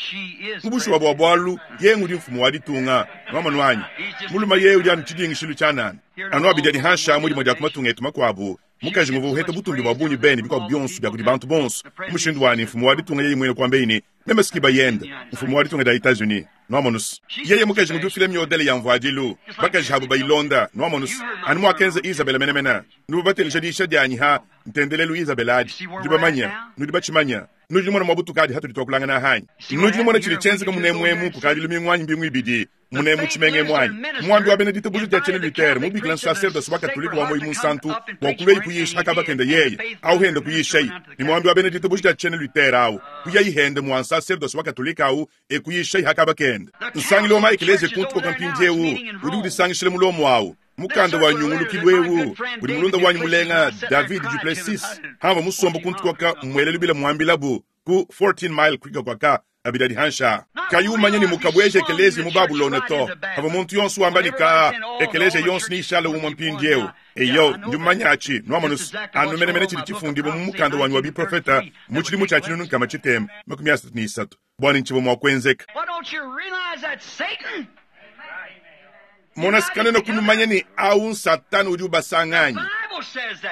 Mu bushuwa bua bualu, yeye ngudi mfumu wa ditunga. Nwamonu anyi? Mulume yeye udi anu tshidingishilu tshianana. Anu abidi adi hanshi aa mu dimue dia ku matunga etu makuabu, mukaji nguvua uheta butumbi bua bungi be ne bikuabu bionso bia kudi bantu bonso. Mu mushindu wa ne, mfumu wa ditunga yeye muine kuambeyi ne, Meme si bayende, mfumu wa ditunga dia Etats-Unis. Nwamonus? Yeye mukaji ngudi ufila miodele ya mvuadilu, bakaji abu bayilonda. Nwamonus? Anu muakenza Izabela menemene. Nuvua bateleja diyisha dianyi ha ntendelelu Izabela adi. Nudi bamanye, nudi batshimanye. Nudi numona mua butukadi hatudi tuakulangana aha anyi? Nudi numona tshidi tshienzeka munemu emu kukadi lumingu anyi mbingu ibidi, munemu mu tshimenga emu anyi? Muambi wa bena ditabuja dia tshiena Luther mubikila nsaserdose wa Katolike wa Muoyo Munsantu bua kuluaye kuyisha ha kaba kende yeye au hende kuyishayi, ne muambi wa bena ditabuja dia tshiena Luther au kuyayi hende mua nsaserdose wa Katolike au e kuyishayi ha kaba kende. Nsangilu wa ma-ekeleziya kuntu koka mpindieu udi udisangishila mu Lomo au. Mukanda wa nyungulukilu eu udi mulunda wanyi mulenga David duPlessis hamva musomba kuntu koka muele lubila muambilabu ku 14 Mile Creek kwaka abidi adi hanshi aa. Kayi umanya ne mukabueja ekeleziya mu Babulona to. Pavua muntu yonso wamba ne, Kaa, ekeleziya yonso neishale umue mpindieu. Eyo, ndi mumanye atshi, nwamonus, anu menemene tshidi tshifundibue mu mukanda wanyi wa biprofeta mu tshidimu tshia 1633, bua ne ntshivua mua kuenzeka. Mona, kanuena kunumanya ne awu n'Satana udi ubasanga anyi?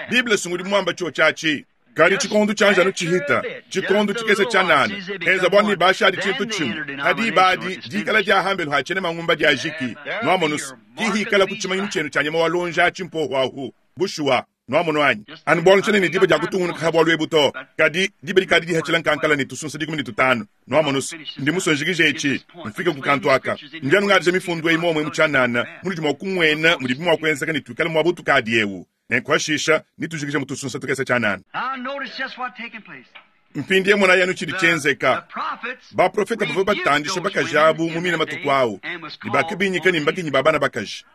Bible si ngudi muamba tshiotshi atshi. Kadi tshikondo tshianji anu tshihita, tshikondo tshikese tshianana, henza bualu ne bashadi tshintu tshimue, ha diba adi dikala dia hambelu ha tshiena mangumba diajiki. Nuamonus, ki hikala ku tshimanyinu tshienu tshia nyama wa luonji atshi mpohu ahu. Bushuwa, nuamonu anyi? Anu bualu ntshiena ne diba dia kutungunuka ha bualu ebu to, kadi diba dikadi dihatshila nkankala ne tusunsa 15. Nuamonus, ndi musue njikije etshi, mfike ku kantu aka. Ndi anu ngadija mifundu eyi muomue mu tshianana, munudi mua kumuena mudibi mua kuenzeka ne tuikale muaba utukadi eu. Nenku hashisha netujikije mu tusunsa tukese tshianana. Mpindieu monayi anu tshidi tshienzeka. Baprofete bavua batandisha bakaji abu mu mine matuku au, ne bakabinyika ne mbakinyi ba bana bakaji.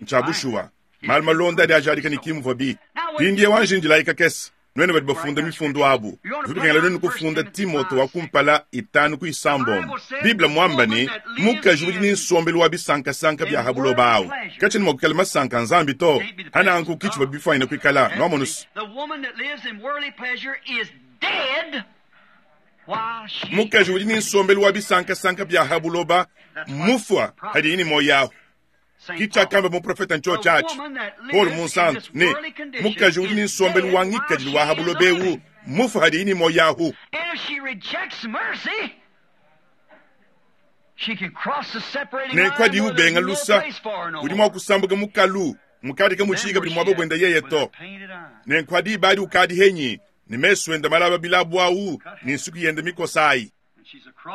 Ntshia bushuwa, malu malonda adi ajadika ne ki muvuabi. Mpindieu anji indilayi kakese. Nuenu badi bafunda mifundu abu, bivua bikengela nuenu kufunda Timote wa kumpala itanu ku isambombo. Bible muamba ne, mukaji udi ne nsombelu wa bisankasanka bia ha buloba awu katshiena mua kuikala masanka a Nzambi to. Ha nanku ki tshivua bifuanyine kuikala. Nuamonus? Mukaji udi ne nsombelu wa bisankasanka bia ha buloba mmufua hadiye ne muoyo ahu. Ki tshiakamba muprofete ntshiotshi atshi, Paulo Munsantu, ne, Mukaji udi ne nsombelu wa ngikadilu wa ha buloba eu mmufue hadiye ne muoyo ahu. Nenku hadiye ubenga lusa, udi mua kusambuka mukalu mukadi kamutshiyi kabidi muaba buenda yeye to. Nenku ha diba adi ukadi henyi ne mesu ende malaba bilabu au ne nsuki yende mikosa ayi.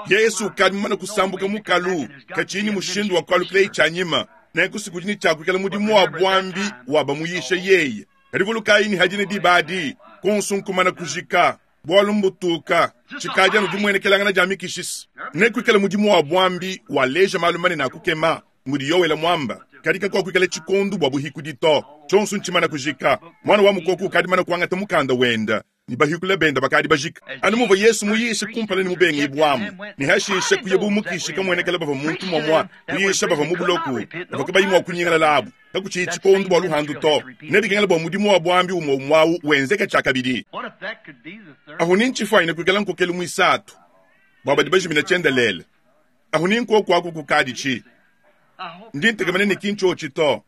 Yesu ukadi mumane kusambuka mukalu, katshiyi ne mushindu wa kualukila tshianyima. Nenku si kudi ne tshiakuikala mudimu wa buambi wa bamuyisha yeye. Kadi vulukayi ne hadine diba adi, konso nkumana kujika, bualu mbutuka, tshikadi anu dimuenekelangana dia mikishisi. Nekuikale mudimu wa buambi waleja malu manene a kukema, mudi Yoele muamba, kadi kakuakuikala tshikondu bua buhikudi to. Tshionso ntshimana kujika. Muana wa mukoko ukadi mana kuangata mukanda wenda, ne bahikula benda bakadi bajika. Anu muvua Yesu muyishe kumpala ne mubengibuamu, ne hashishe kuya bu mukishi kamuenekela bavua muntu muamua kuyisha bavua mu buloku, bavua kabayi mua kunyingalala abu. Kakutshiyi tshikondu bua luhandu to. Nebikengela bua mudimu wa buambi umue umue awu wenzeke tshiakabidi. Ahu ni ntshifuanyine kuikala nkokelu muisatu bua badi bajimina tshiendelele. Ahu ni nkoku aku kukadi tshi. Ndi ntekemena ne ki ntshiotshi to.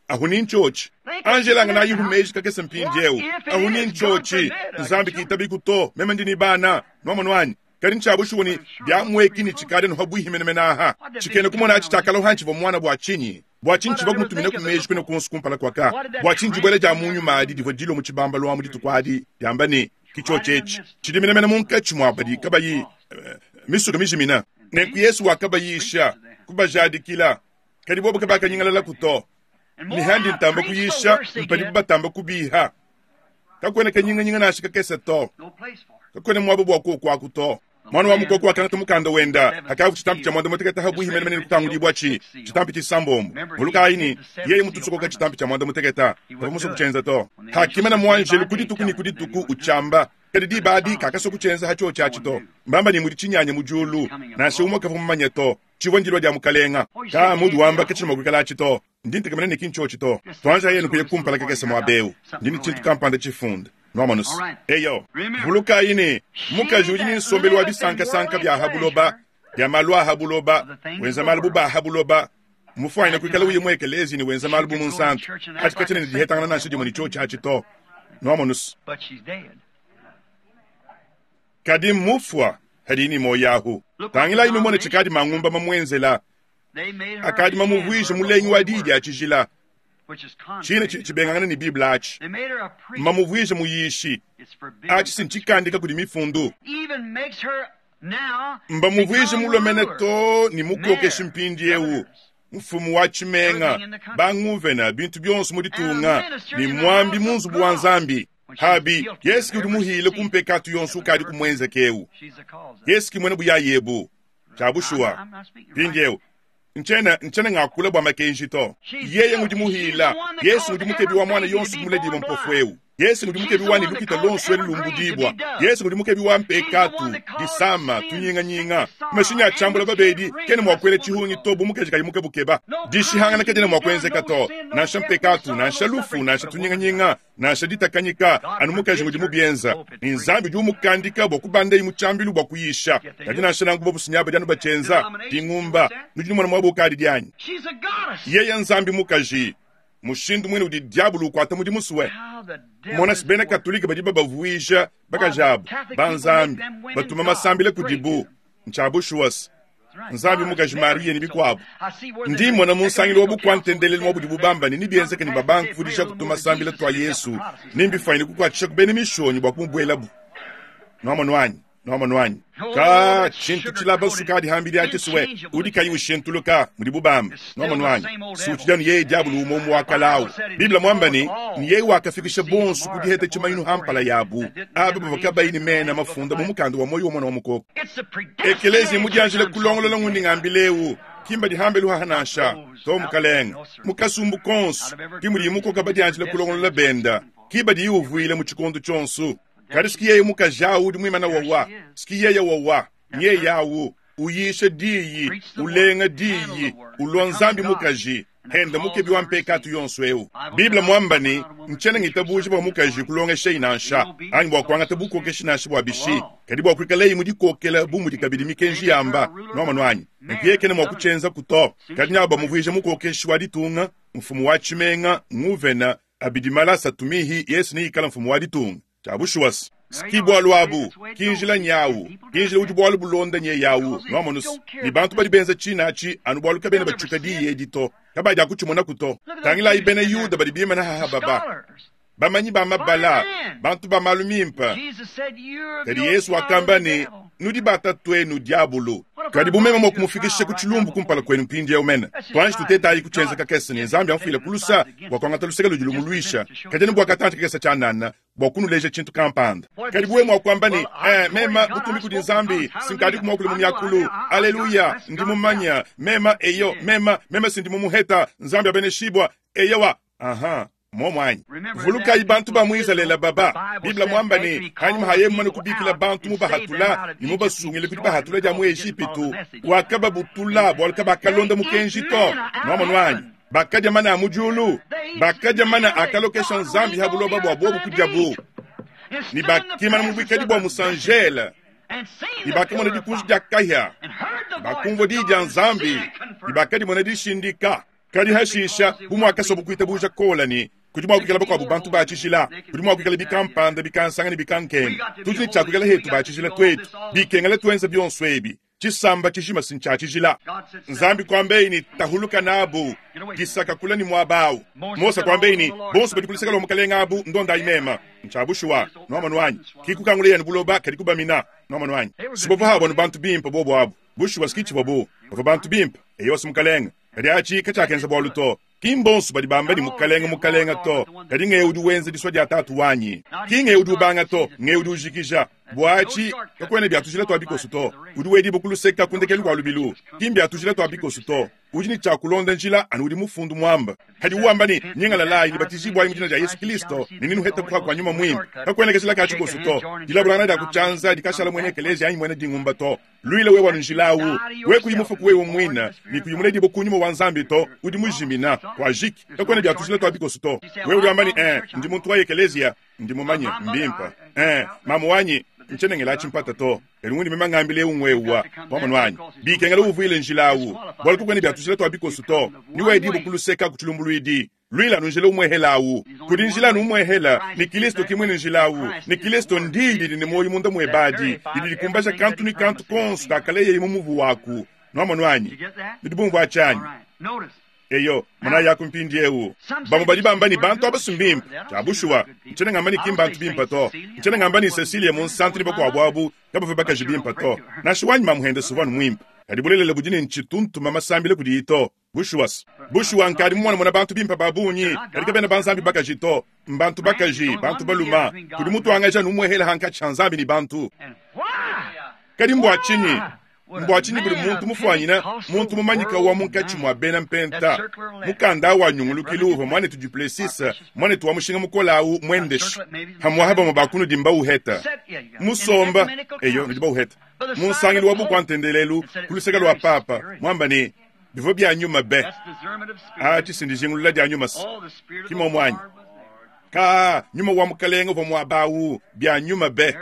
Ahu ni ntshiotshi. Angela nganayihu meji kakese mpindieu. Ahu ni ntshiotshi. Nzambi kitabiku to. Meme ndi ni bana. Nuamonu anyi? Kadi ntshiabushuwa ne biamueki ne tshikadi nuha buihi menemene aha. Tshikena kumona atshi tshiakaloha ntshivua muana bua tshinyi? Bua tshinyi tshivua kumutumina ku meji kuena kuonso kumpala kua ka? Bua tshinyi dibuela dia mu nyuma adi divua dilua mu tshibambalu amu dituku adi diamba ne, Ki tshiotshi etshi tshidi menemene munkatshi mua badi kabayi misuka mijimina? Nenku Yesu wakabayisha, kubajadikila, kadi bobo kabakanyingalalaku to. Ne handi ntamba kuyisha, mpadibu batamba kubiha. Kakuena kanyinganyinga nansha kakese to. Kakuena muaba bua kuokuaku to. Muana wa mukoko wakangata mukanda wenda, hakavua tshitampi tshia muanda mutekete habuihi menemene ne kutangudibua tshi tshitampi tshisambombo. Vulukayi ne, yeye mutusokoka tshitampi tshia muanda mutekete, kavua musue kutshienza to. Hakimana muanjelu ku dituku ne ku dituku utshiamba, kadi diba adi kakasua kutshienza ha tshiotshi atshi to. Mbamba ne mudi tshinyanya mu diulu, nansha umue kavua mumanye to. Tshivua ndilua dia Mukalenga. Ka mudi wamba katshina mua kuikala atshi to. Ndi ntekemena ne ki ntshiotshi to. Tuanjayi anu kuya kumpala kakese muaba eu. Ndi ne tshintu kampanda tshifunda. Nuamonu's? Eyo. Vulukayi ne, mukaji udi ne nsombelu wa bisankasanka bia ha buloba, bia malu a ha buloba, wenza malu bu ba ha buloba, mufuanyine kuikala uya mu ekeleziya ne wenza malu bu munsantu. Atshi katshiena ne dihetangana nansha dimue ne tshiotshi atshi to. Nuamonu's? Kadi mmufua, hadi ne muoyo ahu. Tangilayi numone tshikadi mangumba mamuenzela. Akadi mamuvuije mulengi wa diyi dia tshijila, tshine tshidi tshibengangana ne Bible atshi. Mamuvuije muyishi, atshi si ntshikandika kudi mifundu. Mbamuvuije mulue too ne mukokeshi mpindieu, mfumu wa tshimenga, banguvena, bintu bionso mu ditunga, ne muambi mu nzubu wa Nzambi. Habi, Yesu ki udi muhile ku mpekatu yonso ukadi kumuenzeke eu. Yesu ki muena buyayi ebu. Tshia bushuwa. Mpindieu, ntshiena, ntshiena ngakula bua makenji to. Yeye ngudi muhila. Yesu ngudi mukebi wa muana yonso kumuledibua mpofu eu. Yesu ngudi mukebi wa ne lukita luonso elu lumbudibua. Yesu ngudi mukebi wa mpekatu, disama, tunyinganyinga. Mashinyi a tshiambula babedi kena mua kuela tshihungi to bu mukaji kayi mukebukeba. Dishihangana kadiena mua kuenzeka to, nansha mpekatu, nansha lufu, nansha tunyinganyinga, nansha ditakanyika, anu mukaji ngudi mubienza, ne Nzambi udi umukandika bua kubandayi mu tshiambilu bua kuyisha. Kadi nansha nanku bobu badi anu batshienza dingumba. Nudi numona muaba ukadi dianyi? Yeye Nzambi mukaji, mushindu muine udi diabulu ukuata mudimu sue. Mona bena Katolike badi babavuija bakaji abu ba Nzambi, batuma masambila kudibu. Ntshia bushuwa se, Nzambi mukaji Mariya ne bikuabu. Ndi mmona mu nsangilu wa bukua-ntendelelu mua budibu bamba ne nebienzeke ne babanga kuvudija kutuma masambila tua Yesu ne mbifuanyine kukuatshisha ku bena mishonyi bua kumubuelabu. Nuamonu anyi? Nuamonu anyi? Ka tshintu tshilaba sukadi hambidi atshi sue udi kayi ushintuluka mudibu bamba. Nuamonu anyi? Si utshidi anu yeye diabulu umue umue wa kale awu. Bible muamba ne, ne yeye wakafikisha bonso ku diheta tshimanyinu ha mpala yabu, aba bavua kabayi ne mena mafunda mu mukanda wa muoyo wa Muana wa Mukoko. Ekeleziya mudianjile kulongolola ngundi ngambila eu, ki mbadihambe luhaha nansha to, mukalenge. Mu kasumbu konso ki mudi mukoka badianjile kulongolola benda, ki badiyi uvuila mu tshikondo tshionso. Kadi siki yeye mukaji awu udi muimana wawa, siki yeye wawa, nyeye awu uyisha diyi, ulenga diyi, ulua Nzambi mukaji, henda mukebi wa mpekatu yonso eu. Bible muamba ne, ntshiena ngitabuja bua mukaji kulongeshei nansha, anyi bua kuangata bukokeshi nansha bua bishi, kadi bua kuikalei mu dikokela bu mudi kabidi mikenji yamba. Nuamonu anyi? Nenku yeye kena mua kutshienzaku to. Kadi nabo bamuvuije mukokeshi wa ditunga, mfumu wa tshimenga, nguvena, abidi mala asatu mihi, Yesu neikale mfumu wa ditunga. Tshia bushuwa se, ki bualu abu, ki njila nyawu, ki njila udi bualu bulonda nyeyawu. Nuamonu se, ne bantu badi benza tshina atshi anu bualu kabena batshuka diyi edi to, kabadi akutshimonaku to. Tangilayi bena Yuda badi bimana haha baba. Bamanyi ba mabala, bantu ba malu mimpe. Kadi Yesu wakamba ne, Nudi ba tatuenu diabulu. Kadi bu meme mua kumufikisha ku tshilumbu kumpala kuenu mpindieu mene, tuanji tutetayi kutshienza kakese ne Nzambi amfuile ku lusa bua kuangata luseke ludi lumuluisha, kadi anu bua katantshi kakese tshianana, bua kunuleja tshintu kampanda. Kadi bu wewe mua kuamba ne, Eh, mema, butumbi kudi Nzambi, sinkadiku muakule mu miakulu. Aleluya, ndi mumanya. Mema, eyo, mema, mema sindi mumuheta. Nzambi abeneshibua. Eyowa. Aha. Muomu anyi? Vulukayi bantu ba mu Izalele baba. Bible muamba ne, hanyima ha yeye mumane kubikila bantu mubahatula ne mubasungile ku dibahatula dia mu Ejipitu, wakababutula bualu kabakalonda mukenji to. Nuamonu anyi? Bakadia mana a mu diulu, bakadia mana akalokesha Nzambi ha buloba bua bobu kudiabu, ne bakimana mu buikadi bua musanjele, ne bakamona dikunji dia kahia, bakumvua diyi dia Nzambi, ne bakadimona dishindika. Kadi hashisha, bu muakasobu kuitabuja Kola ne kudi mua kuikala bakuabu bantu ba tshijila, kudi mua kuikala bikampanda, bikansanga ne bikankenge, tudi ne tshia kuikala hetu ba tshijila tuetu, bikengela tuenza bionso ebi. Tshisamba tshijima si ntshia tshijila. Nzambi kuambeyi ne, Tahuluka nabu, disaka kula ne muaba awu. Mose kuambeyi ne, Bonso badi ku luseke lua mukalenge abu, ndondayi mema. Ntshia bushuwa, nuamonu anyi? Ki kukangula yenu buloba, kadi kubamina. Nuamonu anyi? Si bavua abu anu bantu bimpe bobu abu. Bushuwa si ki tshivua bu. Bavua bantu bimpe. Eyowa si mukalenge. Kadi atshi katshiakenza bualu to. Ki mbonso badi bamba ne Mukalenge, Mukalenge to, kadi ng'eu udi wenza disua dia Tatu wanyi. Ki ng'eu udi ubanga to, ng'eu udi ujikija. Bua atshi, kakuena bia tujila tua bikoso to. Udi wedibua ku luseka ku ndekelu kua lubilu. Ki mbia tujila tua bikoso to. Udi ne tshia kulonda njila anu udi mufundu muamba. Kadi wamba ne, Nyingalalayi ne batijibuayi mu dina dia Yesu Kilisto ne nenuhete kuha kua Nyuma Muimpe. Kakuena kajila ka tshikoso to. Dilabulangana dia ku tshianza dikashala muena ekeleziya anyi muena dingumba to. Luila wewe anu njila awu. Wewe kuyi mufuku wewe muine ne kuyi muledibue ku nyuma wa Nzambi to, udi mujimina. Kuajiki. Kakuena bia tujila tua bikoso to. Wewe udi wamba ne, Eh, ndi muntu wa ekeleziya. Ndi mumanye. Mbimpe. Eh, mamu wanyi, ntshiena ngela tshimpata to. Kadi undi meme ngambila eu ngwewa. Wamonu anyi? Bikengela uvuile njila awu. Bualu kakuena bia tujila tua bikoso to. Ni wedibue ku luseka ku tshilumbuluidi. Luila anu njila umuehela awu. Kudi njila anu umuehela, ne Kilisto ki muine njila awu. Ne Kilisto ndiyi didi ne muoyo munda muebe adi, didi dikumbaja kantu ne kantu konso kakaleyeye mu muvu waku. Nuamonu anyi? Nudi bumvua atshi anyi? Eyo, monayi aku mpindiewu. Bamue badi bamba ne bantu aba si mbimpe. Tshia bushuwa, ntshiena ngamba ne ki mbantu bimpe to. Ntshiena ngamba ne Cecilia Munsantu ne bakuabu abu kabavua bakaji bimpe to. Nansha wanyi mamuende suvua anu muimpe. Kadi bulelela budi ne ntshitu ntuma masambila kudiyi to. Bushuwa, bushuwa nkadi mumone bantu bimpe ba bungi, kadi kabena ba Nzambi bakaji to. Mbantu bakaji, bantu baluma. Kudi mutuangaji anu umuehela hankatshi ha Nzambi ne bantu. Kadi mbua tshinyi? Mbua tshinyi budi muntu mufuanyina muntu mumanyika wa munkatshi mua bena mpenta? Mukanda wa nyungulukilu uvua muanetu Duplessis, muanetu wa mushinga mukole au muendeshe. Pamuapa bamue ba kunudi mbauheta. Musomba, eyo, nudi bauheta. Mu nsangilu wa bukua ntendelelu ku luseke lua Papa, muamba ne, Bivua bia nyuma be. Atshi si ndijingulula dia nyuma se. Ki muomu anyi? Ka, nyuma wa Mukalenge uvua muaba awu, bia nyuma be.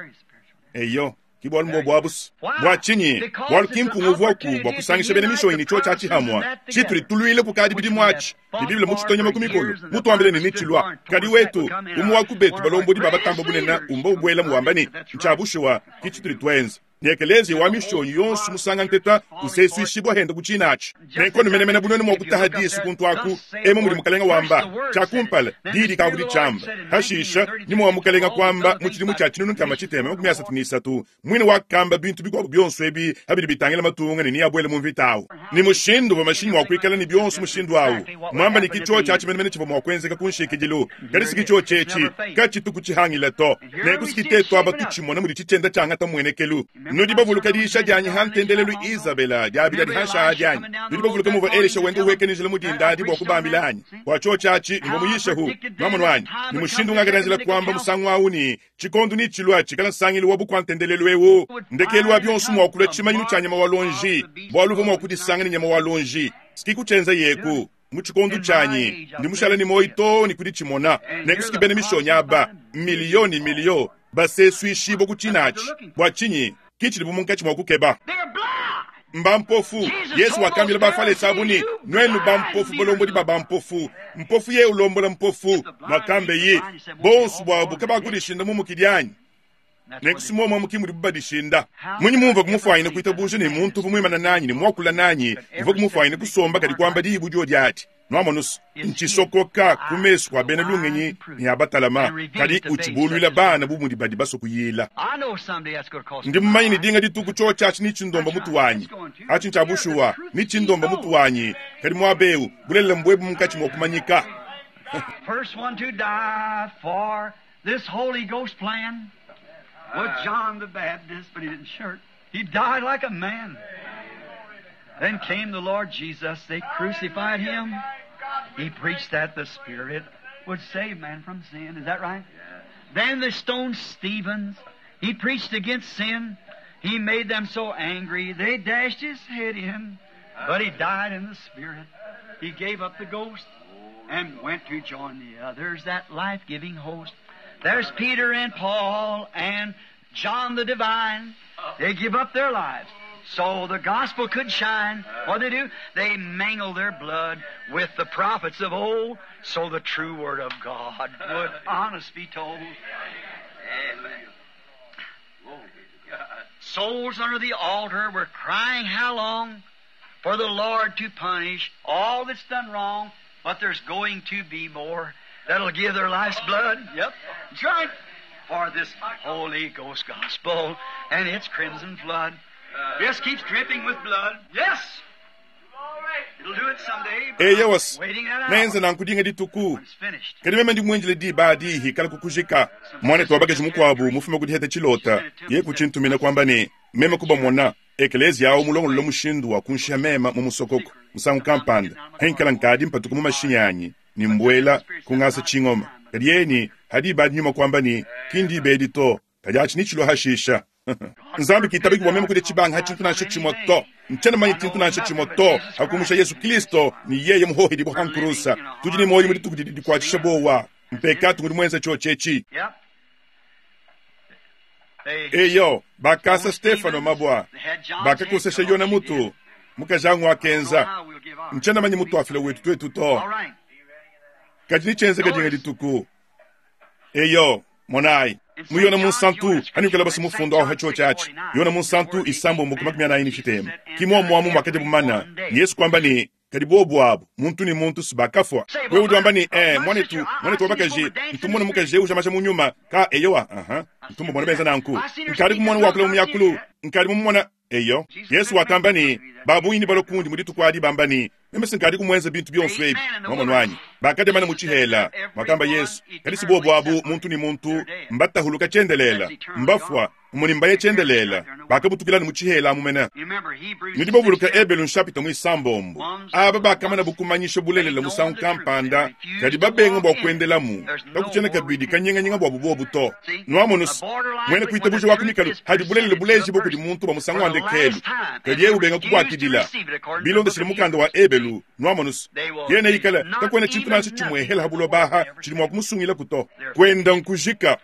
Eyo, ki bualu mbuobu abu se. Bua tshinyi? Bualu ki mpunga uvuaku bua kusangisha bena mishonyi ne tshiotshi atshi hamua. Tshitudi tuluila kukadi bidimu atshi, ne Bible mutshitonyema ku mikolo, mutuambile ne netshilua. Kadi wetu, umue wa ku betu balombodi ba batamba bunene umba ubuelamu wamba ne, Ntshia bushuwa, ki tshitudi tuenza. Ne ekeleziya wa mishonyi yonso musanga nteta usesuishibua henda ku tshina atshi. Nenku menemene bu nuenu mua kutaha disu kuntu aku, emu mudi Mukalenga wamba, tshia kumpala, diyi dikavua ditshiamba, hashisha, nyuma wa Mukalenga kuamba mu tshidimu tshia 1333, muine wakamba bintu bikuabu bionso ebi pa bidi bitangila matunga ne neabuele mu mvita awu. Ne mushindu uvua mashinyi mua kuikala ne bionso mushindu awu, muamba ne ki tshiotshi atshi menemene tshivua mua kuenzeka ku nshikidilu, kadi si ki tshiotshi etshi katshitu kutshihangila to. Nenku si tetu aba tutshimona mudi tshitshienda tshiangata muenekelu. Nudi bavuluka diyisha dianyi ha ntendelelu Izabela diabidi adi hanshi adi anyi? Nudi bavuluka muvua Elisha wenda uhueka ne njila mu dinda adi bua kubambila anyi? Bua tshiotshi atshi mvua muyishehu. Nuamonu anyi? Ne mushindu ungakadianjila kuamba musangu au ne, tshikondo netshilua tshikala nsangilu wa bukua-ntendelelu eu ndekelu wa bionso mua kulua tshimanyinu tshia nyama wa luonji, bualu uvua mua kudisanga ne nyama wa luonji. Siki kutshienza yeku. Mu tshikondo tshianyi ndi mushale ne muoyo too ne ku ditshimona. Nenku bena mishonyi aba miliyo ne miliyo basesuishibua ku tshina atshi. Bua tshinyi? Ki tshidibu munkatshi mua kukeba. Mbampofu. Yesu wakambila Bafalese abu ne, Nuenu bampofu, balombodi ba bampofu. Mpofu yeye ulombola mpofu. Nuakambeyi, bonso buabu kabakudishinda mu mukidi anyi? Nenku si muomuomu ki mudibu badishinda. Mmunyi mumvua kumufuanyine kuitabuja ne muntu uvua muimane nanyi ne muakula nanyi uvua kumufuanyine kusomba kadi kuamba diyi bu diodi adi? Nuamonu's, ntshisokoka ku mesu kua bena lungenyi ne a batalama, kadi utshibuluila bana bu mudi badi basue kuyila. Ndi mumanye ne dinga dituku tshiotshi atshi netshindomba mutu wanyi. Atshi ntshia bushuwa, netshindomba mutu wanyi. Kadi muaba eu, bulelela mbuebu munkatshi mua kumanyika. First one to die for this Holy Ghost plan was John the Baptist, but he didn't shirk. He died like a man. Then came the Lord Jesus. They crucified him. He preached that the Spirit would save man from sin. Is that right? Then they stoned Stephen. He preached against sin. He made them so angry they dashed his head in. But he died in the Spirit. He gave up the ghost and went to join the others, that life-giving host. There's Peter and Paul and John the Divine. They give up their lives so the gospel could shine. What they do? They mingle their blood with the prophets of old so the true word of God would honest be told. Amen. Souls under the altar were crying how long for the Lord to punish all that's done wrong, but there's going to be more that'll give their life's blood. Yep, that's right. For this Holy Ghost gospel and its crimson flood. Just keeps dripping with blood. Yes! It'll do it someday. but Eya was I'm waiting that hour neenze nanku dinga dituku when it's finished. kadi meme ndi muindile diba adi hikala kukujika mwanetu wa bakaji mukuabu mufume kudiheta tshilota ye kutshintumina kuamba ne meme kubamona ekeleziya awu mulongolola mushindu wa kunshiha mema mu musokoko musangu kampanda henkala nkadi mpatuka mu mashinyi anyi ni mbuela kungasa tshingoma kadi yeni hadi ibadi nyuma kuamba ne kindi ibedi to kadi atshi ni tshilo hashisha nzambi kitabiki bua meme kudia tshibanga ha tshintu nansha tshimue to ntshiena manye tshintu nansha tshimue to hakumusha yesu kristo ni yeye muhohedi buhankurusa tudi ne muoyo mu dituku didi dikuatshisha bowa mpekatu ngudi muenza tshiotshi Yep. They eyo bakasa stefano mabua they had John's bakakosesha head cut yona off. He mutu did. mukajangu akenza Know how we'll give ours. ntshiena manye mutuafila wetu twetu to All right. kadi nitshienzeka dinga dituku eyo monayi muyona munsantu anikala basi mufundo aho hacho chachi yona munsantu isambo makumi anayi ni tshitema kimwamuamu mwakadi bumana yesu kwamba ni kadi bobu abu muntu ni muntu sibakafwa wewe udi wamba ni eh mwanetu mwanetu wabakaji ntumona mukaji uja maja munyuma ka eyowa aha ntumbo mwana benza nanku nkadi kumwana wakula mumyakulu nkadi mumona eyo yesu wakamba ni babuyini balokundi mudituku adi bamba ni meme sinkadi kumwenza bintu byonso ebi mwamonu wanyi bakademana muchihela mwakamba yesu kadi si bobu abu muntu ni muntu mbatahuluka chendelela mbafwa muni mbaye chendelela bakabutukilani muchihela amumena You remember Hebrews nidi bavuluka 6:7. ebelu nshapita muisambombo aba bakamana bukumanyisha bulelela musangu kampanda kadi babenga bua kuendelamu kakutshiena kabidi kanyinganyinga bua bubobu to nuamonusi mwene kuitabuja wa kumikalu hadi bulelela buleji bo kudi muntu bua musangu wa ndekelu kadi ye ubenga kubuakidila bilondeshile mukanda wa ebelu nuamonusi yene ikala kakuena tshintu nansha tshimuehela ha buloba tshidi mua kumusungila kuto kuenda nkujika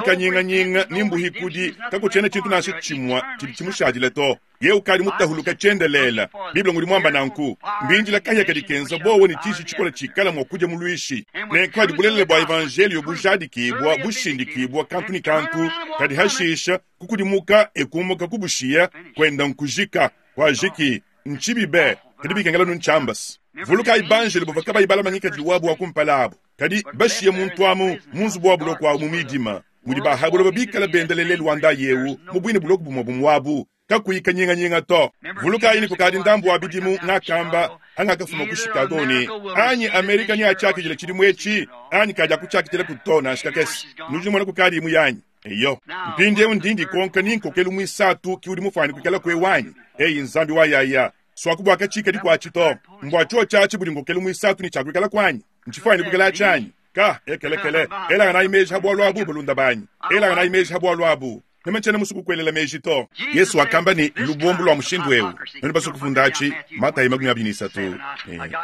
ninkanyinganyinga nimbuhikudi kakutshiena tshintu nansha tshimua tshidi tshimushadile to ye ukadi mutahuluka tshiendelela biblia ngudi muamba nanku mbinjila kahia kadi kenza bowo ni tshishi tshikola tshikala mua kudia muluishi nenku hadi bulelela bua evanjelio bujadikibua bushindikibua kantu ni kantu kadi hashisha kukudimuka ekumuka kubushiya kuenda nkujika kuajiki ntshibibe kadi bikengela nuntshambasi vuluka ibanjelo bavua kabayi balamanyika wabu wa kumpala abu kadi bashiye muntu amu munzubu wa buloko abu mu midima mudi bahabuloba bikala bendelele luanda yewu mu bwine buloko bumue bumuabu kakuyi kanyinganyinga to vulukayi ni kukadi ndambu wa bidimu ngakamba angakafuma ku chicago ni anyi amerika ni atshiakidile tshidimu etshi anyi kadi akutshiakidile kuto nansha kakese nudi numona kukadi imu yanyi eyo mpindiewu ndindi konka ninkokelu muisatu ki udi mufuane kuikala kue wanyi eyi nzambi wa yaya swakubwaka tshikadi kuatshi to mbua tshio tshiatshi budi nkokelu muisatu ni tshiakuikala kuanyi ntshifuane kuikala tshianyi ka ekelekele elanga nayi meji ha bualu abu balunda banyi elanga nayi meji ha bualu abu meme ntshiena musu kukuelela meji to yesu wakamba ni lubombo lua mushindu ewu noni basu kufunda atshi matayi 23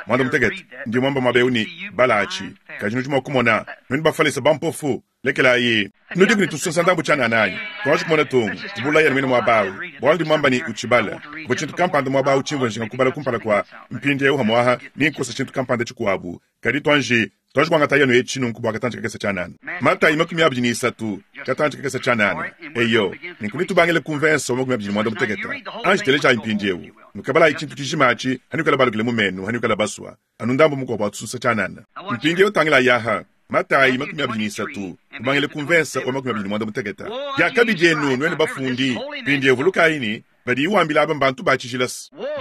mwanda mutekete ndi mwamba mwabeu ni bala atshi kadi nudi mua kumona noni bafalesa bampofu lekelayi nudi kuni tusonsa ndambu tshianana twaji kumona tungu tubulaya mwene mwabawu bualu ndi mwamba ni utshibala bua tshintu kampanda mwabawu tshimvua njinga kubala kumpala kua mpindiewu hamwaha ninkosa tshintu kampanda tshikuabu kadi twanji twaji kuangata yanu etshi nunku bua katantshi kakese tshianana matayi 23 Katantshi kakese tshianana. Eyo, nenku netubangile ku mvese wa 25. Anji telejayi mpindieu. Nukabalayi tshintu tshijima atshi, hanuikala balukile mu menu, hanuikala basua. Anu ndambu mukuabu wa tususa tshianana. Mpindieu tangilayi aha, Matayi 23, kubangila ku mvese wa 25. Diakabi dienu, nuenu bafundi! Mpindieu vulukayi ne, badiyi wambila aba mbantu ba tshijila.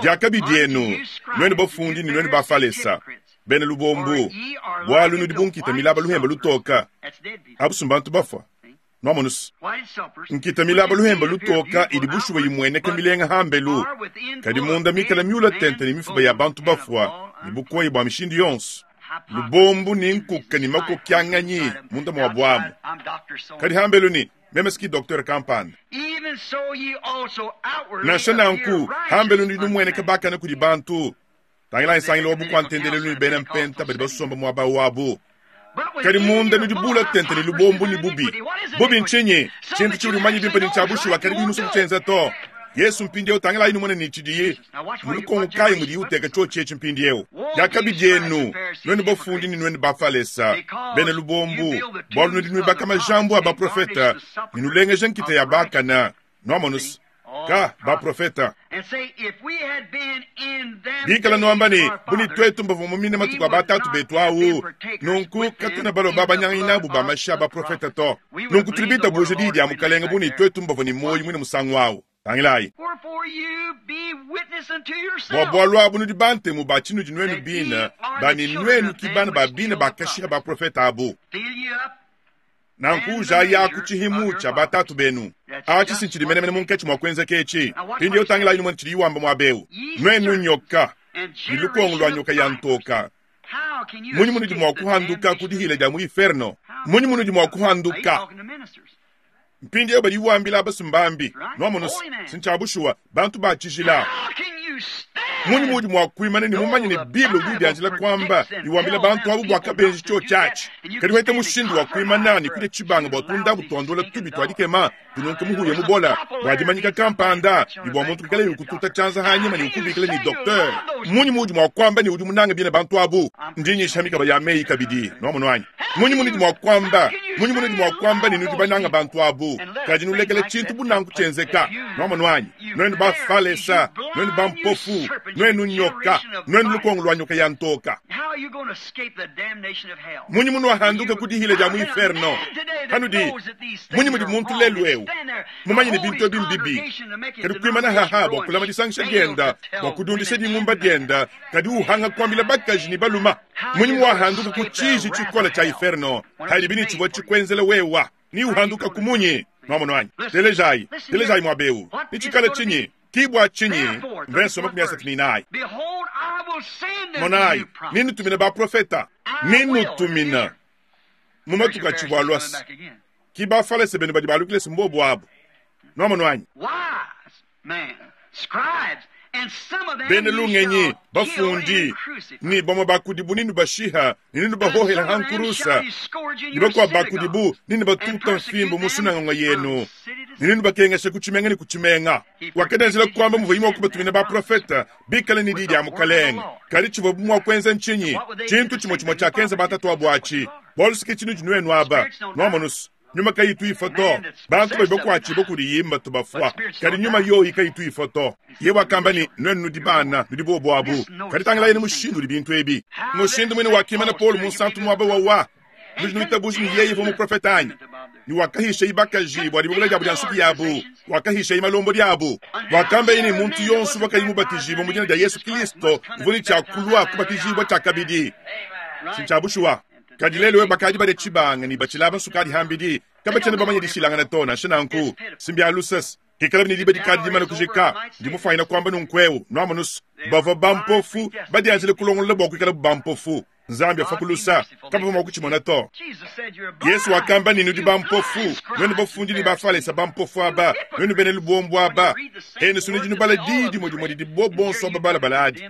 Diakabi dienu, nuenu bafundi ne nuenu Bafalesa, bena lubombu, bualu nudi bu nkita milaba luhemba lutoka, abu mbantu bafua. Nwamonu se, nkita milaba luhemba lutoka idi bushuwa imueneka milenga hambelu, kadi munda mikala miula tente ne mifuba ya bantu bafua ne bukoyi bua mishindu yonso, lubombu ne nkuka ne makokyanganyi munda mua buamu. Kadi hambelu ne, meme siki docteur kampanda. Nansha nanku, hambelu ndi numueneka bakane kudi bantu. Tangilayi nsangilu wa bukua-ntendelelu ne bena mpenta badi basomba muaba wabu. Kadi munda nudi bula tente ne lubombu ne bubi. Bubi ntshinyi? Tshintu tshiudi mumanye bimpe ne ntshia bushuwa, kadi kuyi musue kutshienza to. Yesu mpindieu, tangilayi numone ne tshidiyi mu lukonko kayi mudiyi uteka tshiotshi etshi mpindieu. Diakabi dienu, nuenu bafundi ne nuenu Bafalesa, bena lubombu, bualu nudi nuibaka majambu a baprofete ne nulengeja nkita ya bakane. Nuamonu se, ka baprofeta bikala nuamba ne, bu ne tuetu mbavua mumine matuku a batatu betu awu, nunku katuena balua babanyanganyi nabu ba mashi a baprofeta to. Nunku tudi bitabuja diyi dia Mukalenge bu ne tuetu mbavua ne muoyo muine musangu awu. Tangilayi. Bua bualu abu nudi bantemu ba tshinudi nuenu bine, ba ne nuenu ki bana ba bine bakashiha baprofeta abu. Nanku ujayaku tshihimu tshia batatu benu. Atshi si ntshidi menemene munkatshi mua kuenzeka etshi. Mpindieu tangilayi numone tshidiyi wamba muaba eu. Nuenu nyoka, ne lukongo lua nyoka ya ntoka, munyi munudi mua kuhanduka ku dihila dia mu inferno? Munyi munudi mua kuhanduka? Mpindieu badi wambila abasumbambi, nuamonu si ntshia bushuwa, bantu ba tshijila. Munyi muudi mua kuimana ne mumanye ne Bible udi udianjila kuamba ne wambila bantu abu bua kabenji tshiotshi atshi? Kadi weta mushindu wa kuimana ne kudia tshibanga bua tundabu tuandola tubi tua dikema tununke muhuya mubola bua dimanyika kampanda ne bua muntu kuikalaye ukututa tshianza hanyima ne ukubikila ne docteur. Munyi muudi mua kuamba ne udi munange bine bantu abu? Ndi nyisha mikaba ya meyi kabidi, nuamonu anyi? Munyi munudi mua kuamba, munyi munudi mua kuamba ne nudi bananga bantu abu, kadi nulekela tshintu bu nanku tshienzeka? Nuamonu anyi? Nuenu Bafalesa, nuenu bampofu, nuenu nyoka, nuenu lukongo lua nyoka ya ntoka. Munyi munuahanduka ku dihila dia mu inferno? Hanudi, munyi mudi muntu lelu eu mumanye ne bintu ebi mbibi, kadi kuimana haha bua kulama disangisha dienda, bua kudiundisha dingumba dienda, kadi uhanga kuambila bakaji ne baluma? Munyi muwahanduka ku tshiji tshikole tshia inferno, hadibi ne tshivua tshikuenzela wewa? Ni uhanduka ku munyi? Nuamonu anyi? Telejayi, telejayi muaba eu. Ni tshikale tshinyi? Ki bua tshinyi? Mvenso 34. Monayi, ninnutumina baprofeta, ninnutumina mu matuku atshivua alua. Ki Bafalese benu badi balukile se mbobu abu. Nuamonu anyi? Bena lungenyi, bafundi, ne bamue ba kudibu nenubashiha ne nenubahohela ha nkurusa, ne bakuabo ba kudibu nenubatuta mfimbu mu sunangonga yenu ne nenubakengesha ku tshimenga ne ku tshimenga. Wakadianjila kuamba muvuaye mua kubatumina baprofete bikale ne di dia Mukalenge. Kadi tshivuabu mua kuenza ntshinyi? Tshintu tshimue tshimue tshiakenza batatuabu atshi. Bualu ke tshinudi nuenu aba, nuamonu nyuma kayitu ifua to. Bantu badi bakuatshibua kudiyi mbatu bafua, kadi nyuma yoyi kayitu ifua to. Ye wakamba ne, Nuenu nudi bana, nudi bobu abu. Kadi tangilayi ne mushindu udi bintu ebi. Mushindu muine wakimana Paulo munsantu muaba wawa. Nudi nuitabuja ne yeye uvua muprofete anyi? Ne wakahishayi bakaji bua dibubula diabu dia nsuki yabu, wakahishayi malombodi abu. Wakambaye ne muntu yonso uvua kayi mubatijibue mu dina dia Yesu Kristo uvua ne tshia kulua kubatijibua tshiakabidi. Si ntshia bushuwa. Kadi lelu eu bakadi badia tshibanga ne batshilaba nsukadi hambidi, kabatshiena bamanye dishilangana to. Nansha nanku, si mbia luse hikalabi ne diba dikadi dimane kujika. Ndi mufuanyine kuamba nunku'eu, nuamonu se, bavua bampofu badianjile kulongolola bua kuikalabu bampofu. Nzambi afua ku lusa, kabavua mua kutshimona to. Yesu wakamba ne, nudi bampofu, nuenu bafundi ne Bafalesa bampofu aba, nuenu bena lubombo aba. Enu si nudi nubala diyi dimue dimue didi bo bonso aba balabala adi.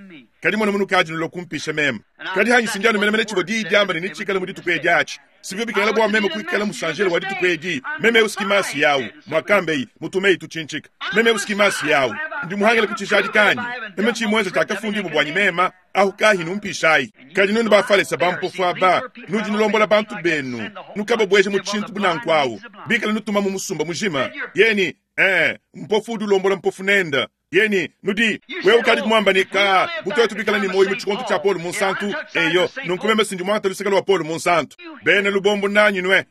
Kadi mona munukadi nulua kumpisha meme. Kadi hanyi sindi anu menemene tshivua diyi diamba ne netshikale mu dituku edi atshi. Sibivua bikengela bua meme kuikala musanjele wa dituku edi. Meme eu sikimasi yawu, muakambeyi, mutumeyi tutshintshika. Meme eu sikimasi yawu. Ndi muhangile ku tshijadika anyi? Meme tshiyi tshiakafundibua buanyi mema, ahu kahi numpishayi. Kadi nuenu Bafalese bampofu aba, nudi nulombola bantu benu, nukababueja mu tshintu bu nanku awu, bikale nutuma mu musumba mujima. Yeni, eh, mpofu udi ulombola mpofu nenda. Yeni, nudi, wewe ukadi kumuamba ne, ka, bu tuetu bikale ne muoyo mu tshikondo tshia Paulo Munsantu, eyo, nunku meme sindi muangata luseke lua Paulo Munsantu. Bena lubombo nanyi nue.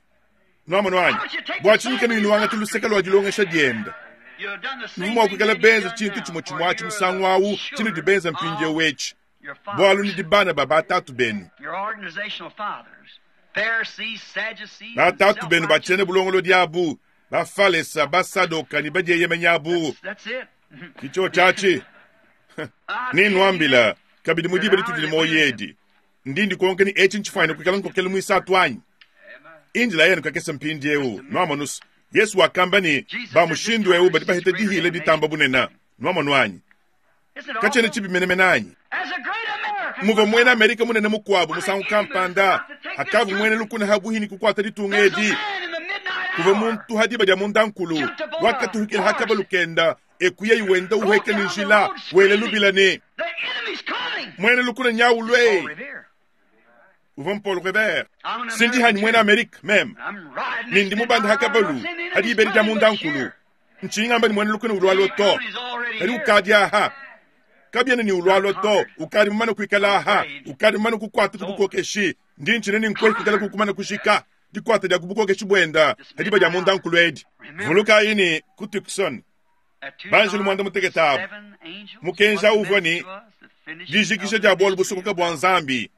Nuamonu anyi? Bua tshinyi kanuyi nuangata luseke lua dilongesha diende? Nuvua mua kuikala benze tshintu tshimue tshimue atshi musangu au tshinudi benza mpindieu etshi, bualu nudi bana ba batatu benu. Batatu benu ba tshiena bulongolodi abu, Bafalesa, Basadoka ne badieyemenyi abu. Ke tshiotshi atshi. Nennuambila kabidi mu diba ditudi ne muoyo edi, ndi ndikonka ne etshi ntshifuanyine kuikala nkokelu muisatu anyi? Indila yenu kakese mpindieu, nuamonus. Yesu wakamba ne, ba mushindu eu badi baheta dihila ditamba bunene. Nuamonu anyi? Katshiena tshibi menemene anyi? Muvua muena Amerika munene mukuabu musangu kampanda, hakavua muena lukuna habuhi ne kukuata ditunga edi, kuvua muntu ha diba dia mundankulu wakatuhukila ha kabalu kenda, eku yeye wenda uhueka ne njila, wela lubila ne, Muena lukuna nyaulue! Uvua Paul Revere. Sindi hanyi muena Amerika meme, ne ndi mubanda ha kabalu ha diba edi dia mundankulu. Ntshinyi ngamba ne muena lukuna ulualua to, kadi ukadi aha. Kabiena ne ulualua to, ukadi mumane kuikala aha, ukadi mumane kukuata ku bukokeshi. Ndi ntshina ne nkuehi kuikala kukumana kujika dikuata dia ku bukokeshi buenda ha diba dia mundankulu edi. Vulukayi ne, ku Tucson, banjelu muanda mutekete abu, mukenji au uvua ne dijikija dia bualu busokoka bua Nzambi.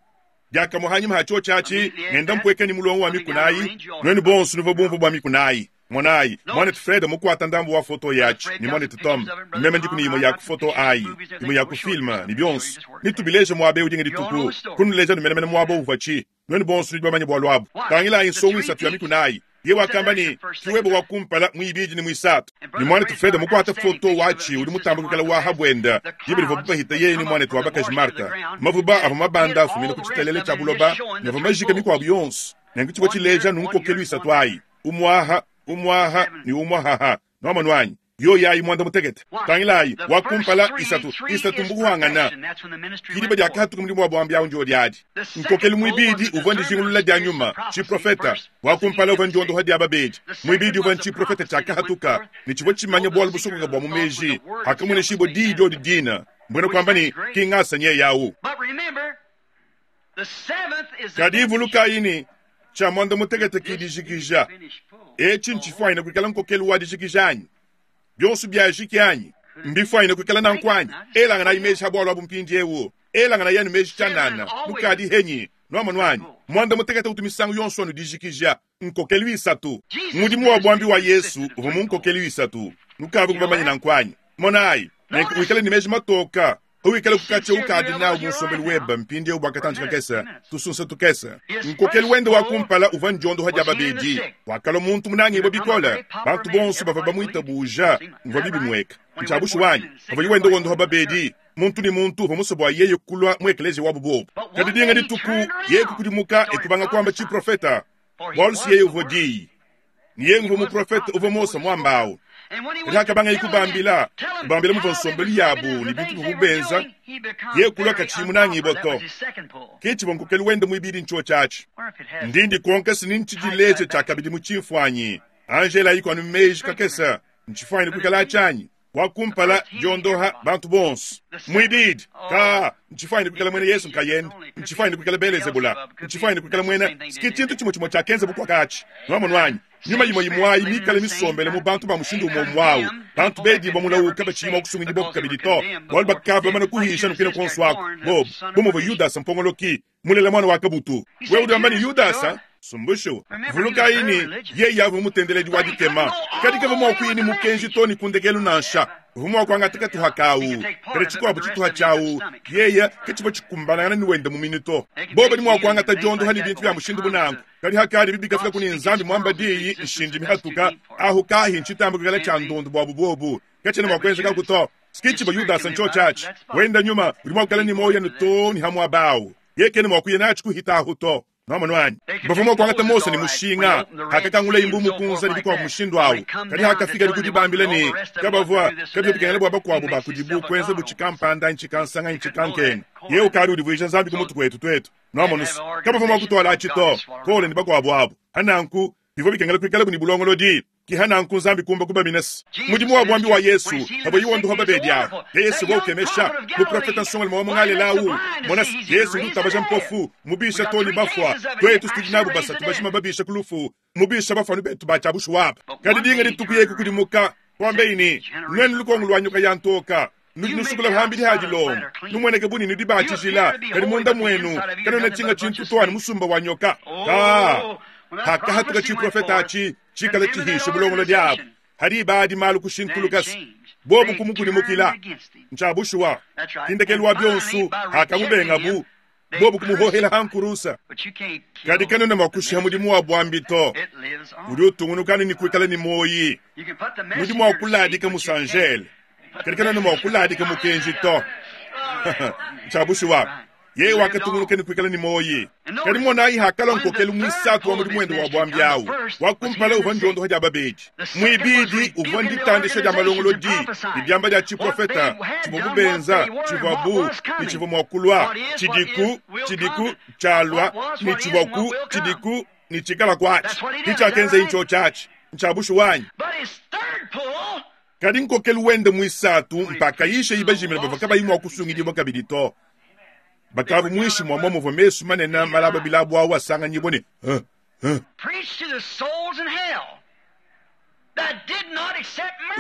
Diakamue hanyima ha tshiotshi atshi, ngenda mpueka ne mulongo wa mikuna ayi. Nuenu bonso nuvua bumvue bua mikuna ayi. Monayi, muanetu Fred mukuata ndambu wa foto yatshi, ne muanetu Tom, meme ndiku ne imue ya ku foto ayi, imue ya ku filme, ne bionso. Netubileje muaba eu dinga dituku, kunuleja nu menemene muaba uvuatshi. Nuenu bonso nudi bamanye bualu abu. Tangilayi nsongo isatu ya mikuna ayi. Yeye wakamba ne, Ki webe wa kumpala, muibidi ne muisatu. Ne muanetu Fred mukuate foto watshi udi mutambe kuikala wa ha buenda, diba divuabu bahita yeye ne muanetu wa bakaji Martha. Mavuba avua mabanda afumina ku tshitalele tshia buloba ne avua majike mikuabu yonso. Nenku tshivua tshileja nu nkokelu isatu ayi, umuaha, umuaha ne umuahaha. Nuamonu anyi? Yoyi ayi muanda mutekete. Tangilayi, wa kumpala, isatu, isatu mbuhangana. Ki diba diakahatuka mudimu wa buambi awu ndiodi adi. Nkokelu muibidi uvua ndijingulula dia nyuma, tshiprofeta. Wa kumpala uvua ndiondoha dia babedi. Muibidi uvua ntshiprofeta tshiakahatuka ne tshivua tshimanya bualu busokoka bua mu meji, hakamueneshibua diyi diodi dina, mbuena kuamba ne, ki ngasa nyeye awu. Kadi vulukayi ne, tshia muanda mutekete ki dijikija. Etshi ntshifuanyine kuikala nkokelu wa dijikija anyi? Bionso biajiki anyi? Mbifuanyine kuikala nanku anyi? Elanganayi meji ha bualu abu mpindieu. Elanganayi anu meji tshianana, nukadi henyi? Nuamonu anyi? Muanda mutekete utu misangu yonso anu dijikija, nkokelu isatu. Mudimu wa buambi wa Yesu uvua mu nkokelu isatu. Nukavua bamanye nanku anyi? Monayi, nenku wikale ne meji matoka. Pawikala ku katshia ukadi nawu mu nsombelu webe mpindieu bua katantshi kakese, tusunsa tukese. Nkokelu wende wa kumpala uvua ndiondoha dia babedi. Wakalua muntu munangibue bikole, bantu bonso bavua bamuitabuja. Muvua bibi mueka. Ntshia bushuwa anyi? Pavuaye wenda wondoha babedi, muntu ne muntu uvua musue bua yeye kulua mu ekeleziya wabu bobu. Kadi dinga dituku, yeye kukudimuka e kubanga kuamba tshiprofeta, bualu si yeye uvua Diyi. Ne yeye nguvua muprofete uvua Mose muamba au. Kadi hakabangaye kubambila, kubambila muvua nsombelu yabu ne bintu bivuabu benza, yeye kulua katshiyi munangibue to. Ke tshivua nkokelu wende muibidi ntshiotshi atshi. Ndi ndikonka si ni ntshidileje tshiakabidi mu tshimfuanyi. Anji elayiku anu meji kakese, ntshifuanyine kuikala atshi anyi? Wa kumpala, diondoha bantu bonso. Muibidi, ka ntshifuanyine kuikala muena Yesu nkayende, ntshifuanyine kuikala Belezebula, ntshifuanyine kuikala muena ski tshintu tshimue tshimue tshiakenza bukuakatshi. Nuamonu anyi? Nyuma imue imue ayi mikale misombele mu bantu ba mushindu umue umue awu, bantu bedibua mulawu kabatshiyi mua kusungidibua kabidi to, bualu bakavua bamane kuhisha nukina kuonso aku, bobu, bu muvua Yudasa mpongoloki, mulela muana wa kabutu. Wewe udi wamba ne, Yudasa? Sumbushu. Vulukayi ne, yeye avua mutendeledi wa dikema, kadi kavua mua kuya ne mukenji to ne ku ndekelu nansha. Uvua mua kuangata katuha kawu, kadi tshikuabu tshituha tshiawu yeye katshivua tshikumbanangana ne wende muminu to. Bobu badi mua kuangata diondoha ne bintu bia mushindu bu nanku, kadi hakadi bibi kafika kuni Nzambi muamba diyi nshindi mihatuka, ahu kahi ntshitamba kuikala tshia ndundu buabu buobu, katshiena mua kuenzekaku to. Ski tshivua Yudasa ntshiotshi atshi. Wenda nyuma udi mua kuikala ne muoyo anu too ne ha muaba awu, yeye kena mua kuya natshi kuhita ahu to. Nwamonu anyi? Bavua mua kuangata Mose ne mushinga hakakangulaye Mbuu Mukunza ne bikuabu mushindu au, kadi hakafikadi ku dibambila ne, kabavua kabivua bikengela bua bakuabu ba kudibu kuenza bu tshikampanda anyi tshikansanganyi tshikankenga, yeye ukadi udivuija Nzambi ku mutu kuetu tuetu. Nwamonu's, kabavua mua kutuala atshi to, Kole ne bakuabu abu. Pa nanku, bivua bikengela kuikalabu ne bulongolodi. Ki ha nanku Nzambi kumba kubamina's. Mudimu wa buambi wa Yesu, pavua wondopa babedi abu, Yesu uvua ukemesha. Muprofeta nsongalume wa mu Ngalela au, mona's, Yesu udi utabaja mpofu, mubisha too ne bafua. Tuetu tudi nabu basatu bajima babisha ku lufu, mubisha bafua anu betu ba tshia bushuwa aba. Kadi dinga dituku yeye kukudimuka, kuambaye ne, Nuenu lukongo lua nyoka ya ntoka, nudi nusukula pambidi ha dilongo, numueneke bu ne nudi ba tshijila, kadi munda muenu kanuena tshinga tshintu to anu musumba wa nyoka. Ka hakahatuka tshiprofeta atshi tshikala tshihishe bulongolodi abu, ha diba adi malu kushintuluka, bobu kumukudimukila. Ntshia bushuwa, ki ndekelu wa bionso hakamubengabu, bobu kumuhohela ha nkurusa. Kadi kanuena mua kushiha mudimu wa buambi to, udi utungunuka anu ne kuikala ne muoyi. Nudi mua kuladika musanjele, kadi kanuena mua kuladika mukenji to. Ntshia bushuwa, yeye wakatungunuka ne kuikala ne muoyi. Kadi monayi, hakalua nkokelu muisatu wa mudimu wende wa buambi au, wa kumpala uvua ndiondoha dia babedi, muibidi uvua nditandisha dia malongolodi ne diamba dia tshiprofeta tshivuabu benza, tshivuabu ne tshivua mua kulua, tshidiku, tshidiku, tshialua, ne tshivuaku, tshidiku, ne tshikala kuatshi. Ke tshiakenzaye ntshiotshi atshi. Ntshia bushuwa anyi? Kadi nkokelu wende muisatu mpakayisha ibajimina bavua kabayi mua kusungidibua kabidi to. Bakavua muinshi mua muvua mesu manene malaba bilabu au asanganyibua ne huh, huh.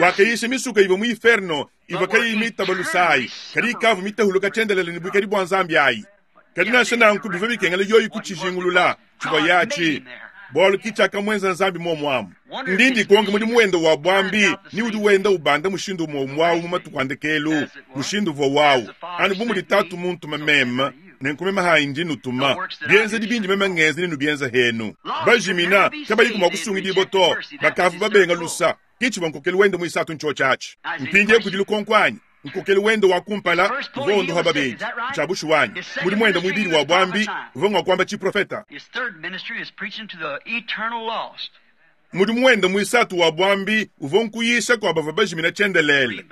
Wakayisha misuka ivua mu inferno ivua kayiyi mitaba lusayi, kadi ikavua mitahuluka tshiendelele ne buikadi bua Nzambi ayi. Kadi nansha nanku bivua bikengela yoyi kutshijingulula tshivua yatshi, bualu ki tshiakamuenza Nzambi muomu amu. Ndi ndikonka mudimu wende wa buambi ni udi wenda ubanda mushindu umue umue au mu matuku a ndekelu, mushindu uvua wawu, anu bu mudi Tatu muntuma meme, nenku meme hayi ndi nutuma. Bienzedi bindi meme ngenza nenubienza henu. Bajimina, kabayiku mua kusungidibua to, bakavua babenga lusa. Ki tshivua nkokelu wende muisatu ntshiotshi atshi. Mpindieu kudi lukonko anyi? Nkokelu wende wa kumpala uvua wondopa babedi, ntshia bushuwa anyi? Mudimu wende muibidi wa buambi uvua ngua kuamba tshiprofeta. Mudimu wende muisatu wa buambi uvua nkuyisha kua bavua bajimina tshiendelele.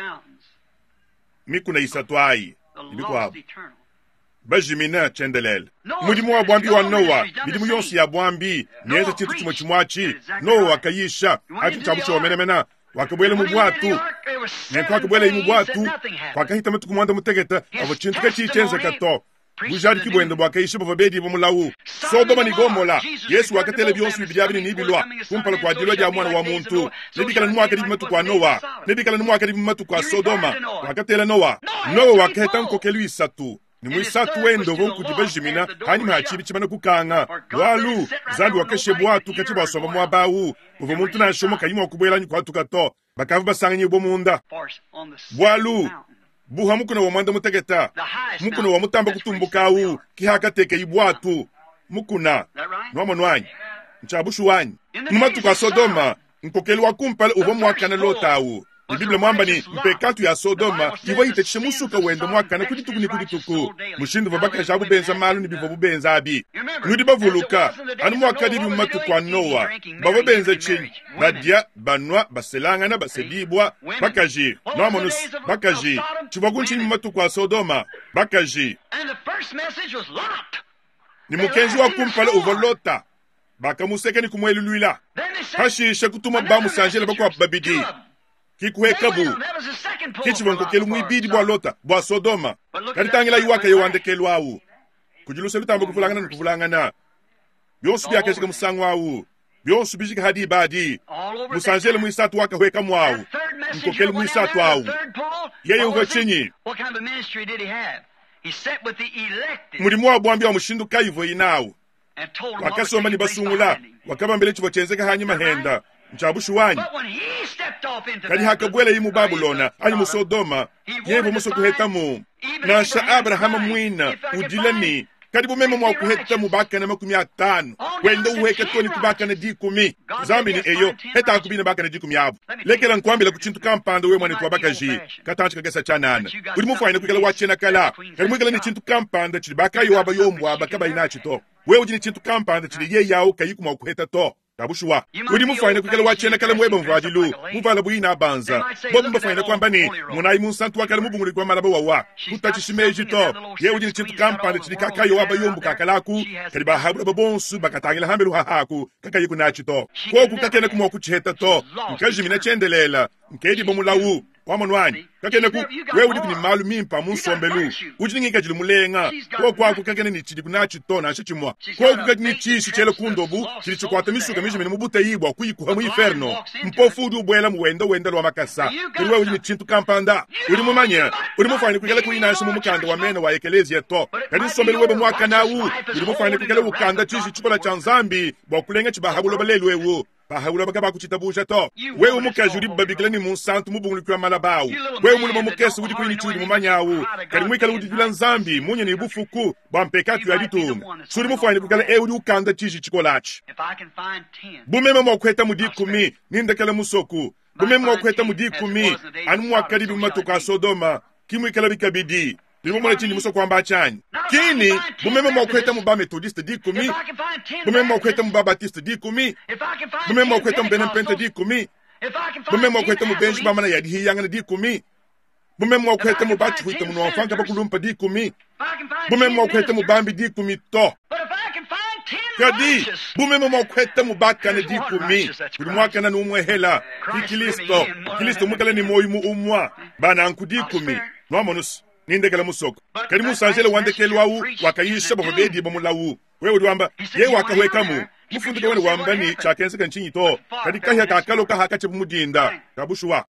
Mikuna isatu ayi ne bikuabu bajimina tshiendelele. Mudimu wa buambi wa Noa, midimu yonso ya buambi mienza tshintu tshimue tshimue atshi. Noa wakayisha atshi ntshia bushuwa menemene. Wakabuela mu buatu, nenku wakabuelaye mu buatu kwakahita matuku muanda mutekete avua tshintu katshiyi tshienzeka to. Bujadiki buende buakayisha bavua bedibua mulawu. Sodoma ne Gomola, Yesu wakatela bionso bibidi abi ne nebilua kumpala kua dilua dia Muana wa muntu. Nebikale nu muakadi mu matuku a Noa, nebikale nu muakadi mu matuku a Sodoma. Wakatela Noa. Noa wakaheta nkokelu isatu, ne muisatu wende uvua nkudi bajimina hanyima ha tshibi tshimana kukanga, bualu Nzambi wakashiya buatu katshia buasomba muaba au uvua muntu nansha umue kayi mua kubuela anyi kuhatuka to. Bakavua basanganyibua munda, bualu buha mukuna wa muanda muteketa, mukuna wa mutamba kutumbuka au, ki hakatekeye buatu mukuna. Nuamonu anyi? Ntshia bushuwa anyi? Mu matuku a Sodoma, nkokelu wa kumpala uvua muakane Lota au, ne Bible muamba ne, mpekatu ya Sodoma ivua itatshisha musuka wende muakane ku dituku ne ku dituku. Mushindu uvua bakaji abu benza malu ne bivuabu benza abi. Nudi bavuluka, anu muakadibi mu matuku a Noa, bavua benza tshinyi? Badia, banua, baselangana, basedibua, bakaji. Nuamonu's, bakaji. Tshivua ntshinyi mu matuku a Sodoma? Bakaji. Ne mukenji wa kumpala uvua Lota. Bakamuseka ne kumueluluila. Pashishe kutuma bamusanjele bakuabu babidi, ki kuhekabu. Ki tshivua nkokelu muibidi bua Lota, bua Sodoma. Kadi tangilayi wakaya wa ndekelu au. Kudi luse lutamba kuvulangana ne kuvulangana. Bionso biakajika musangu au. Bionso bijika ha diba adi. Musanjele muisatu wakahuekamu au. Nkokelu muisatu au. Yeye uvua tshinyi? Mudimu wa buambi wa mushindu kayi uvuaye nawu? Wakasomba ne basungula, wakabambila tshivua tshienzeka hanyima henda. Ntshia bushuwa anyi? Kadi hakabuelaye mu Babulona anyi mu Sodoma, yeye uvua musue kuhetamu. Nansha Abrahama muine udila ne, Kadi bu meme mua kuheta mu bakane 50, wenda uheka too ne ku bakane 10. Nzambi ne, Eyo, hetaku bine bakane 10 abu. Lekela nkuambila ku tshintu kampanda, wewe muanetu wa bakaji, katantshi kakese tshianana. Udi mufuanyine kuikala wa tshiena kala, kadi muikale ne tshintu kampanda tshidi bakayi wa bayombo aba kabayi natshi to. Wewe udi ne tshintu kampanda tshidi yeye awu kayiku mua kuheta to. Bushuwa, udi mufuanyine kuikala wa tshiena kale muebe mvuadilu, muvuala buina banza. Bobu mbafuanyine kuamba ne, monayi munsantu wa kale mubunguluki wa malaba wawa. Kutatshishi meji to. Yeye udi ne tshintu kampanda tshidi kakayi wa bayombo kakalaku, kadi bahabulaba bonso bakatangila hambelu hahaku, kakayi kunatshi to. Koku kakena kumua kutshiheta to. Nkajimina tshiendelela, nkedibo mulawu. Wamonu anyi? Kakena ku, wewe udi ne malu mimpe a mu nsombelu, udi ne ngikadilu mulenga. Koku aku kakena ne tshidi kunatshi to nansha tshimua. Koku kadi ne tshishi tshiela ku ndobu, tshidi tshikuata misuka mijimine mu buteyi bua kuyikuha mu inferno. Mpofu udi ubuela mu wenda wenda lua makasa. Kadi wewe udi ne tshintu kampanda, udi mumanye, udi mufuanyine kuikala kuyi nansha mu mukanda wa mena wa ekeleziya to. Kadi nsombelu webe muakane awu, udi mufuanyine kuikala ukanda tshiji tshikola tshia Nzambi bua kulenga tshibaha buloba lelu eu. Bahaula kabakutshitabusha to. Wewe mukaji udi babikila ne munsantu mubunguluki wa malaba awu, wewe mulume mukese udi kuyi ne tshiudi mumanye awu, kadi muikale udidila Nzambi munya ne bufuku bua mpekatu ya ditunga, si udi mufuanyine kuikala eu udi ukanda tshiji tshikola atshi. Bu meme mua kuheta mu 10, nindekele musoku. Bu meme mua kuheta mu 10, anu muakadibi mu matuku a Sodoma, ki muikalabi kabidi. Nudi mumone tshindi musue kuamba tshianyi? Kini, bu meme mua kuheta mu ba-Methodiste 10, bu meme mua kuheta mu ba-Baptiste 10, bu meme mua kuheta mu bena Mpenta 10, bu meme mua kuheta mu benji ba mana ya dihiyangana 10, bu meme mua kuheta mu batshihuita munuamfanka bakulumpa 10, bu meme mua kuheta mu bambi 10 to. Kadi, bu meme mua kuheta mu bakane 10, udi muakane n'umwehela, ki Kristo, Kristo muikale ne muoyo mu umua, bananku 10, nuamonusu. Nindekela musoko. Kadi musanjele wa ndekelu awu wakayisha bavua bedibo mulawu. Wewe udi wamba, yeye wakahuekamu. Mufundu kawena wamba ne tshiakenzeka ntshinyi to. Kadi kahia kakaloka hakatshibu mu dinda. Kabushuwa.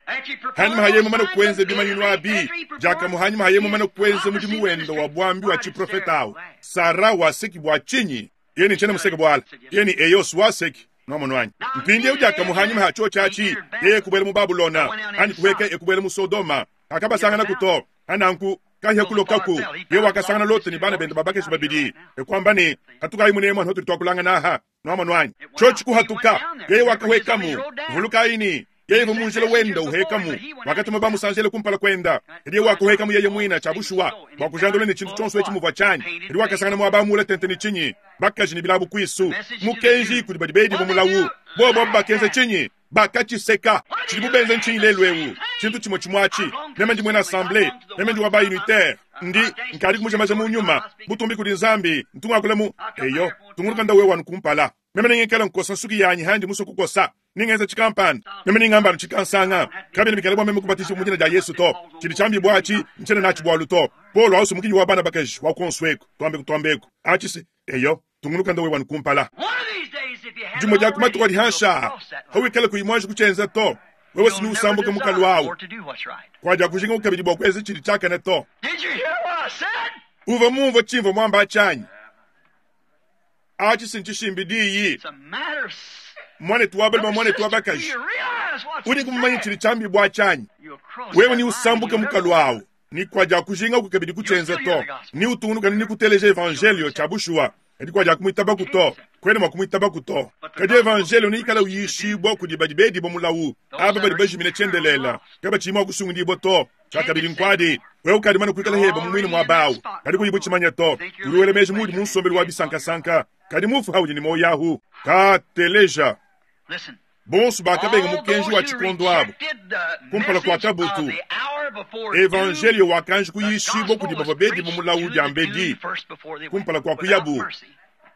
Hanyima haye mumane kuenza bimanyinu abi, diakamue hanyima haye mumane kuenza mudimu wende wa buambi wa tshiprofeta awu, Sara waseki bua tshinyi? Yeye ne tshiena museke buala. Yeye ne Eos waseki. Nwamonu anyi? Mpindieu diakamue hanyima ha tshiotshi atshi, yeye kubuela mu Babulona, anyi kuhueka ekubuela mu Sodoma. Akabasangana to. Ananku kahia kulokaku, ye wakasangana Lote ne bana bende babakeshi babidi, ekuamba ne, hatukayi munemu anu hatudi tuakulangana aha. Nwamonu anyi? Tshiotshi kuhatuka, yeye wakahuekamu. Vulukayi ne, yeye uvua mu njila wenda uhekamu, wakatuma bamusanjele kumpala kuenda. Kadi yeye wakahuekamu yeye muina tshia bushuwa, bua kujandula ne tshintu tshionso etshi muvua tshianyi. Kadi wakasangana muaba muule tente ne tshinyi? Bakaji ne bilabu kuisu. Mukenji kudi badi bedibo mulawu. Bobo abu bakenza tshinyi? Bakatshiseka. Tshidibu benza ntshinyi lelu eu? Tshintu tshimue tshimue atshi. Meme ndi muena assemblée, meme ndi wa ba unitaire, ndi nkadi kumujamaja mu nyuma, butumbi kudi Nzambi, ntu ngakula mu eyo, tungunuka nda wewe anu kumpala. Meme nengikala nkosa nsuki yanyi handi musue kukosa, ningenza tshikampanda, meme ningamba anu tshikansanga. Kabiena bikala bua meme kubatijibua mu dina dia Yesu to. Tshidi tshiambibua atshi, ntshiena natshi bualu to. Paulo ausu mukinyi wa bana bakaji wa kuonso eku, tuambeku tuambeku. Atshi se, eyo, tungunuka nda wewe anu kumpala. Dimue dia ku matuku adi hanshi aa, hawikala kuyi muanji kutshienza to, wewe si nusambuka mukalu awu, kuadia kujinga kabidi bua kuenza tshidi tshiakane to. Uvua mumvue tshimvua muamba tshianyi? Atshi si ntshishimbi diyi. Muanetu wa balume, muanetu wa bakaji, udi kumumanya tshidi tshiambibua tshianyi? Wewe ni usambuka mukalu awu, ni kuadia kujinga ku kabidi kutshienza to, ni utungunuka ni kuteleja evangelio tshia bushuwa, kadi kuadia kumuitabaku to, kuena mua kumuitabaku to. Kadi evangelio ni ikala uyishibua kudi badi bedibua mulawu, aba badi bajimine tshiendelela, kabatshiyi mua kusungudibua to. Tshia kabidi nkuadi, wewe ukadi mane kuikala heba mu muine muaba awu, kadi kuyi butshimanya to. Udi wela meji muudi mu nsombelu wa bisankasanka, kadi mufu haudi ne muoyo ahu. Ka teleja. Bonso bakabenga mukenji wa tshikondo abu kumpala kua kabutu. Evangelio wakanji kuyishibua kudi bavua bedibua mulawu diambedi kumpala kua kuyabu.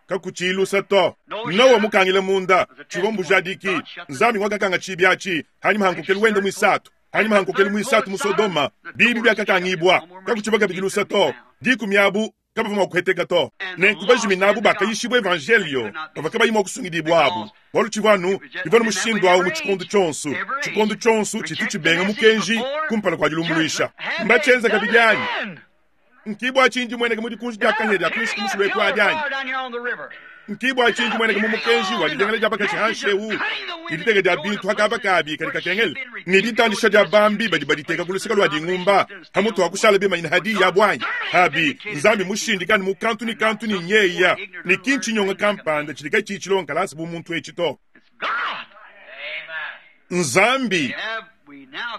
Kakutshilusa to. Nowa mukangile munda, tshivua mbujadiki. Nzambi ngwakakanga tshibi atshi hanyima ha nkokelu wende muisatu. Hanyima ha nkokelu muisatu mu Sodoma, bibi biakakangibua. Kakutshiba kabidi lusa to. 10 abu kabavua mua kuheteka to. Nenku bajimina abu bakayishibua evangelio bavua kabayi mua kusungidibua abu, bualu tshivua anu bivua ne mushindu awu mu tshikondo tshionso. Tshikondo tshionso tshitu tshibenga mukenji kumpala kua dilumbuluisha. Mbatshienza kabidi anyi? Nkibua tshindi mueneke mu dikunji dia kahia dia kuinshi ku musulu eku adi anyi? Nkibua tshinji mueneka mu mukenji wa didengela dia bakashi hanshi eu ne diteka dia bintu hakaba kabi kadi kakengela ne ditandisha dia bambi badi baditeka ku luseke lua dingumba hamutu ha kushala bimanyina hadi ya buanyi habi Nzambi mushindikane mu kantu ne kantu ne nyeya ne kintshinyonga kampanda tshidi katshiyi tshilonga kalasa bu muntu etshi to. Nzambi.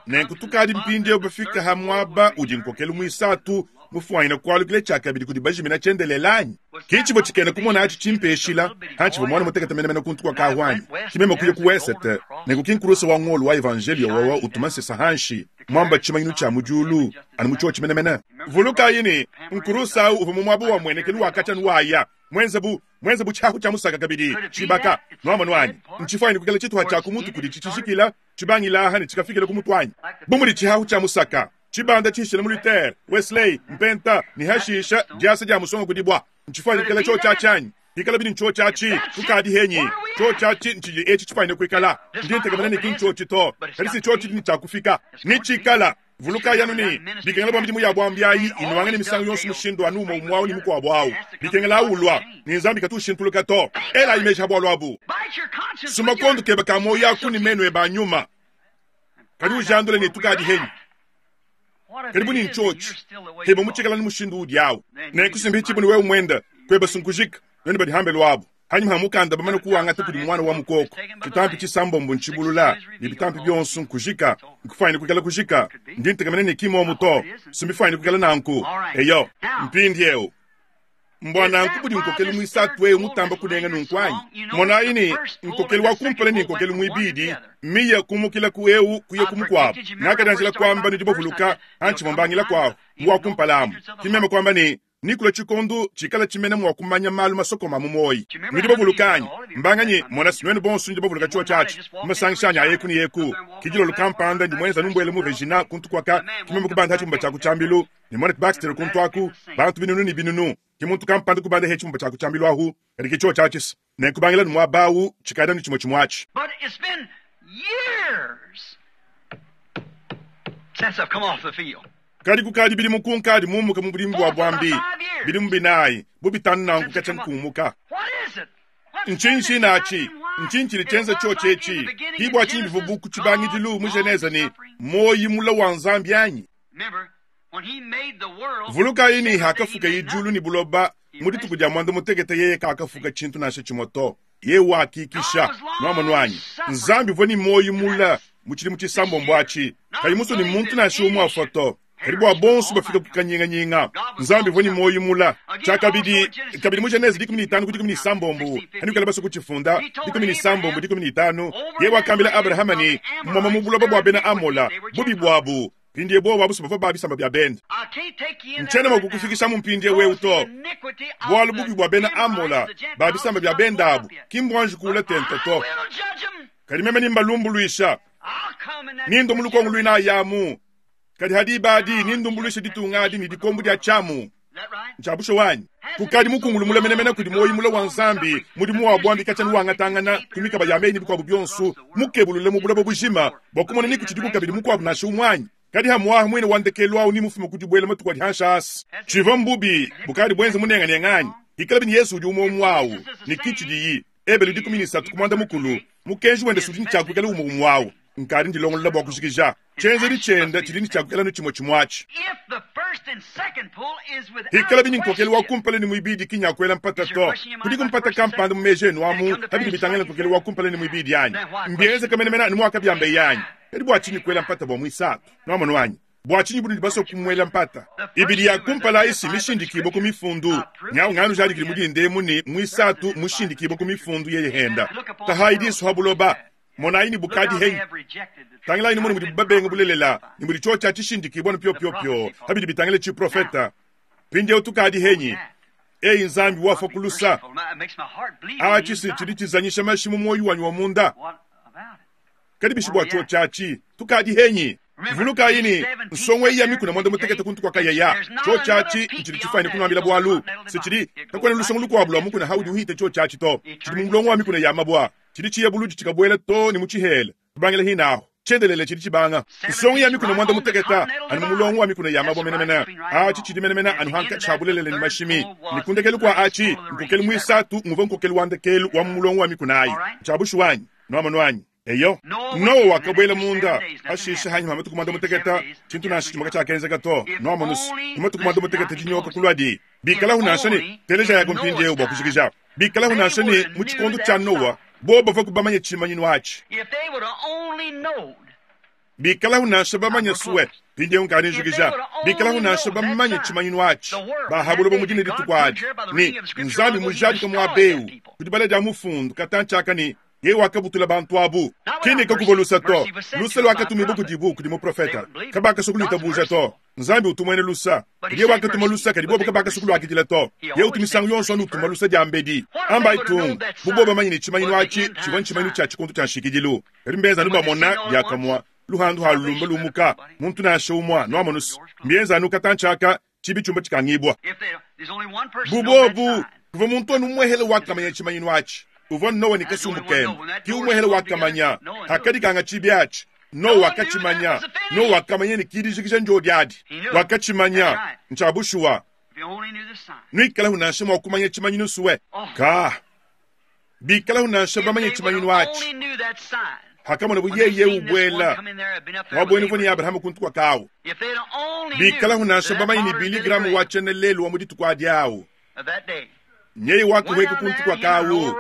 Nenku tukadi mpindieu bafika ha muaba udi nkokelu muisatu mufuanyina kualukila tshiakabidi kudi bajimina tshiendelele anyi? Ki tshivua tshikena kumona atshi tshimpeshila hantshivua muana mutekete menemene kuntu kua kahu anyi? Ki meme kuya ku wesete, nenku ki nkurusa wa ngolo wa evanjelio wawa utuma nsesa hanshi, muamba tshimanyinu tshia mu diulu, anu mu tshiotshi menemene. Vulukayi ne, nkurusa au uvua mu muaba wa muenekelu wa katshia nuwaya, muenze bu muenze bu tshiahu tshia musaka kabidi tshibaka. Nuamonu anyi? Ntshifuanyine kuikala tshituha tshia ku mutu kudi tshitshijikila tshibangila aha ne tshikafikila ku mutu anyi? Bu mudi tshihahu tshia musaka tshibanda tshishila mu Luther, Wesley, Mpenta ne hashisha diasa dia musonga ku dibua. Ntshifuanyine kuikala tshiotshi atshi anyi? Hikala bidi ntshiotshi atshi, kukadi henyi. Tshiotshi atshi ntshidi etshi tshifuanyine kuikala. Ndi ntekemena ne ki ntshiotshi to, kadi si tshiotshi ne tshiakufika. Netshikala. Vulukayi anu ne, bikengela bua midimu ya buambi ayi inuangane misangu yonso mushindu anu umue umue au ne mukuabu au. Bikengela au ulua, ne Nzambi katu ushintuluka to. Elayi meji ha bualu abu. Suma kondo kebe ka muoyo aku ne menu ebe a nyuma. Kadi ujandule ne tukadi henyi. Kadi bu ne ntshiotshi, keba mutshikala ne mushindu udi au. Nenku simbi ne wewe muenda, kueba sunkujika, nuenu badi hambelu abu. Hanyima ha mukanda bamane kuwangata kudi muana wa mukoko, tshitampi tshisambombo ntshibulula, ne bitampi bionso nkujika, nkufuanyine kuikala kujika. Ndi ntekemena ne ki momu to, simbifuanyine kuikala nanku. Eyo, mpindieu mbua nanku budi nkokelu muisatu eu mutamba kunenga nunku anyi? Monayi ne, nkokelu wa kumpala ne nkokelu muibidi miya kumukila ku eu kuya ku mukuabu. Ngakadianjila kuamba nudi bavuluka hantshivua mbangila kuahu mu wa kumpala amu, ki meme kuamba ne, Nikulua tshikondo tshikala tshimene mua kumanya malu masokoma mu muoyi. Nudi bavuluka anyi? Mbanganyi? Mona, nuenu bonso nudi bavuluka tshiotshi atshi mu masangisha anyi a eku ne eku. Ki dilolo kampanda ndi muenza numbuele mu Regina kuntu kuaka, ki meme kubanda tshibumba tshia ku tshiambilu ne Monet Baxter kuntu aku, bantu binunu ne binunu. Ki muntu kampanda kubanda he tshibumba tshia ku tshiambilu ahu, kadi ki tshiotshi atshi se. Nenku bangila nu muaba awu tshikadi anu tshimue tshimue atshi. But it's been years since I've come off the field. Kadi kukadi bidimu kunkadi mumuka mu budimi bua buambi, bidimu binayi bu bitanu nanku katshia nkumuka. What is it? Ntshinyi tshine atshi? Ntshinyi tshidi tshienza tshiotshi etshi? Ki bua tshinyi bivua bu ku tshibangidilu mu Genese ne muoyi mula wa Nzambi anyi? Remember, when he made the world, Vulukayi ne hakafukaye diulu ne buloba mu dituku dia muanda mutekete yeye kakafuka tshintu nansha tshimue to. Yeye wakikisha. Nuamonu anyi? Nzambi uvua ne muoyi mula mu tshidimu tshisambombo atshi, kayi musue ne muntu nansha umue afua to. Kadi bua bonso bafika ku kanyinganyinga, Nzambi uvua ne muoyi mula. Tshiakabidi, kabidi mu Genese 15 ku 16, hanukala basue kutshifunda, 16 15, yeye wakambila Abrahama ne, Moma mu buloba bua bena Amola, bubi buabu, mpindieu bobu abu bavua ba bisamba bia bende. I can't take you in Ntshiena there mua right now. kukufikisha mu mpindieu eu Because the to. iniquity of Bualu the bubi bua bena Amola, Amorites, the ba Gentiles, bisamba is bia not bende full abu, up yet. ki mbuanji kuula But tente I to. will judge 'em. Kadi meme nimbalumbuluisha, I'll come in that nindo mu lukongo luinayi amu. Kadi hadiba adi nindumbuluisha ditunga adi ne dikombo dia tshiamu. Is that right? Ntshia bushuwa wanyi. Kukadi mukungulu mula menemene kudi muoyi mula wa Nzambi, mudimu wa buambi katshia nuwangatangana ku mikaba ya meyi ne bikuabu bionso, mukebulule mu buloba bujima bua kumona ni kutshidiku kabidi mukuabu nansha umue anyi. Kadi hamuaha muine wa ndekelu awu ni mufume ku dibuela matuku adi hanshi asi. Tshivua mbubi bukadi buenze munenganenga anyi? Hikala bini Yesu udi umue umue awu, ne ki tshidiyi. Ebelu 13 ku muanda mukulu, mukenji wende sudi ne tshiakuikala umue umue awu. Nkadi ndilongolola bua kujikija. Tshienzedi tshiende tshidi ne tshiakuikala nu tshimue tshimue atshi. If the first and second pull is without Hikala bini nkokelu wa question, kumpala ne muibidi ki nyakuela mpata to. Kudi kumpata kampanda mu meji enu amu habidi bitangila nkokelu wa kumpala ne muibidi anyi. Mbienze kamenemena anu muakabiamba yanyi. Kadi bua tshinyi kuela mpata bua muisatu? Nuamonu anyi? Bua tshinyi bunudi basue kumuela mpata? Ibidi ya kumpala isi mishindikibue ku mifundu. Nyau nganu jadikili mudinde emu ne muisatu mushindikibue ku mifundu yeye henda. Tahayi disu ha buloba. Monayi ne look bukadi how they henyi. have rejected the truth. Tangilayi nimone mudi babenga bulelela ne mudi tshiotshi tshishindikibua ne pyopyopyo habidi bitangila tshiprofeta. Mpindieu tukadi henyi. Eyi Nzambi wafa Be kulusa. merciful. It makes my heart bleed on Awa the tshisi inside. tshidi tshizanyisha mashi mu muoyo wanyi wa munda. What about it? Kadi bishi bua tshiotshi atshi tukadi henyi. Vulukayi ne nsongo eyi ya mikuna muanda mutekete kuntu kua kayaya. Tshiotshi atshi ntshidi tshifuanyine kunuambila bualu. Se tshidi kakuena lusongo lukuabu lua mukuna haudi uhita tshiotshi atshi to. Tshidi mu mulongo wa mikuna ya mabua. Tshidi tshiya buludi tshikabuela to ne mu tshihela. Tubangila hinaho. Tshiendelele tshidi tshibanga. Nsongo ya mikuna muanda muteketa anu mu mulongo wa mikuna ya mabue menemene. Atshi tshidi menemene anu hankatshi ha bulelela ne mashimi. Ne ku ndekelu kua atshi, nkokelu muisatu nguvua nkokelu wa ndekelu wa mu mulongo wa mikuna ayi. Ntshia bushuwa anyi? Nuamonu anyi? Eyo. Nowa wakabuela munda. Pashishe hanyima ha matuku muanda muteketa, tshintu nansha tshimue katshiakenzeka to. Nuamonu's, mu matuku muanda muteketa dinyoka kuluadi. Bikalahu nansha ne, telejayaku mpindieu bua kujikija. Bikalahu nansha ne, mu tshikondo tshia Nowa, bobo bavuaku bamanye tshimanyinu atshi. Bikalahu nansha bamanye sue, mpindieu nkadi njikija. Bikalahu nansha bamanye tshimanyinu atshi, ba ha buloba mu dine dituku adi, ne Nzambi mujadika muaba eu ku dibala dia mufundu katantshi aka ne, Yeye wakabutula bantu abu. Ki ne kakuvua lusa to. Lusa luakatumibua kudibu kudi muprofeta. Kabakasua kuluitabuja to. Nzambi utu muena lusa. Kadi yeye wakatuma lusa, kadi bobo kabakasua kuluakidila to. Yeye utu misangu yonso anu utuma lusa diambedi. Ambayi tung, bu bobo bamanye ne tshimanyinu atshi tshivua ntshimanyinu tshia tshikondo tshia nshikidilu. Kadi mbenza anu bamona diakamua luhandu halulumba lumuka, muntu nansha umua, nuamonu's, mbienza anu katantshi aka, tshibi tshiumba tshikangibua. Bu bobu, kuvua muntu anu umuehele wakamanya tshimanyinu atshi, uvua Noa ne kasumbu kende. Ki umuehele wakamanya hakadikanga tshibi atshi. Noa wakatshimanya. Noa wakamanya ne kidijikija ndiodi adi. Wakatshimanya. Ntshia bushuwa. Nuikalahu nansha mua kumanya tshimanyinu sue. Ka. Bikalahu nansha bamanye tshimanyinu atshi. Hakamonabu yeye ubuela muabuenu uvua ne Abrahama kuntu kua kawu. Bikalahu nansha bamanye ne Billy Graham wa tshiena lelu wa mu dituku adi awu, nyeye wakahueka kuntu kua kawu,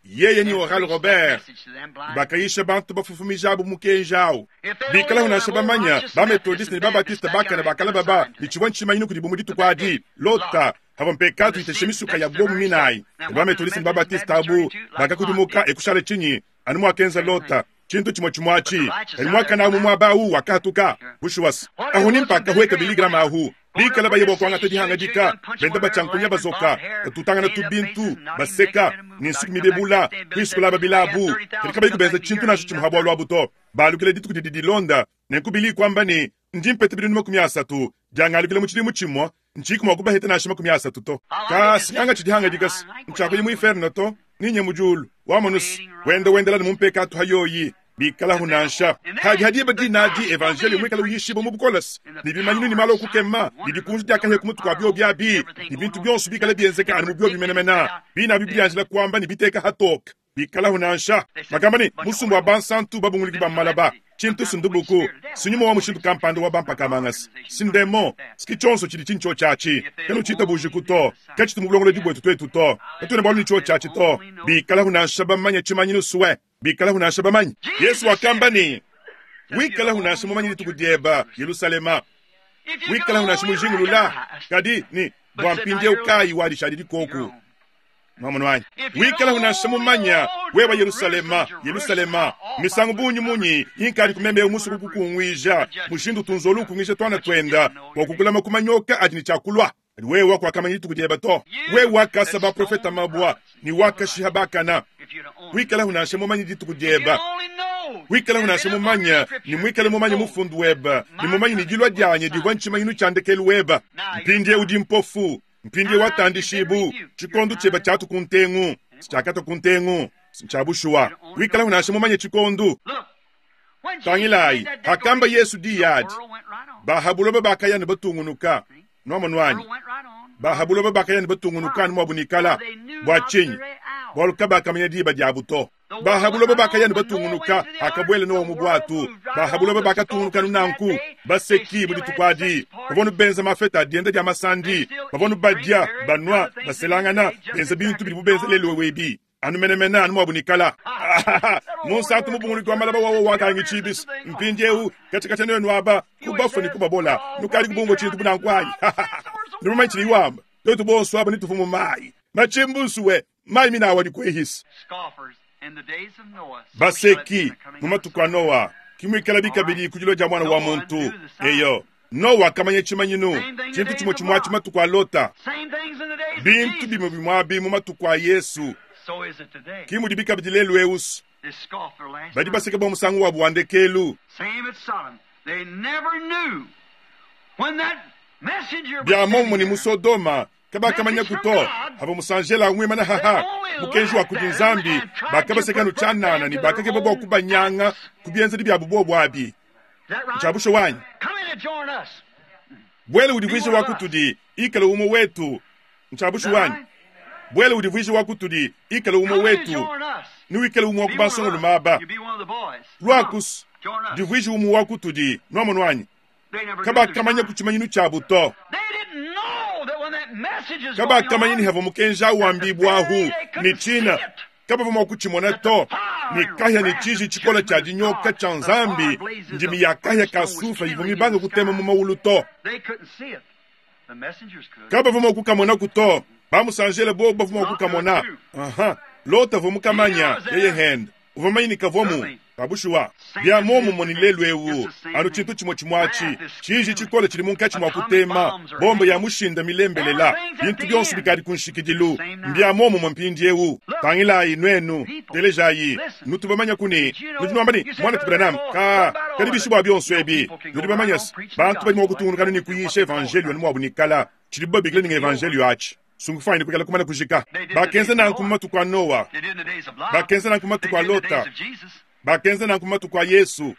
yeye ne Oral Robert bakayisha bantu bafufumijabu mukenji awu. Bikalahu nansha bamanya ba Methodiste ne ba Baptiste bakane bakalababa ne tshivua ntshimanyinu kudibu mu dituku adi, Lota Pavua mpekatu itesha misuka ya bomu minayi, ne ba-Methodiste ne ba-Baptiste abu bakakudimuka e kushala tshinyi? Anu muakenza Lota, tshintu tshimue tshimue atshi. Kadi muakane au mu muaba au wakahatuka. Bushuwa-se, ahu ni mpakahueka Billy Graham ahu, bikala baye bua kuangata dihangadika, benda batshiankunya bazoka, batutangana tu-bintu, baseka, ne nsuki mibebula, kuisu kulaba bilabu, kadi kabayi kubenza tshintu nansha tshimue ha bualu abu to. Balukila dituku didi dilonda, nenku Billy kuamba ne, Ndi mpeta binunu 30 diangalukila mu tshidimu tshimue, Ntshiku mua kubaheta nansha 30 to. Ka sinyanga tshidi hangadika-se, ntshiakuya mu inferno to, ninye mu diulu. Wamonu-se, wenda wendela ne mu mpekatu ha yoyi, bikalahu nansha. Hadi ha diba dinadi evanjeliyo muikale uyishibua mu bukole-se, ne bimanyinu ne malu a kukema, ne dikunji dia kahia ku mutu kua biobi abi, ne bintu bionso bikale bienzeka anu mu biobi menemene, bine abi bidianjila kuamba ne biteka hatoke. Bikalahu nansha. Bakamba ne, Musumba wa bansantu babunguludi ba malaba, tshintu si ndubuku, si nyuma wa mushindu kampanda wa bampaka-mangasa, si ndemon, si tshionso tshidi tshintshiotshi atshi. Kanutshiitabujiku to. Katshitu mu bulongolodi buetu tuetu to. Katuena bualu ne tshiotshi atshi to. Bikalahu nansha bamanye tshimanyinu sue. Bikalahu nansha bamanye. Yesu wakamba ne, Wikalahu nansha mumanye dituku dieba, Yelusalema. Wikalahu nansha mujingulula. Kadi, ne, bua mpindieu kayi wadishadi dikoku. Nwamonu anyi? Wikala nansha mumanya, wewa Yerusalema, Yerusalema, misangu bungi munyi inkadi kumemeu musue kukukunguija, mushindu utu nzolu ukunguija tuana tuenda bua kukulama ku manyoka adi ne tshia kulua. Kadi wewa kuakamanya dituku dieba to. Wewe wakasa baprofeta mabua ne wakashiha bakana. Wikala nansha mumanye dituku dieba. Wikala nansha mumanya ne muikale mumanye mufundu weba ne mumanye ne dilua dianyi divua ntshimanyinu tshia ndekelu weba. Mpindieu udi mpofu. Mpindieu watandishibu, tshikondo tshiebe tshiatu ku ntengu, tshiakatua ku ntengu, ntshia bushuwa. Wikala nansha mumanye tshikondo. Tangilayi, hakamba Yesu diyi adi, ba ha buloba bakaya ne batungunuka. Nuamonu anyi? Ba ha buloba bakaya ne batungunuka anu muabu nikala. Bua tshinyi? Bualu kabakamanya diba diabu to. Ba ha buloba bakaya ne batungunuka, hakabuela Noa mu buatu. Ba ha buloba bakatungunuka anu nanku, baseki mu dituku adi. Bavua nu benza mafeta a dienda dia masandi, bavua nu badia, banua, baselangana, benza bintu bidibu benza lelu ebi, anu menemene anu muabu nikala. Munsantu mubunguluki wa malaba wawa wakangi tshibis. Mpindieu katshia katshia nuenu aba ku bafue ne ku babola, nukadi kubumvua tshintu bu nanku anyi? Nudi mumanye tshidi wamba? Tuetu bonso aba netuvue mu mayi. Matshimbunsue Mayi mine awu adi kuehisa. Baseki mu matuku a Noa, ki muikalabi kabidi ku dilua dia Muana wa muntu. Eyo, Noa wakamanya tshimanyinu, tshintu tshimue tshimue atshi matuku a Lota, bintu bimue bimue abi mu matuku a Yesu, ki mudibi kabidi lelu'eu. Badi baseka bua musangu wabu wa ndekelu. Bia muomumue ne mu Sodoma. Kabakamanyaku to havua musanjela muimana haha mukenji wa kudi Nzambi, bakabaseka anu tshianana ne bakakeba bua kubanyanga ku bienzedi biabu bobu abi. Ntshia bushuwa anyi? Buela udivuije wa kutudi, ikala umue wetu. Ntshia bushuwa anyi? Buela udivuije wa kutudi, ikala umue wetu, ne wikale umue wa ku bansongalume aba. Luakus, divuije umue wa kutudi. Nuamonu anyi? Kabakamanya ku tshimanyinu tshiabu to. Kabakamanya ne havua mukenji au wambibuahu ne tshina, kabavua mua kutshimona to, ne kahia ne tshiji tshikole tshia dinyoka tshia Nzambi, ndimi ya kahia ka sufre ivua mibange kutema mu mawulu to. Kabavua mua kukamonaku to. Bamusanjele bobu bavua mua kukamona. Aha, Lota avua mukamanya, yeye hende uvua mumanye ne kavuamu. Ka bushuwa, bia muomumue ne lelu eu, anu tshintu tshimue tshimue atshi, tshiji tshikole tshidi munkatshi mua kutema, bombe ya mushinda milembelela, bintu bionso bikadi ku nshikidilu. Mbia muomumue mpindieu. Tangilayi nuenu, telejayi, nutu bamanya ku ne, nudi nuamba ne, Muanetu Branham, ka, kadi bishi bua bionso ebi? Nudi bamanya se, bantu badi mua kutungunuka anu ne kuyisha evanjeliyo anu muabu ne kala, tshidibu babikila ne ng'evanjeliyo atshi. Sungufayi ne kuikala kumana kujika. Bakenza nanku mu matuku a Noa. Bakenza nanku mu matuku a Lota. Bakenza nanku mu matuku a Yesu.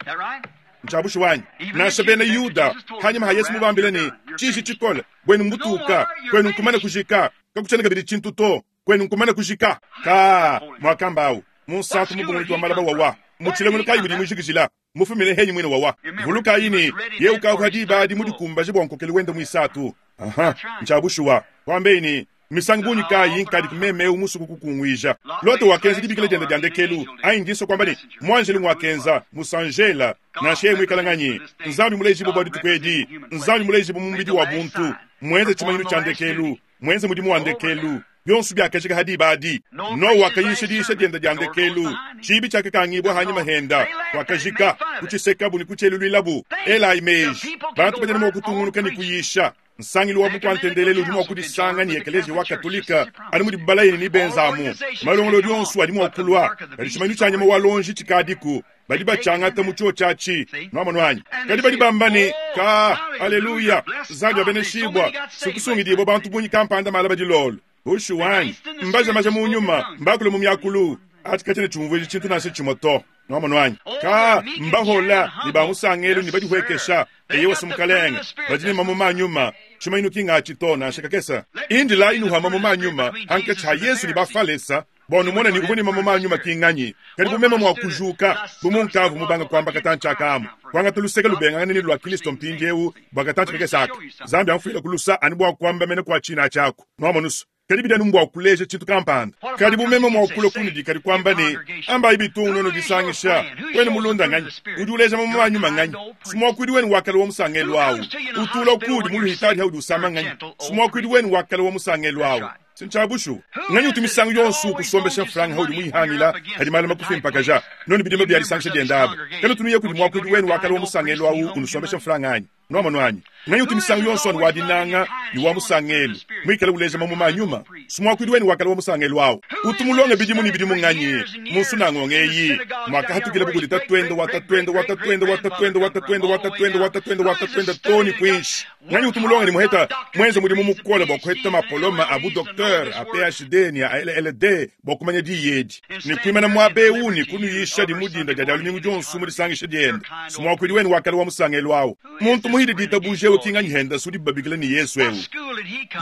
Ntshia bushuwa anyi? Nansha bena Yuda, hanyima ha Yesu mubambile ne, tshiji tshikole, buenu mbutuka, kuenu nkumana kujika, kakutshiena kabidi tshintu to, kuenu nkumana kujika. Ka, muakamba au, munsantu mubunguluki wa malaba wawa, mu tshilongelo kayi mudi mujikijila? Mufumine henyi muine wawa. Vulukayi ne, yeye ukavua diba adi mudikumbaje bua nkokelu wende muisatu. Aha, ntshia bushuwa. Kuambeyi ne, Mmisangu bungi kayi inkadi meme eu musue kukukunguija? Lota wakenza dibikila diende dia ndekelu, anyi ndi nsua kuamba ne, muanjelu nguakenza, musanjela, nansha yeye muikale nganyi, Nzambi mulejibue bua dituku edi, Nzambi mulejibue mu mubidi wa buntu, muenze tshimanyinu tshia ndekelu, muenze mudimu wa ndekelu. Bionso biakajika ha diba adi. Noa wakayisha diyisha diende dia ndekelu. Tshiibi tshiakakangibua hanyima henda, kuakajika, kutshisekabu ne kutshieluluilabu. Elayi meji, bantu badi mua kutungunuka ne kuyisha. Nsangilu wa bukua-ntendelelu udi mua kudisanga ne Ekeleziya wa Katolike anu mudibu balaye ne nebenzamu. Malongolodi onso adi mua kulua, kadi tshimanyinu tshia nyama wa luonji tshikadiku. Badi batshiangata mu tshiotshi atshi. Nuamonu anyi? Kadi badi bamba ne, Ka, aleluya, Nzambi abeneshibua, sikusungidibua bantu bungi kampanda malaba dilolo. Bushuwa anyi? Mbaja maja mu nyuma, mbakule mu miakulu. Atshi katshiena tshiumvuija tshintu nansha tshimue to. Nuamonu anyi? Ka, mbahola ne ba musangelu ne badihuekesha. Eyowa, si Mukalenge, badi ne mamuma a nyuma. Tshimanyinu ki ngatshi to, nansha kakese. Indilayi nuhua mamuma a nyuma hankatshi ha Yesu ne Bafalesa, bua numone ne uvua ne mamuma a nyuma ki nganyi. Kadi bu meme mua kujuka, bu munkavua mubanga kuamba katantshi aka amu, kuangata luseke lubengangane ne lua Kristo mpindieu bua katantshi kakese aka, Nzambi amfuile ku lusa anu bua kuamba mene kua tshina atshi aku. Nuamonu's? Kadi bidi anu mbua kuleja tshintu kampanda. Kadi bu meme mua kulua kunudi kadi kuamba ne, Ambayi bitungu nuenu disangisha, wenu mulunda nganyi? Udi uleja mamuma a nyuma nganyi? Si muakuidi wenu wa kale wa musangelu au utula kuudi mu luhitadi haudi usama nganyi? Si muakuidi wenu wa kale wa musangelu au si ntshia bushuwa nganyi utu misangu yonso ukusombesha mfranga haudi muyihangila hadi malu makufimpakaja nonu bidimba bia disangisha dienda aba kanutu nuya kudi muakuidi wenu wa kale wa musangelu au unusombesha mfranga anyi? Nuamonu anyi? Nganyi utu misangu yonso anu wa dinanga ne wa musangelu, muikale uleja mamuma a nyuma? Si muakuidi wenu wa kale wa musangelu au utu mulonge bidimu ne bidimu nganyi mu nsunangonga eyi muakahatukila kudi tatuende wa tatuende wa tatuende wa tatuende wa tatuende wa tatuende wa tatuende wa tatuende too ne kuinshi? Nganyi utu mulonge ne muheta muenze mudimu mukole bua kuheta mapoloma a bu docteur, a PhD ne a LLD bua kumanya diyi edi ne kuimana muaba eu ne kunuyisha di mu dinda dia dia lumingu dionso mu disangisha diende? Si muakuidi wenu wa kale wa musangelu au muntu muhidi ditabuja eu ki nganyi henda si udibu babikila ne Yesu eu?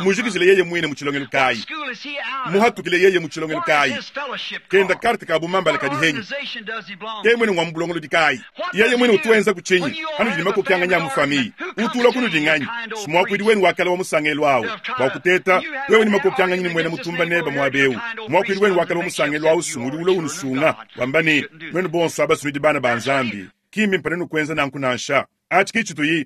Mujikijile yeye muine mu tshilongelu kayi? Muhatukile yeye mu tshilongelu kayi? Kenda karte ka bumambala kadi henyi? Ke muine ngua mu bulongolodi kayi? Yeye muine utu wenza ku tshinyi? Hanudi ne makokianganyi a mu famiye, utu ulua kunudi nganyi? Si muakuidi wenu wa kale wa musangelu au bua kuteta wewe ne makokianganyi ne muena mutumba nebe muaba eu. Muakuidi wenu wa kale wa musangelu au si ngudi ulua unusunga wamba ne, Nuenu bonso aba si nudi bana ba Nzambi. Ki mbimpe nuenu kuenza nanku nansha. Atshi ki tshituyi.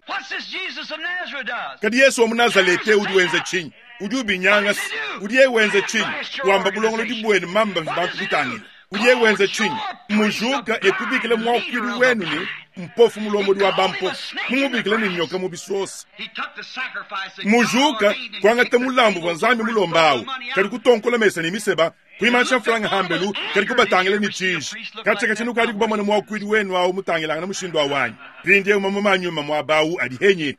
Kadi Yesu wa mu Nazalete udi wenza tshinyi? Udi ubinyanga. Udi yeye wenza tshinyi? Wamba bulongolodi buenu mamba bidi bantu kutangila. Udi yeye wenza tshinyi? Mujuka e kubikila muakuidi wenu ne mpofu mulombodi wa bampofu, mumubikila ne nyoka mu bisosa. Mujuka kuangata mulambu uvua Nzambi mulomba awu, kadi kutonkola mesa ne miseba, kuimansha mfranga hambelu, kadi kubatangila ne tshiji. Katshia katshia nukadi kubamona muakuidi wenu awu mutangilangana mushindu awu anyi? Mpindieu mamuma a nyuma muaba awu adi henyi?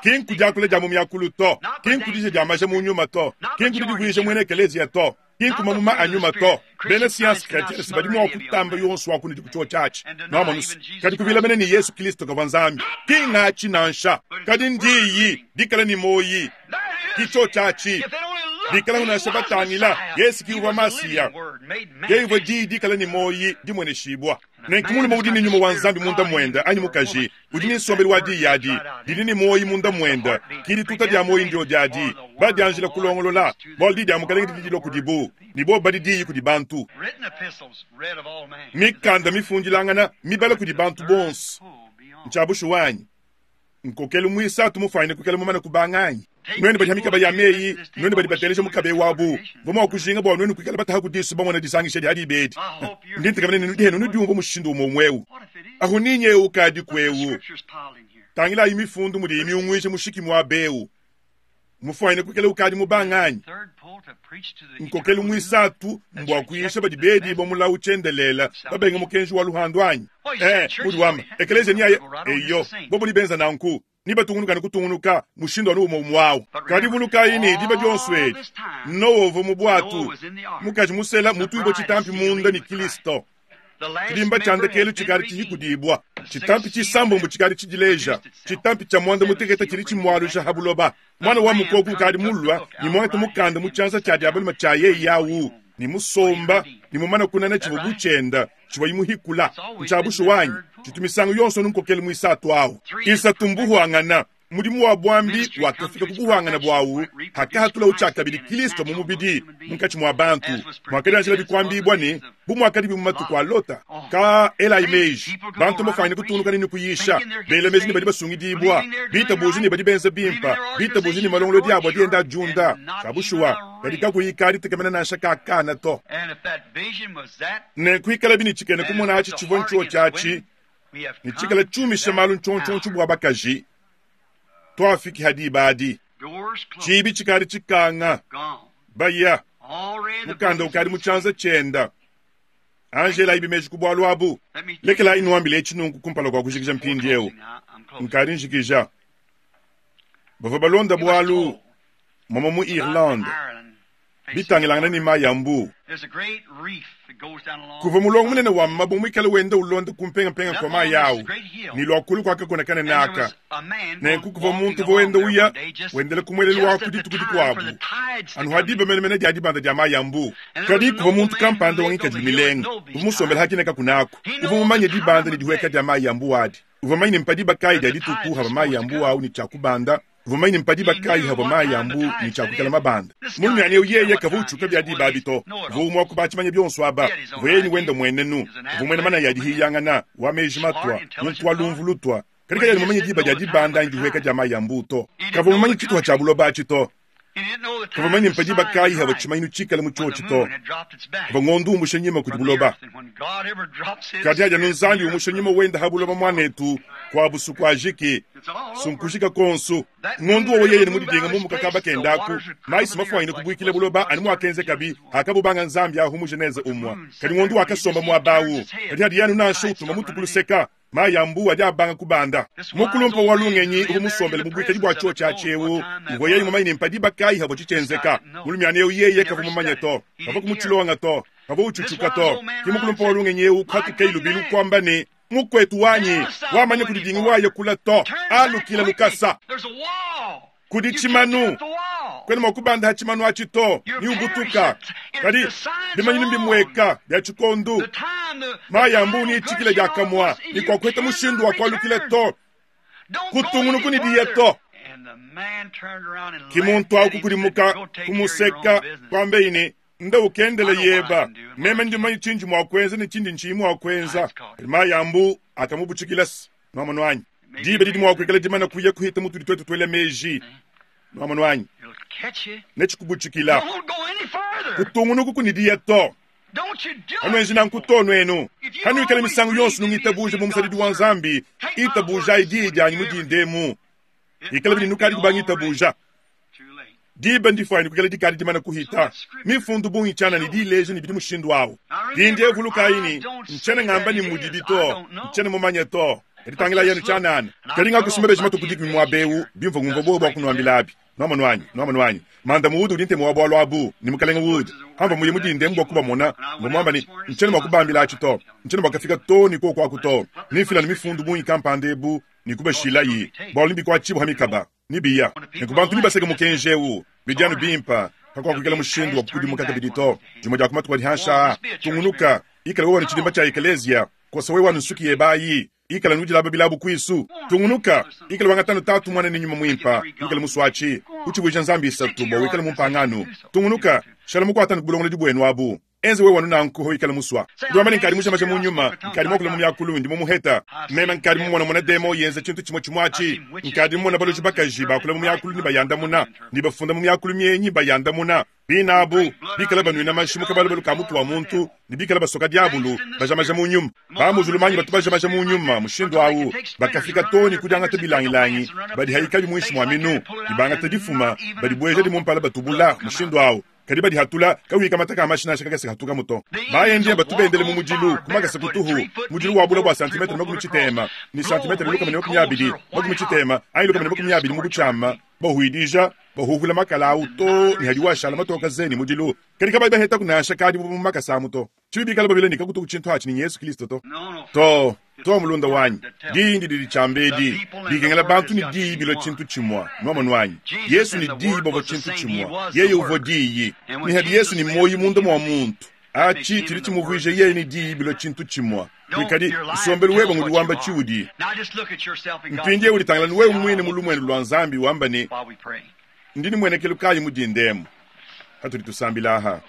Ki nku diakula dia mu miakulu to, ki nku dija dia maja mu nyuma to, ki nku didivuija muena ekeleziya to, ki nku mamuma a nyuma to. Bena sciences chretiennes badi mua kutamba yonso wa kunudi ku tshiotshi atshi, nwamonu's, kadi kuvila mene ne Yesu Kilisto kavua Nzambi, ki ngatshi nansha. Kadi n'Diyi dikala ne muoyi, ki tshiotshi atshi. Bikalaku nansha batangila, Yesu ki uvua Masiya. Yeye uvua Diyi dikala ne muoyi, dimueneshibua. Nenku mulume udi ne Nyuma wa Nzambi munda muende, anyi mukaji, udi ne nsombelu wa Diyi adi, didi ne muoyi munda muende, ki dituta dia muoyi ndyodi adi. Badianjila kulongolola, bualu Diyi dia Mukalenge didi dilua kudibu, ne bobo badi Diyi kudi bantu. Mikanda mifundilangana mibala kudi bantu bonso. Ntshia bushuwa anyi? Nkokelu muisatu mufuanyine kuikala mumane kubanga anyi? Nuenu badi ha mikaba ya meyi, nuenu badi bateleja mukaba eu abu, mvua mua kujinga bua nuenu kuikala bataha ku disu bamona disangisha dia diba edi. Ndi ntekemena ne nudi henu nudiumvua mushindu umue umue eu. Ahu ninyi eu ukadiku eu. Tangilayi mifundu mudiyi miunguije mushiki muaba eu. Mufuanyine kuikala ukadi mubanga anyi? Nkokelu muisatu mbua kuyisha badi bedibua mulawu tshiendelela, babenga mukenji wa luhandu anyi? Eh, udi wamba, ekeleziya niaye. Eyo, bobo nibenza nanku, nibatungunuka ne kutungunuka mushindu anu umue umue awu. Kadi vulukayi ne, diba dionso edi, Nowa uvua mu buatu, mukaji musela mutuibue tshitampi munda ne Kilisto. Tshidimba tshia ndekelu tshikadi tshihikudibua, tshitampi tshisambombo tshikadi tshidileja, tshitampi tshia muanda mutekete tshidi tshimualuja ha buloba. Muana wa mukoko ukadi mulua ne muangate mukanda mu tshianza tshia dia balume tshia yeye au, ne musomba ne mumane kunana tshivua bu tshienda tshivua imuhikula. Ntshia bushuwa anyi? Tshitu misangu yonso anu nkokelu muisatu au. Isatu mbuhuangana. Mudimu wa buambi wakafika ku buhuangane buawu hakahatulawu tshiakabidi Kilisto mu mubidi munkatshi mua bantu, muakadianjilabi kuambibua ne, Bu muakadibi mu matuku a Lota. Ka elayi meji, bantu mbafuanyine kutungunuka ne kuyisha, bela meji ne badi basungidibua, bitabuja ne badi benza bimpe, bitabuja ne malongolodi abu adi enda adiunda. Tshia bushuwa, kadi kakuyi ka ditekemena nansha ka kana to. Nenku ikalabi ne tshikena-kumona atshi tshivua ntshiotshi atshi, ne tshikala tshiumisha malu ntshiontshiontshio bua bakaji, tuafiki ha diba adi. Tshiibi tshikadi tshikanga, baya, mukanda ukadi mu tshianza tshienda. Anji elayi meji ku bualu abu. Lekelayi nuambile etshi nunku kumpala kua kujikija mpindieu. Nkadi njikija. Bavua balonda bualu mama mu Irlande bitangilangana ne mayi a mbuu. Kuvua mulongo munene wa mabue muikale wenda ulonda ku mpengampenga kua mayi au, ne lua kulu kua kakuna kanene aka. Nenku kuvua muntu uvua wenda uya wendela ku muelelu waku dituku dikuabu, anu ha diba menemene dia dibanda dia mayi a mbuu. Kadi kuvua muntu kampanda wa ngikadilu milenga uvua musombele ha kine kakuna aku, uvua mumanye dibanda ne dihueka dia mayi a mbuu adi. Uvua mumanye ne mpa diba kayi dia dituku havua mayi a mbuu au ne tshia kubanda. Uvua mumanye ne mpa diba kayi havua mayi a mbuu ne tshia kuikala mabanda. Mulumiana eu yeye kavua utshiuka bia diba abi to. Uvua umue wa ku batshimanya bionso aba. Uvua yeye ne wende muenenu. Uvua muena manaya a dihiyangana, wa meji matua, muntu wa lumvu lutua. Kadi kayena mumanye diba dia dibanda anyi dihueka dia mayi a mbuu to. Kavua mumanye tshituha tshia buloba atshi to. Kavua mumanye mpa diba kayi havua tshimanyinu tshikale mu tshiotshi to. Havua ngondo umbusha nyima kudi buloba. Kadi hadi anu Nzambi umusha nyuma wende ha buloba muanetu, kua busuku ajiki, sunkujika konsu. Ngondo wowo yeye ne mudidinga mumuka kaba kenda aku, mayi si mafuanyine kubuikila buloba anu muakenzekabi hakabubanga Nzambi ahu mu Genese umua. Kadi ngondo wakasomba muaba au. Kadi hadi anu nansha utuma mutu ku luseka, Mayi a mbuu adi abanga kubanda. Mukulumpe wa lungenyi uvua musombele mu buikadi bua tshiotshi atshi eu uvua yeye mumanye ne mpa diba kayi havua tshitshienzeka. Mulumiana eu yeye kavua mumanye to, kavua kumutshilonga to, kavua utshutshuka to. Ke mukulumpe wa lungenyi eu kuhatukayi lubilu kuamba ne, Mukuetu wanyi, wamanya kudidingi waya kula to, alukila lukasa. Kudi tshimanu, kuena mua kubanda ha tshimanu atshi to, ne ubutuka. Kadi bimanyinu mbimueka bia tshikondu, mayi a mbuu ne itshikila diakamua, ne kuakuheta mushindu wa kualukila to, kutungunuku ne diya to. Ki muntu au kukudimuka, kumuseka, kuambeyi ne, Nda ukendela yeba, meme ndi mumanye tshindi mua kuenza ne tshindi ntshiyi mua kuenza. Kadi mayi a mbuu akamubutshikila se, Nuamonu anyi? Diba didi mua kuikala dimane kuya kuhita mutudi tuetu tuela meji. Nuamonu anyi? Netshikubutshikila. Kutungunuku ku ne diya to. Kanuenji nanku to nuenu. Kanuikala misangu yonso nungitabuja bu musadidi wa Nzambi, itabujayi diyi dianyi mu dinda emu. Ikala bini nukadi kubangitabuja. Diba ndifuanyine kuikala dikadi dimane kuhita. Mifundu bungi tshianana idi ileja ne bidi mushindu au. Mpindieu vulukayi ne, ntshiena ngamba ne mudibi to, ntshiena mumanye to. Kadi tangilayi anu tshianana. Kadi ngakusumba mabeji matue ku dikumi muaba eu, bimvua ngumvua buowa bua kunuambilabi. Nwamonu anyi? Nwamonu anyi? Manda Wood udi ntemu wa bualu abu, ne Mukalenge Wood. Pamvua muye mu dinda emu bua kubamona, mvua muamba ne, Ntshiena mua kubambila atshi to. Ntshiena mua kafika too ne kuoku aku to. Nemfile anu mifundu bungi kampanda ebu ne kubashilayi, bualu nebikuatshibue pa mikaba, ne biya. Nenku bantu nebaseke mukenji eu. Bidi anu bimpe. Kakuakuikala mushindu wa kukudimuka kabidi to. Dimue dia ku matuku adi hanshi aa, tungunuka, ikala wewe ne tshidimba tshia ekeleziya, kosa wewe anu nsuki yebe ayi, ikala anu udilaba bilabu kuisu, tungunuka, ikala wangata anu Tatu, Muana ne Nyuma Muimpa, wikale musuatshi, utshivuija nzambi isatu bua wikale mumpangano, tungunuka, shala mukuata anu ku bulongolodi buenu abu. Enza wewe anu nanku hawikala musua. Udi wamba ne, Nkadi mujamaja mu nyuma, nkadi muakula mu miakulu, ndi mumuheta. Meme nkadi mumonamona demon yenza tshintu tshimue tshimue atshi. Nkadi mumona baloji bakaji bakula mu miakulu ne bayandamuna, ne bafunda mu miakulu mienyi bayandamuna. Bine abu, bikale banuina mashi mu kabalubalu ka mutu wa muntu, ne bikale basoka diabulu, bajamaja mu nyuma. Ba-muzulumanyi batu bajamaja mu nyuma mushindu au, bakafika too ne ku diangata bilangilangi, badihayikabi muinshi mua minu, ne bangata difuma, badibuejadi mu mpala batubula mushindu au. Kadi badihatula, kakuyi kamata ka mashi nansha kakese kahatukamu to. Ba-Indien batu bendele mu mudilu ku makasa kutuhu, mudilu wa bule bua santimetre 60 ne santimetre 120, 60 anyi 120 mu butshiama, bahuidija, bahuhula makala au to ne hadiwu ashala matoka ze ne mudilu. Kadi kabayi bahetaku nansha kadibu mu makasa amu to. Tshibi bikale babila ne kakutuku tshintu atshi ne Yesu Kilisto to. To, to mulunda wanyi, diyi ndidi ditshiamba edi, bikengela bantu ne diyi bilua tshintu tshimua. Nwamonu anyi? Yesu ne diyi bavua tshintu tshimua. Yeye uvua diyi. Ne hadi Yesu ne muoyi munda mua muntu, atshi tshidi tshimuvuija yeye ne diyi bilua tshintu tshimua. Kuikadi, nsombelu weba ngudi wamba tshiudi. Mpindieu uditangila wewe muine mu lumuenu lua Nzambi wamba ne, Ndi ne muenekelu kayi mu dinda emu patudi tusambila aha?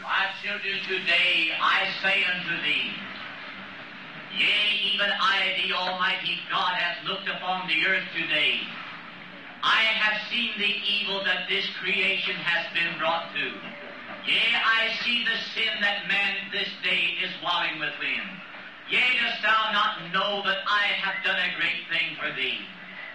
My children, today I say unto thee, Yea, even I, the Almighty God, hath looked upon the earth today. I have seen the evil that this creation has been brought to. Yea, I see the sin that man this day is wallowing within. Yea, dost thou not know that I have done a great thing for thee?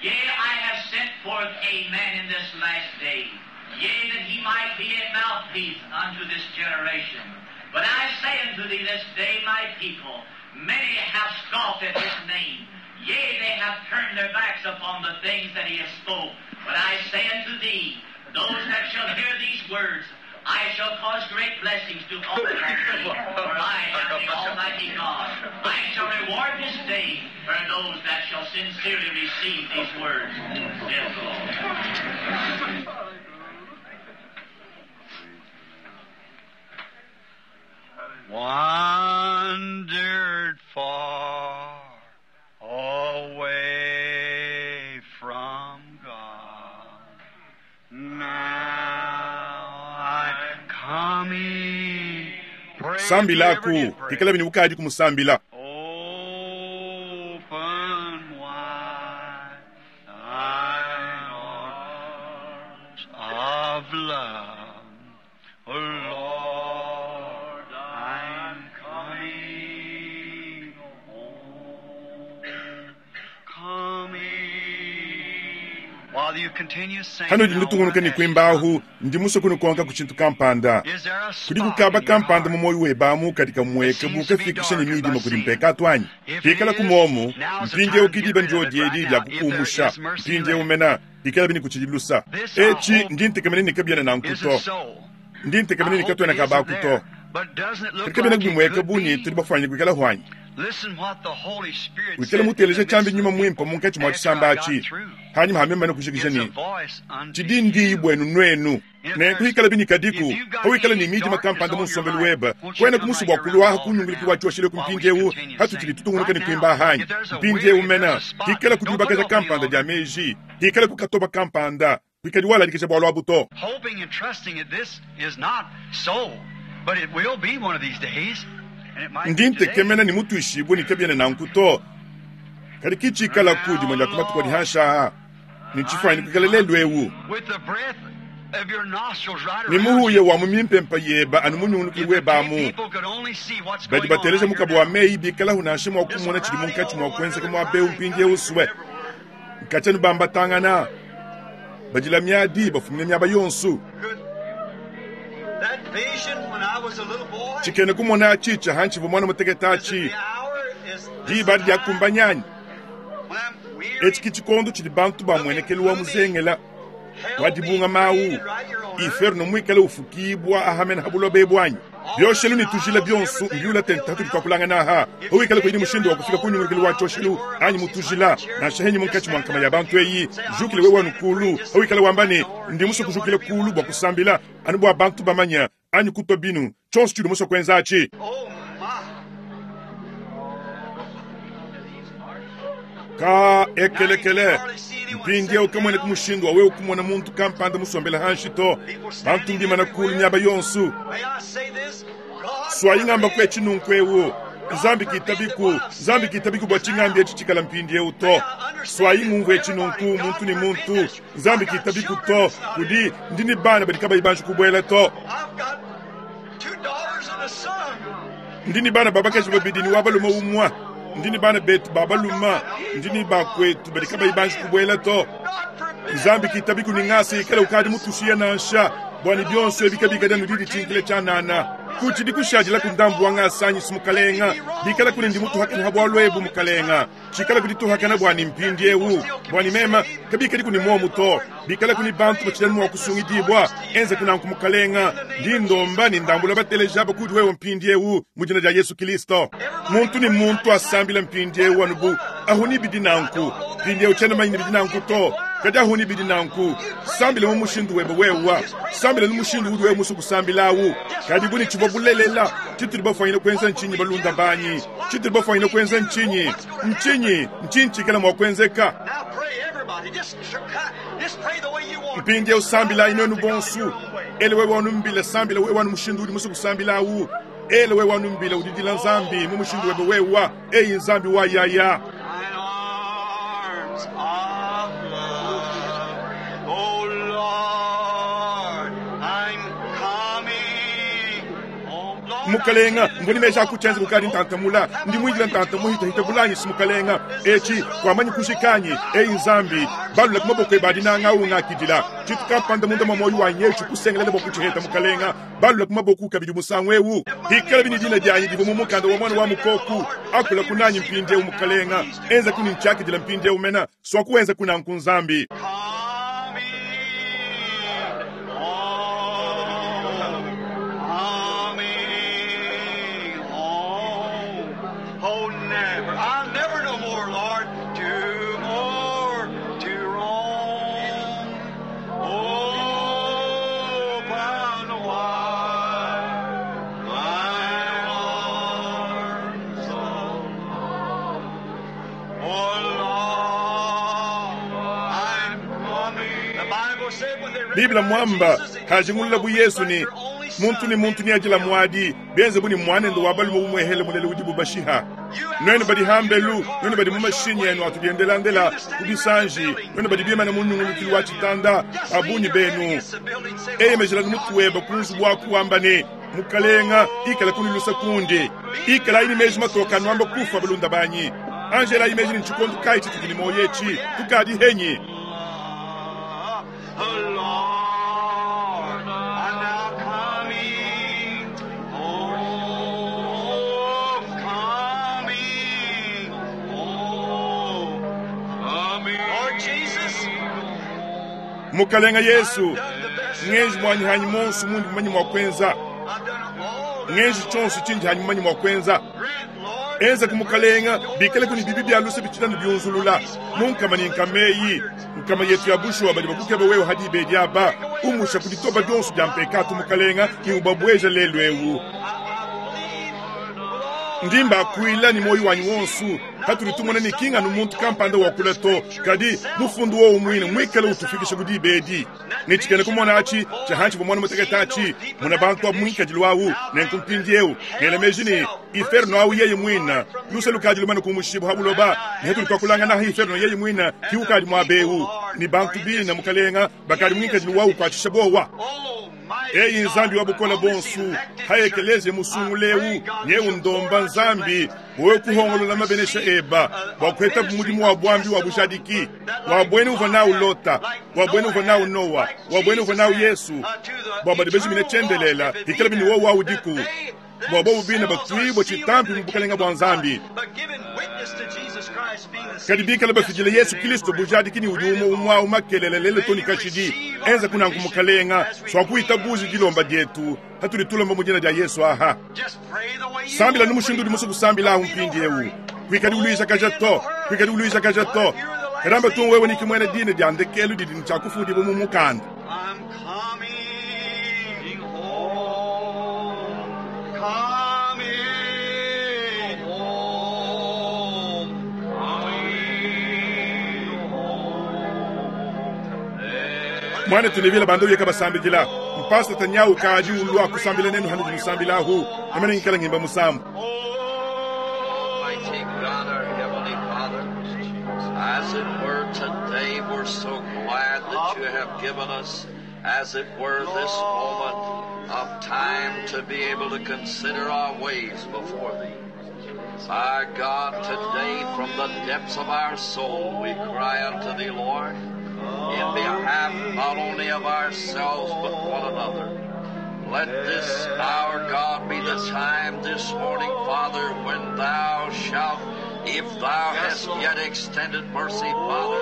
Yea, I have sent forth a man in this last day. Yea, that he might be a mouthpiece unto this generation. But I say unto thee this day, my people, many have scoffed at his name. Yea, they have turned their backs upon the things that he hath spoke. But I say unto thee, those that shall hear these words, I shall cause great blessings to fall upon thee, for I am the Almighty God. I shall reward this day for those that shall sincerely receive these words, saith the Lord. Wandered far away from God. Now I'm coming. Pray if you ever Sambilaku, did pray. pikalabi ne ukadi kumusambila. Open wide thine arms of love. Oh Lord, I'm coming home. Coming. While you continue singing, Hanudi I wanna nutungunuka ne ask you kuimba ahu, something. ndi musue kunukonka ku tshintu kampanda. Is there a Kudi spot kukaba in your kampanda mu heart muoyo webe amu kadi kamueka that bu seems to be kafikisha ne darkened by midima kudi sin? mpekatu anyi? If it Pikala is, kumomu, now's the mpindieu time to get kidiba rid of it ndiodi right edi now. dia If there kukumusha. is mercy Mpindieu left. mena, pikala bini kutshidi lusa. This I Etshi hope ndi ntekemena ne kabiena nanku isn't to. so. Ndi I ntekemena ne hope katuena it isn't kabaku to. there. But doesn't it Kadi look kabiena like it bimueka could bu ne be? tudi bafuanyike kuikala huanyi. Listen what the Holy Spirit Wikale said in muteleja the tshiambi midst of nyuma the muimpe people munkatshi mua after tshisamba I got atshi. through. Hanyuma hamema ne kujikija It's a ne voice unto tshidi ndiyi you. buenu nuenu. Nenku hikalabi ne kadiku, pawikala ne miidima kampanda mu nsombelu webe, kuenaku musue bua kulua aha ku nyunguluki wa cyoshelu ku mpindyewu patutshidi tutungunuka ne kwimba aha anyi? Mpindyewu mena, hikalaku dyubakaja kampanda dya meji, hikalaku katoba kampanda, kwikadi waladikija bwalu abu to. Ndi ntekemena ne mutwishibwe ne kabyena nanku to, kadi ki ciikalaku dimwe dya ku matuku adi hanshi aa. Ne tshifwanyine kwikala lelu ewu. Ne muhuya wa mu mimpempa yeba anu munyungulukile weba amu. Badi bateleja mukaba wa meyi bikalahu nansha mua kumona tshidi munkatshi mua kuenzeka muaba eu mpindieu sue. Nkatshia nubambatangana, badila miadi bafumina miaba yonso. Tshikena kumona atshi tshia hantshivua muana mutekete atshi, diba adi diakumbanyi anyi? Etshi ke tshikondo tshidi bantu ba muenekelu wa muzengela wa dibungama au, inferno muikale ufukibua aha mene ha buloba ebu anyi? Bioshelu ne tujila bionso mbiula tente hatudi tuakulangana aha. Pawikala kuyi ne mushindu wa kufika ku nyungulukilu wa tshioshelu anyi mu tujila, nansha henyi munkatshi mua nkama ya bantu eyi, jukila wewe anu kulu. Pawikala wamba ne, Ndi musue kujukila kulu bua kusambila, anu bua bantu bamanye, anyi kutua binu, tshionso tshiudi musue kuenza atshi. Ka ekelekele, mpindieu kamueneku mushindu wa wewe kumona muntu kampanda musombele hanshi to. Bantu mbimana kulu miaba yonso. Suayi ngamba ku etshi nunku eu, Nzambi kitabiku, Nzambi kitabiku bua tshingambi etshi tshikala mpindieu to. Suayi ngumvue etshi nunku, muntu ne muntu, Nzambi kitabiku to. Kudi, ndi ne bana badi kabayi banji kubuela to. Ndi ne bana ba bakaji babidi ne wa balume umue. Ndi ne bana betu ba balume, ndi ne bakwetu badi kabayi banji kubuela to. Nzambi kitabiku ne ngasa ikale ukadi mutushiye nansha, bua ne bionso ebi kabikadi anu diditshinkila tshianana. Kutshidi kushadilaku ndambu wa ngasa anyi si Mukalenga? Bikalaku ne ndi mutuhakane ha bualu ebu, Mukalenga, tshikalaku dituhakana buanyi mpindiewu, buanyi meme, kabikadiku ne muomu to. Bikalaku ne bantu batshidi anu mua kusungidibua, enzaku nanku, Mukalenga. Ndi ndomba ne ndambula bateleji aba kudi wewe mpindiewu, mu dina dia Yesu Kilisto. Muntu ne muntu asambile mpindiewu anu bu ahu ni bidi nanku. Mpindiewu tshiena manya ne bidi nanku to, kadi ahu ni bidi nanku. Sambila mu mushindu webe wewa. Sambila nu mushindu udi wewe musue kusambila awu. Kadi bu ne tshivua bulelela, tshitudi bafwanyine kuenza ntshinyi, balunda banyi? Tshitudi bafwanyine kuenza ntshinyi? Ntshinyi? Ntshinyi tshikala mua kuenzeka? Mpindieu sambilayi nuenu bonsu. Ele wewe wanumbila, sambila wewe anu mushindu udi musue kusambila awu. Ele wewe wanumbila, udidila Nzambi mu mushindu webe wewa. Eyi Nzambi wa yaya. Thine arms of love, O Lord, I'm coming. Oh Lord, Mukalenga, mvua ne meji a kutshienza kukadi ntanta mula. Ndi muindila ntanta muhitahita bulanyi si Mukalenga. Etshi, kuamanyi kujika anyi? Eyi Nzambi, balula ku maboko ebe a dinanga awu ngakidila. Tshintu kampanda munda mua muoyo wanyi etshi kusengelela bua kutshiheta, Mukalenga. Balula ku maboku kabidi musangu ewu. Hikalabi ne dina dianyi divua mu mukanda wa Muana wa Mukoku, akulaku nanyi mpindiewu, Mukalenga. Enzaku ne ntshiakidila mpindiewu mena. Suaku wenzaku nanku, Nzambi. Coming home, coming home. Oh, never, I'll never no more, Lord, to more to roam. Open wide thine arms, O Lord. Oh, Lord, I'm coming. The Bible said when they Biblia mwamba recognized Jesus, they kajingulula bu Yesu ne muntu ne muntu neadila muadi benze bu ne muanende wa balume umuehele mulele udibu bashiha. Nuenu badi hambelu, nuenu badi mu mashinyi enu atudiendelandela ku bisanji, nuenu badi bimana mu nyungulukilu wa tshitanda, ba bungi benu eyemejela mutu webe ku nzubu waku wamba ne, Mukalenga, ikala kunilusa kundi. Ikalayi ne meji matoka nuamba kufa balunda banyi. Angelayi meji ne tshikondo kayi tshitudi ne muoyo etshi, tukadi henyi. Oh, Lord, I'm now coming home, coming home, coming. Lord Jesus, Mukalenga Yesu, I've done the best ngenji muanyi hanyi monso mundi mumanyi mua kuenza. I've done all that Ngenji tshionso tshindi hanyi mumanyi mua kuenza. Grant, Lord, Enza ku mukalenga bikale ku ne bibi bia luse bitshina ne biunzulula mu nkama ne nkama eyi nkama yetu ya bushuwa badi bakukeba wewe hadi ibedi aba. Umusha ku ditoba dionso dia mpekatu, Mukalenga, ne ubabueja lelu eu. Ndi mbakuila ne muoyo wanyi wonso. Patudi tumona ne ki nganu muntu kampanda wakula to, kadi mufundu wowu muine muikale utufikisha ku diba edi. Ne tshikena kumona atshi tshia hanshi bua muana mutekete atshi, mona bantu abu mu ngikadilu au. Nenku mpindieu ngela meji ne, Iferno au yeye muine, luse lukadi lumane kumushibua ha buloba, ne hatudi tuakulangana aha iferno yeye muine ki ukadi muaba eu, ne bantu bine, Mukalenga, bakadi mu ngikadilu wau ukuatshisha buowa. Eyi Nzambi wa bukole buonso, ha ekeleziya musungula eu, nyeu ndomba Nzambi, wewe kuhongolola mabenesha eba bua kuhetabu mudimu wa buambi wa bujadiki, wa buena uvua nawu Lota, wa buena uvua nawu Noa, wa buena uvua nawu Yesu, bua badi bajimine tshiendelela, hikalabi ne wowu udiku, bua bobu bine batuibue tshitampi mu bukalenga bua Nzambi. Kadi bikale bafidile Yesu Kristo bujadiki ne udi umue umue au makelela lelu to ne kashidi. Enza kunanku Mukalenga, suakuitabuja dilomba dietu hatudi tulomba mu dina dia Yesu aha. Sambila nu mushindu udi musue kusambila ahu mpindieu. Kuikadi uluijakaja to, kuikadi uluijakaja to. Kadamba tu wewe ni kimuena dina dia ndekelu didi ne tshiakufundibua mu mukanda. I'm coming home, coming home, coming home. Mwana tunevila banda uyeka basambidila. Mpasta tanyau kaji ulua kusambila nenu hanudi musambilahu. Namene ngikala ngimba musambu. Almighty God, our Heavenly Father, as it were today, we're so glad that you have given us, as it were, this moment of time to be able to consider our ways before thee. My God, today from the depths of our soul we cry unto thee, Lord, in behalf not only of ourselves but one another. Let this, our God, be the time this morning, Father, when thou shalt, if thou hast yet extended mercy, Father,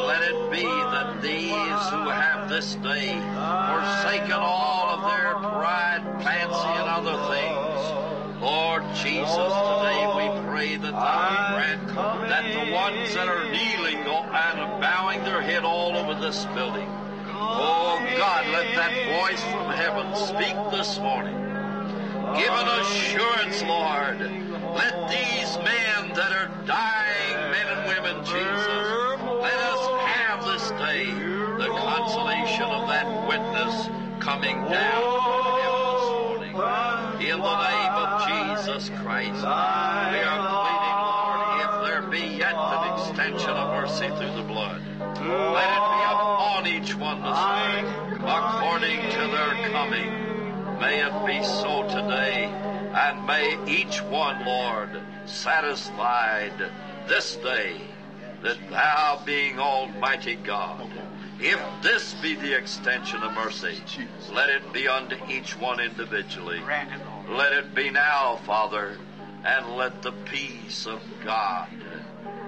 let it be that these who have this day forsaken all of their pride, fancy, and other things, Lord Jesus, today we pray that thou grant that the ones that are kneeling and bowing their head all over this building, oh God, let that voice from heaven speak this morning. Give an assurance, Lord. Let these men that are dying, men and women, Jesus, let us have this day the consolation of that witness coming down from heaven this morning. In the name of Jesus Christ, we are pleading, Lord, if there be yet an extension of mercy through the blood, let it be upon each one this morning, according to their coming. May it be so today, and may each one, Lord, satisfied this day that thou being Almighty God, if this be the extension of mercy, let it be unto each one individually. Let it be now, Father, and let the peace of God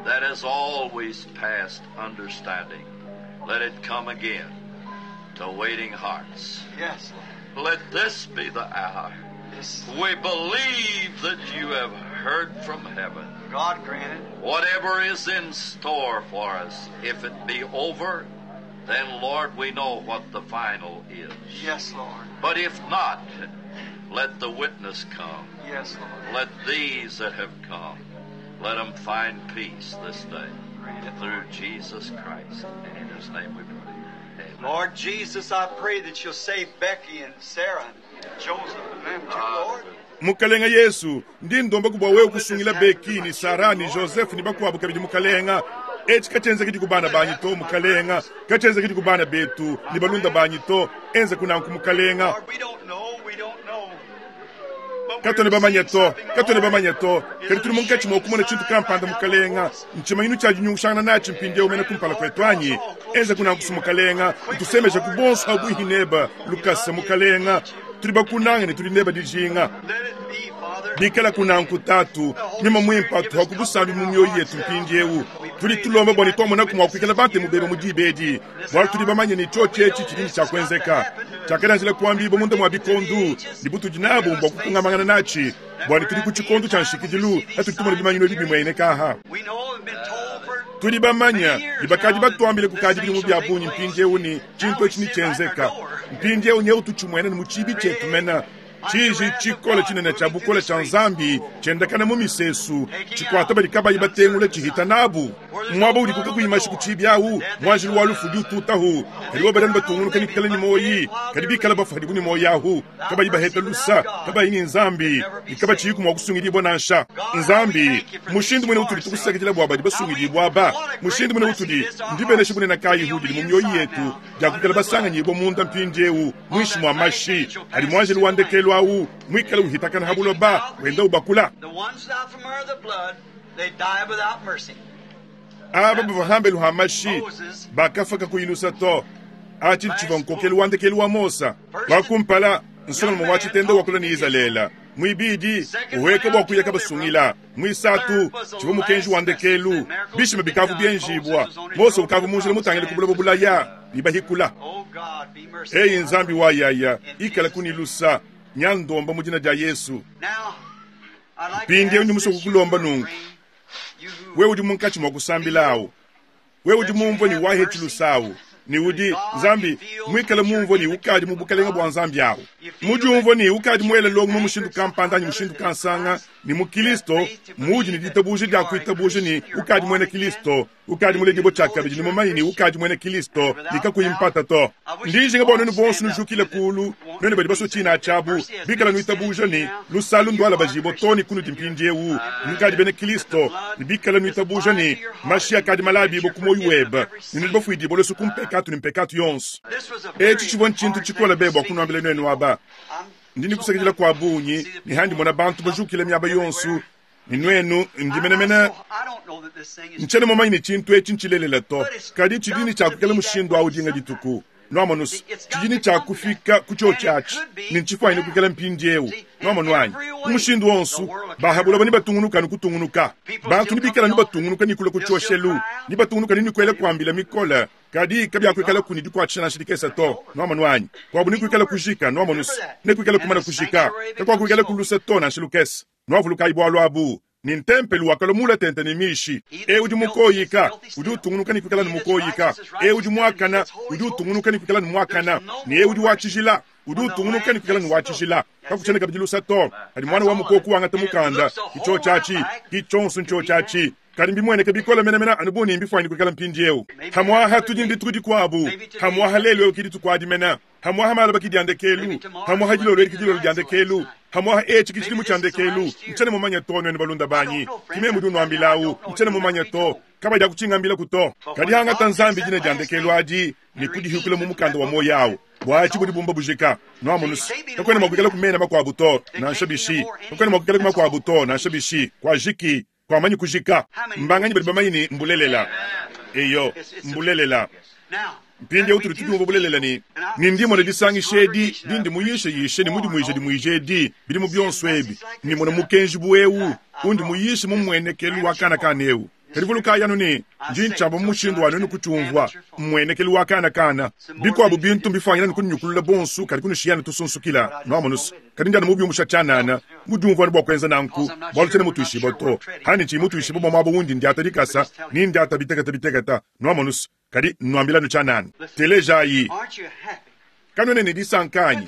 that has always passed understanding, let it come again to waiting hearts. Yes, Lord. Let this be the hour. Yes. We believe that you have heard from heaven. God grant it. Whatever is in store for us, if it be over, then, Lord, we know what the final is. Yes, Lord. But if not, let the witness come. Yes, Lord. Let these that have come, let them find peace this day. Grant it. Through Jesus Christ. And in His name we pray. Amen. Lord Jesus, I pray that you'll save Becky and Sarah and Joseph and them too, Lord. Mukalenga Yesu, ndi ndomba kubwa wewe kusungila Beki ni Sara ni Joseph ni bakuabu kabidi mukalenga. Eci kachenza kiti kubana banyi to mukalenga, kachenza kiti kubana betu ni balunda banyi to, enza kunanku mukalenga. Lord, we don't know, we don't know. But Katone we're bamanya seeing to, something, katone Lord. bamanya to, Is kadi it tuli munkatshi a mwa okumona tshintu kampanda mukalenga, ntshimanyi tshiadi nyungushangana natshi mpindieu mene kumpala kwetu anyi, enza kunankusu mukalenga, ntusemeja ku bonso abuihi neba, lukasa mukalenga, tuli bakunanga ne tuli neba dijinga. Let it be, Father. Bikala kunanku tatu, nyuma mwimpa tuha kubusambi mu mioyo yetu mpindieu. Tuli tulomba bwa nitwamona kumwa kuikala bante mubeba mu dibedi. Bwalo tuli bamanye ni cho chechi chilini cha kwenzeka. Chakadanjila kuambibo munda mwa bikondu, ni butudi nabo mbwa kukungamangana nachi. Bwa ni tuli ku chikondu cha nshikidilu, atu tumona bimanyino bibi mwene kaha. We know and been told for Tudi bamanya ne bakadi batuambile kukadi bidimu bia bungi mpindiewu ne tshintu etshi netshienzeka. Mpindiewu nyewu tutshimuena ne mu tshibi tshietu mena. Tshiji tshikole tshinene tshia bukole tshia Nzambi tshiendakana mu misesu, tshikuata badi kabayi batengula tshihita nabu. Muaba udiku kakuyi mashi ku tshibi awu, muanjelu wa lufu udi ututahu. Kadi bobo badi batungunuka ne kuikala ne muoyi, kadi bikala bafua hadibu ne muoyi ahu, kabayi baheta lusa, kabayi ne Nzambi, ne kabatshiyiku mua kusungidibua nansha. Nzambi, mushindu munene utudi tukusakidila bua badi basungidibua aba, mushindu munene utudi, ndibenesha bunene kayihu didi mu mioyi yetu dia kuikala basanganyibua munda mpindiewu muinshi mua mashi adi muanjelu wa ndekelu awu muikale uhitakana ha buloba wenda ubakula. Aba bavua hambelu ha mashi bakafua kakuyi lusa to. Atshi tshivua nkokelu wa ndekelu wa Mosa. Wa kumpala, nsongalume wa tshitenda wakula ne Izalele. Muibidi, uhueka bua kuya kabasungila. Muisatu, tshivua mukenji wa ndekelu. Bishima bikavu bienjibua. Mose ukavu mu njila mutangile ku buloba bulaya ne bahikula. Eyi Nzambi wa yaya, ikala kuni lusa, nya ndomba mu dina dia Yesu. Mpindieu ndi musue kukulomba nunku, wewe udi munkatshi mua kusambila awu, wewe udi mumvue ne wahetshi lusa awu, ne udi, Nzambi, muikale mumvue ne ukadi mu bukalenge bua Nzambi awu, mudiumvue ne ukadi muele longo mu mushindu kampanda anyi mushindu kansanga, ne mu Kilisto, muudi ne ditabuja dia kuitabuja ne ukadi muena Kilisto, ukadi muledibue tshiakabidi ne mumanye ne ukadi muena Kilisto, ne kakuyi mpata to. Ndi njinga bua nuenu bonso nujukile kulu, nuenu badi basue tshina tshiabu, bikala nuitabuja ne lusalu ndualabajibue too ne kunudi mpindiewu, nukadi bena Kilisto, ne bikala nuitabuja ne mashi akadi malabibue ku muoyo webe, ne nudi bafuidibue luse ku mpekatu ne mpekatu yonso. Etshi tshivua ntshintu tshikole be bua kunuambila nuenu aba. Ndi ne kusakidila kua bungi ne handi mona bantu bajukile miaba yonso, ne nuenu ndi menemene ntshiena mumanye ne tshintu etshi ntshilelela to, kadi tshidi ne tshia kuikala mushindu awu dinga dituku. Nuamonu se, tshidi ne tshia kufika ku tshiotshi atshi, ne ntshifuanyine kuikala mpindiewu. Nuamonu anyi? Mu mushindu wonso, ba ha buloba nebatungunuka anu kutungunuka. Bantu nebikale anu batungunuka ne kulua ku tshioshelu, nebatungunuka ne kuela kuambila mikole, kadi kabiakuikalaku ne dikuatshisha nansha dikese to. Nuamonu anyi? Kuabu nekuikale kujika. Nuamonu se, nekuikale kumana kujika. Kakuakuikalaku luse to nansha lukese. Nuavulukayi bualu abu, ne ntempelu wakalua mula tente ne mishi. Eu udi mukoyika udi utungunuka ne kuikala ne mukoyika, eu udi muakana udi utungunuka ne kuikala ne muakana, ne eu udi wa tshijila udi utungunuka ne kuikala ne wa tshijila. Kakutshiena kabidi lusa to. Kadi muana wa mukoko wangata mukanda, ki tshiotshi atshi, ki tshionso ntshiotshi atshi. Kadi mbimueneke bikole menemene anu bu ne mbifuanyine kuikala mpindieu. Pamu'apa tudi ne dituku dikuabu, pamu'apa lelu eu ke dituku adi mene. Pamu'apa malaba ke dia ndekelu, pamu'apa dilolo edi ke dilolo dia ndekelu, pamu'apa etshi ke tshidimu tshia ndekelu. Ntshiena mumanye to, nuenu balunda banyi. Ke meme udi unuambilawu. Ntshiena mumanye to. Kabadiakutshingambilaku to. Kadi angata Nzambi dina dia ndekelu adi ne kudihikula mu mukanda wa muoyo awu. Bua atshi budi bumba bujika. Nuamonus, kakuena mua kuikalaku mena makuabu to, nansha bishi. Kakuena mua kuikalaku makuabu to, nansha bishi. Kuajiki. Kuamanyi kujika. Mbanganyi badi bamanye ne mbulelela? Eyo, mbulelela. Mpindieu tudi tudiumvua bulelela ne, ne ndi mmona disangisha edi dindi muyisheyishe ne mudimuijedimuije edi bidimu bionso ebi, ne mmona mukenji bu eu undi muyishe mu mmuenekelu wa kana kana eu. Kadi vulukayi anu ne, ndi ntshiamba mu mushindu wa nuenu kutshiumvua, mmuenekelu wa kana kana. Bikuabu bintu mbifuanyine anu kununyukulula bonso, kadi kunushiya anu tusunsukila. Nuamonu's? Kadi ndi anu mubiumbusha tshianana, mudiumvua anu bua kuenza nanku, bualu tshiena mutuishibue to. Hanyi tshiyi mutuishibue bua muaba undi ndiata dikasa, ne ndiata bitekete bitekete. Nuamonu's? Kadi nnuambila anu tshianana. Telejayi. Kanuena ne disanka anyi?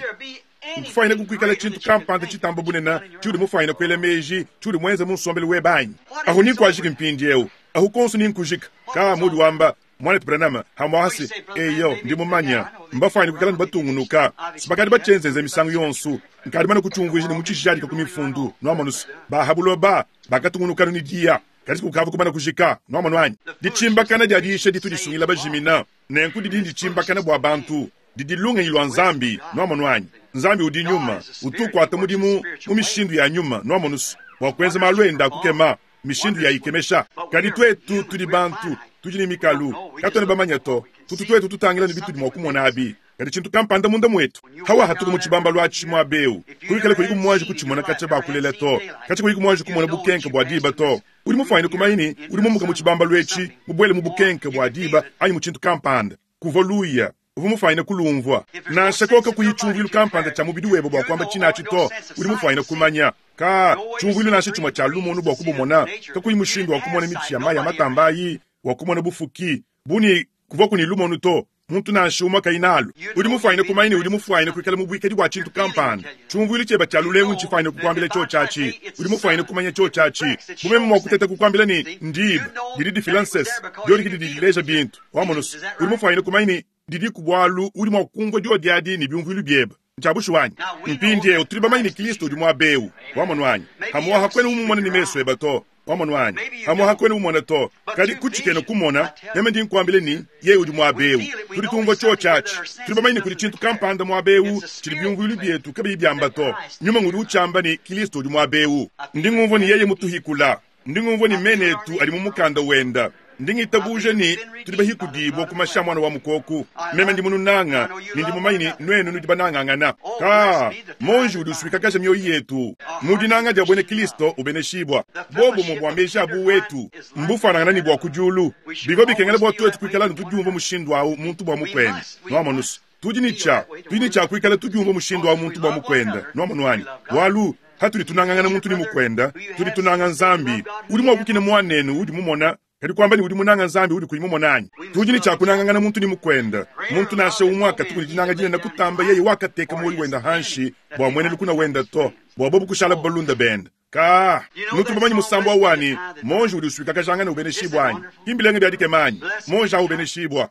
Nkufuanyine kukuikala tshintu kampanda tshitamba bunene tshiudi mufuanyine kuela meji tshiudi muenze mu nsombelu webe anyi? Ahu ni nkuajiki mpindieu. Ahu konso ni nkujika. Ka muudi wamba, Muanetu Branham, hamuaha se, eyo, ndi mumanya. Mbafuanyine kuikala ne batungunuka. Bakadi batshienzenze misangu yonso. Nkadi mane kutshiumvuija ne mutshijadika ku mifundu. Nuamonu's, ba ha buloba bakatungunuka anu ne diya. Kadi kukavua kumana kujika. Nuamonu anyi? Ditshimbakana dia diyisha ditu disungila bajimina. Nenku didi nditshimbakana bua bantu. Didi lungenyi lua Nzambi. Nuamonu anyi? Nzambi udi Nyuma. Utu ukuata mudimu mu mishindu ya nyuma, nuamonu's, bua kuenza malu ende a kukema, mishindu ya ikemesha. Kadi tuetu tudi bantu, tudi ne mikalu. Katuena bamanye to. Tutu tuetu tutangila ne bitudi mua kumona abi. Kadi tshintu kampanda munda muetu, hawahatuka mu tshibambalu atshi muaba eu, kuikala kuyiku muanji kutshimona katshia bakulela to, katshia kuyiku muanji kumona bukenke bua diba to. Udi mufuanyine kumanya ne udi mumuka mu tshibambalu etshi, mubuele mu bukenke bua diba anyi mu tshintu kampanda. Kuvua luya, uvua mufuanyine kulumvua. Nansha koka kuyi tshiumvuilu kampanda tshia mubidi webe bua kuamba tshinatshi to, udi mufuanyine kumanya. Ka tshiumvuilu nansha tshimue tshia lumonu bua kubumona, kakuyi mushindu wa kumona mitshi ya mayi a matamba ayi. Wakumona bufuki bu ne kuvuaku ne lumonu to, muntu nansha umue kayi nalu. Udi mufwanyine kumanya ne udi mufwanyine kwikala mu bwikadi bwa tshintu kampanda. Tshiumvuilu tshiebe tshia lulengu ntshifwanyine kukwambila tshiotshi atshi. Udi mufwanyine kumanya tshiotshi atshi. Bu meme mwa kuteta kukwambila ne, Ndiba didi difila nsese, diodi ke didi dileja bintu. Wamonu's, udi mufwanyine kumanya ne didiku bwalu udi mwa kumvwa diodi adi ne byumvuilu byebe. Ntshia bushuwa anyi? Mpindyewu tudi bamanye ne Kilisto udi mwaba ewu. Wamonu anyi? Pamuapa kwena umumona ne mesu ebe to. Wamonu anyi? Pamuapa kwena umumona to. Kadi ku tshikena kumona, meme ndi nkuambila ne, Yeye udi mwaba ewu. Tudi tumvua tshiotshi atshi. Tudi bamanye ne kudi tshintu kampanda mwaba ewu tshidi byumvuilu byetu kabiyi byamba to. Nyuma ngudi utshiamba ne Kilisto udi mwaba ewu. Ndi ngumvua ne Yeye mutuhikula. Ndi ngumvua ne mena etu adi mu mukanda wenda. Ndi ngitabuja ne tudi bahikudibua ku mashi a Muana wa Mukoku. Meme ndi mununanga, ne ndi mumanye ne nuenu nudi banangangana. Kaa, monji udi usuikakaja mioyo yetu mu dinanga dia buena Kilisto ubeneshibua. Bobumue bua meji a buwetu mbufuanangana ne bua ku diulu. Bivua bikengela bua tuetu kuikala anu tudiumvua mushindu au muntu bua mukuende. Nuamonu's, tudi ne tshia, tudi ne tshia kuikala tudiumvua mushindu au muntu bua mukuende. Nuamonu anyi? Bualu Patudi tunangangana muntu ne mukuenda, tudi tunanga Nzambi. Udi mua kukina muanenu udi mumona, kadi kuamba ne udi munanga Nzambi udi kuyi mumona anyi? Tudi ne tshia kunangangana muntu ne mukuenda. Muntu nansha umue katuku ne dinanga dinene kutamba yeye wakateka muoyo wenda hanshi bua muena lukuna wenda to, bua bobu kushalabu balunda bende. Kaa, nutu bamanye musambu au wa ne, Monji udi usuikakajangana ubeneshibua anyi? Ki mbilenga bia dikema anyi? Monji au ubeneshibua.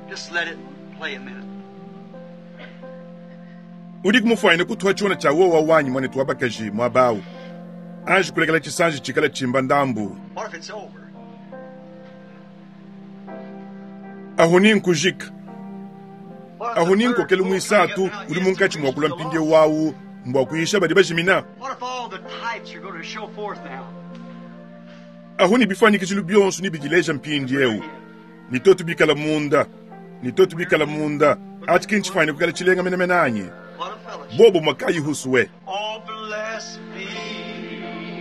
Just let it play a minute. Udiku mufwanyine kutuha tshiona tshia wowa wanyi muanetu wa bakaji muaba au, anji kulekela tshisanji tshikala tshimba ndambu. What if it's over? Ahu ni nkujika. What if Ahu the ni third nkokelu pull coming muisatu up now udi is to munkatshi reach mua kulua the mpindieu lost? au mbua kuyisha badi bajimina. What if all the types are going to show forth now? Ahu ni bifuanyikijilu bionso nibidileja mpindieu. Ne tuetu bikala munda, ne tuetu bikala munda, atshi ki ntshifuanyine kuikala tshilenga menemene anyi? What a fellowship. Bobumue kayi husue. Oh, blessed be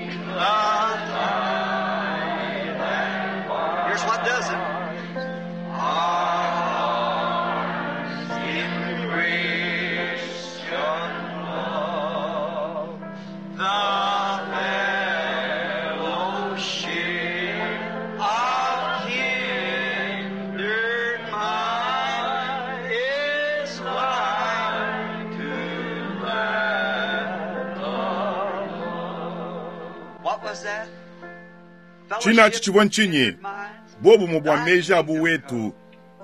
the tie that binds. Here's what does it. Hearts in Christian love, the fellowship of kindred minds is like to that above. What was that? Tshina atshi tshivua ntshinyi? Bobumue bua meji a buwetu,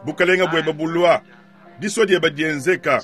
bukalenga bueba bulua, disua dieba dienzeka.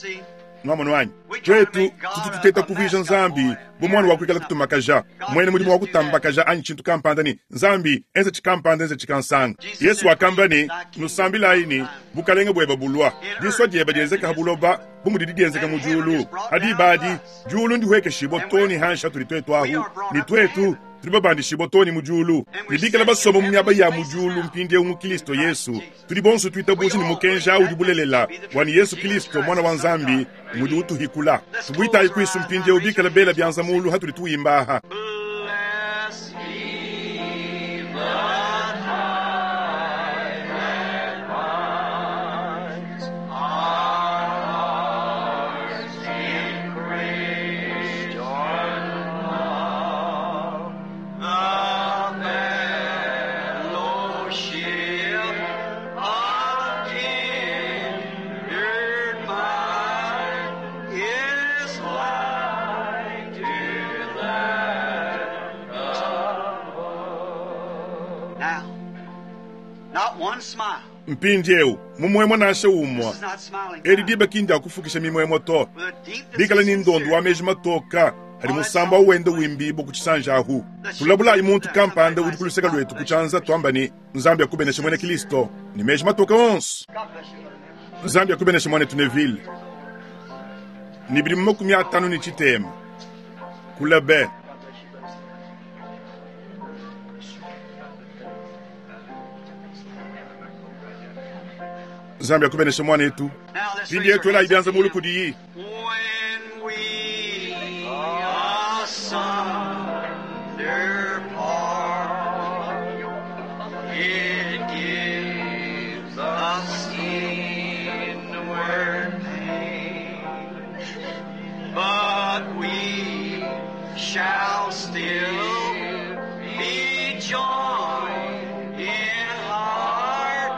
Nuamonu anyi? Tuetu tutu tuteta kuvuija Nzambi bu muana wa kuikala kutumakaja, muena mudimu wa kutambakaja anyi tshintu kampanda ne, Nzambi, enza tshikampanda, enza tshikansanga. Yesu wakamba ne, Nusambilayi ne, Bukalenga bueba bulua, disua dieba dienzeka ha buloba bu mudidi dienzeka mu diulu. Ha diba adi, diulu ndihuekeshibua too ne hanshi hatudi tuetu ahu, ne tuetu tudi babandishibua too ne mu diulu, ne bikala basomba mu miaba ya mu diulu mpindieu mu Kilisto Yesu. Tudi bonso tuitabuja ne mukenji au udi bulelela, bua ne Yesu Kilisto, Muana wa Nzambi, ngudi utuhikula. Tubuitayi kuisu mpindieu bikala bela bianza mulu hatudi tuimba aha. Blessed be the tie that binds our hearts in Christian love, the fellowship of kindred minds is like to that above. Now, not one smile. Mpindieu mumuemue nansha umue, This is not smiling edi time. diba ki ndia kufukisha mimuemue to. With a deepness Bikala of ne ndondo wa sincerity. meji matoka adi musambu au wenda wimbibua ku tshisanji ahu. Tulabulayi muntu kampanda udi ku luseke luetu ku tshianza tuamba ne, Nzambi akubeneshe muena Kilisto ne meji matoka onso. God bless you, Brother Neville. Nzambi akubeneshe muanetu Neville ne bidimu makumi atanu ne tshitema kula be. God bless you, Brother Nzambi akubeneshe muanetu. Now let's raise Mpindieu our tuelayi hands bianza mulu again. kudiyi. When we asunder part, it gives us inward pain, but we shall still be joined in heart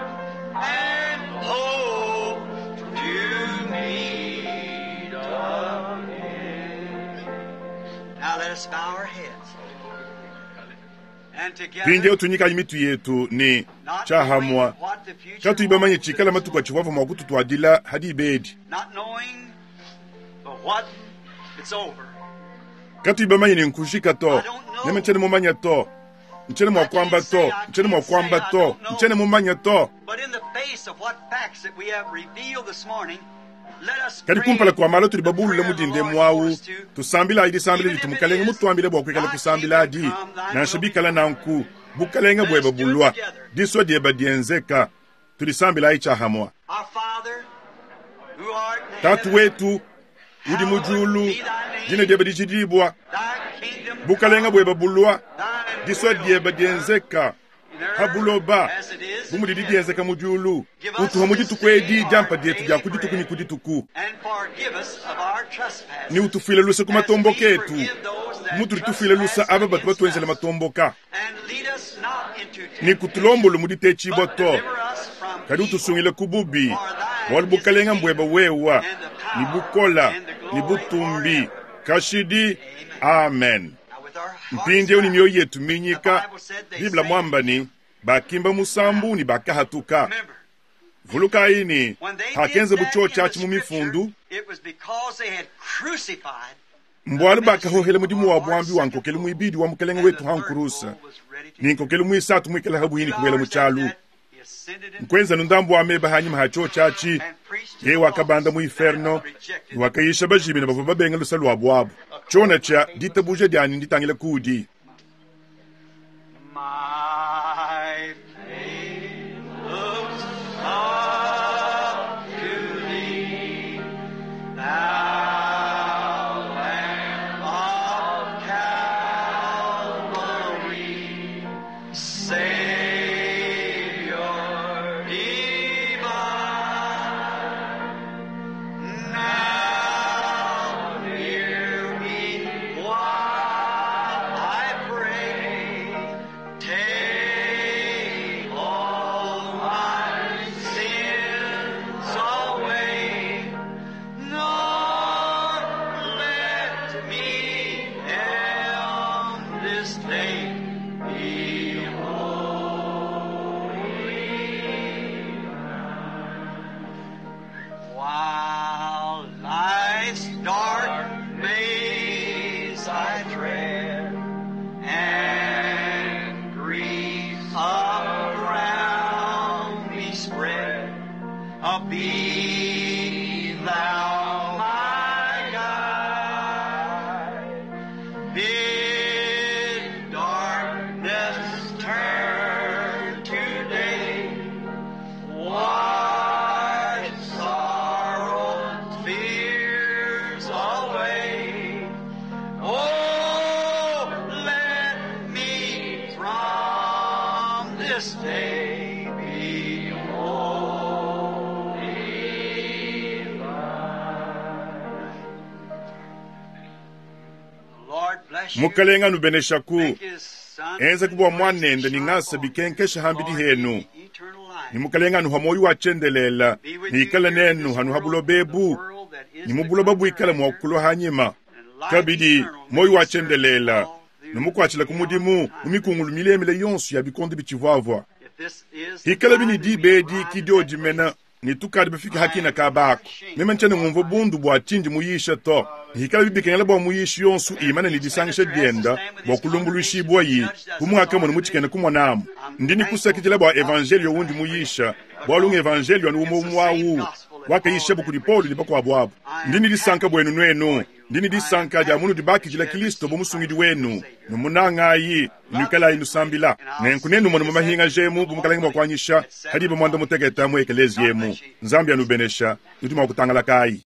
and hope to meet again. Now let us bow our heads. And together, mpindieu tunyikayi mitu yetu ne not tshiahamwa knowing what the future katuyi bamanye holds, tshikala matuku atshivua mua kututuadila hadi ibedi not knowing but what it's over. katuyi bamanye ne nkujika to neme ntshiena mumanya to ntshiena mua kuamba to ntshiena mua kuamba to ntshiena mumanya to But in the face of what facts that we have revealed this morning, let us kadi pray kumpala kua malo tudi the babulule prayer the mudinde Lord muawu wants to. tusambilayi disambila ditu mukalenge mutuambile bua kuikala kusambila adi nansha bikala nanku bukalenge bueba bulua disua dieba dienzeka tudisambilayi tshiahamwa Our Father, who art in tatu heaven, wetu udi mu diulu dina dieba dijidibua thy kingdom bukalenge bueba bulua thy disua will dieba dienzeka in earth pa buloba as it is bu in mudidi heaven. dienzeka mu diulu utuha mu dituku edi diampa dietu dia ku dituku ne ku dituku And forgive us of our trespasses, ne utufuile luse ku as we matomboka etu forgive those that mutudi tufuile lusa trespass aba batu against batuenzela us. matomboka And lead us not into ne temptation, kutulombolu mu ditetshibua but to deliver us from kadi evil. utusungile ku bubi bualu bukalenga mbueba wewa ni bukola ni butumbi kashidi amen Now with our hearts mpindieu ni bowed, mioyo yetu minyika bibla mwamba ni bakimba musambu ni bakahatuka remember, vulukayi ni when they did hakenze that in buchocha the achi mu mifundu scripture, it was because they had crucified mbwalu bakahohela mudimu wa bwambi wa nkokelu mwibidi wa mukalenge and wetu the third hankurusa bull was ready to ni nkokelu mwisatu mwikala habwini kubwela mu Two hours kyalu after that, he ascended into nkwenzanu ndambu wa meba hanyuma ha chochachi and preached to ye the wakabanda lost mu inferno that rejected wakayisha bajimina bavua babenga lusa lua bwabu chona cha ditabuja dyani nditangila kudi My faith looks up to thee, thou Lamb of Calvary, Savior divine. Now hear me while I pray. Take all my sins away, nor let me end this day be holy. While life's dark maze I tread, and grief around me spread, be thou my guide. Bid darkness turn to day. Wash sorrows, fears away. Oh, let me from this day be holy. The Lord bless you. mukalenga nubeneshaku Make his sun enza kubwa mwanende ni ng'asa bikenkesha hambidi henu ni mukalenga anuha moyo wa chendelela niikala nenu hanu habulobebu ni mubuloba bwikala mwakukulwa hanyima kabidi moyo wa chendelela numukwachila ku mudimu mu mikungulu milemile yonso ya bikondo bichivwavwa hikala bini dibedi kidiodimena ni tukadi bafika hakina kabako meme ntshiena ngumva bundu bua tshindi muyisha to hikala bibikengela bua muyishi yonso imana ni disangisha dienda bua kulumbuluishibua yi kumwaka munu mutshikene kumonamu ndi nikusakidila bua evanjelio wundi muyisha bualu nga evanjelio anu umwe umwawu wakayishabu kudi Paulo ni bakuabu abu ndi ni disanka buenu nuenu ndi ni disanka dia munudi bakidila Kristo bu musungidi wenu numunangayi nuikalayi nusambila nenku nenu munu mumahinga jemu bu mukalenge mua kuanyisha hadiba muanda muteketa mu ekelezi yemu nzambi anubenesha nudi mua kutangalakayi.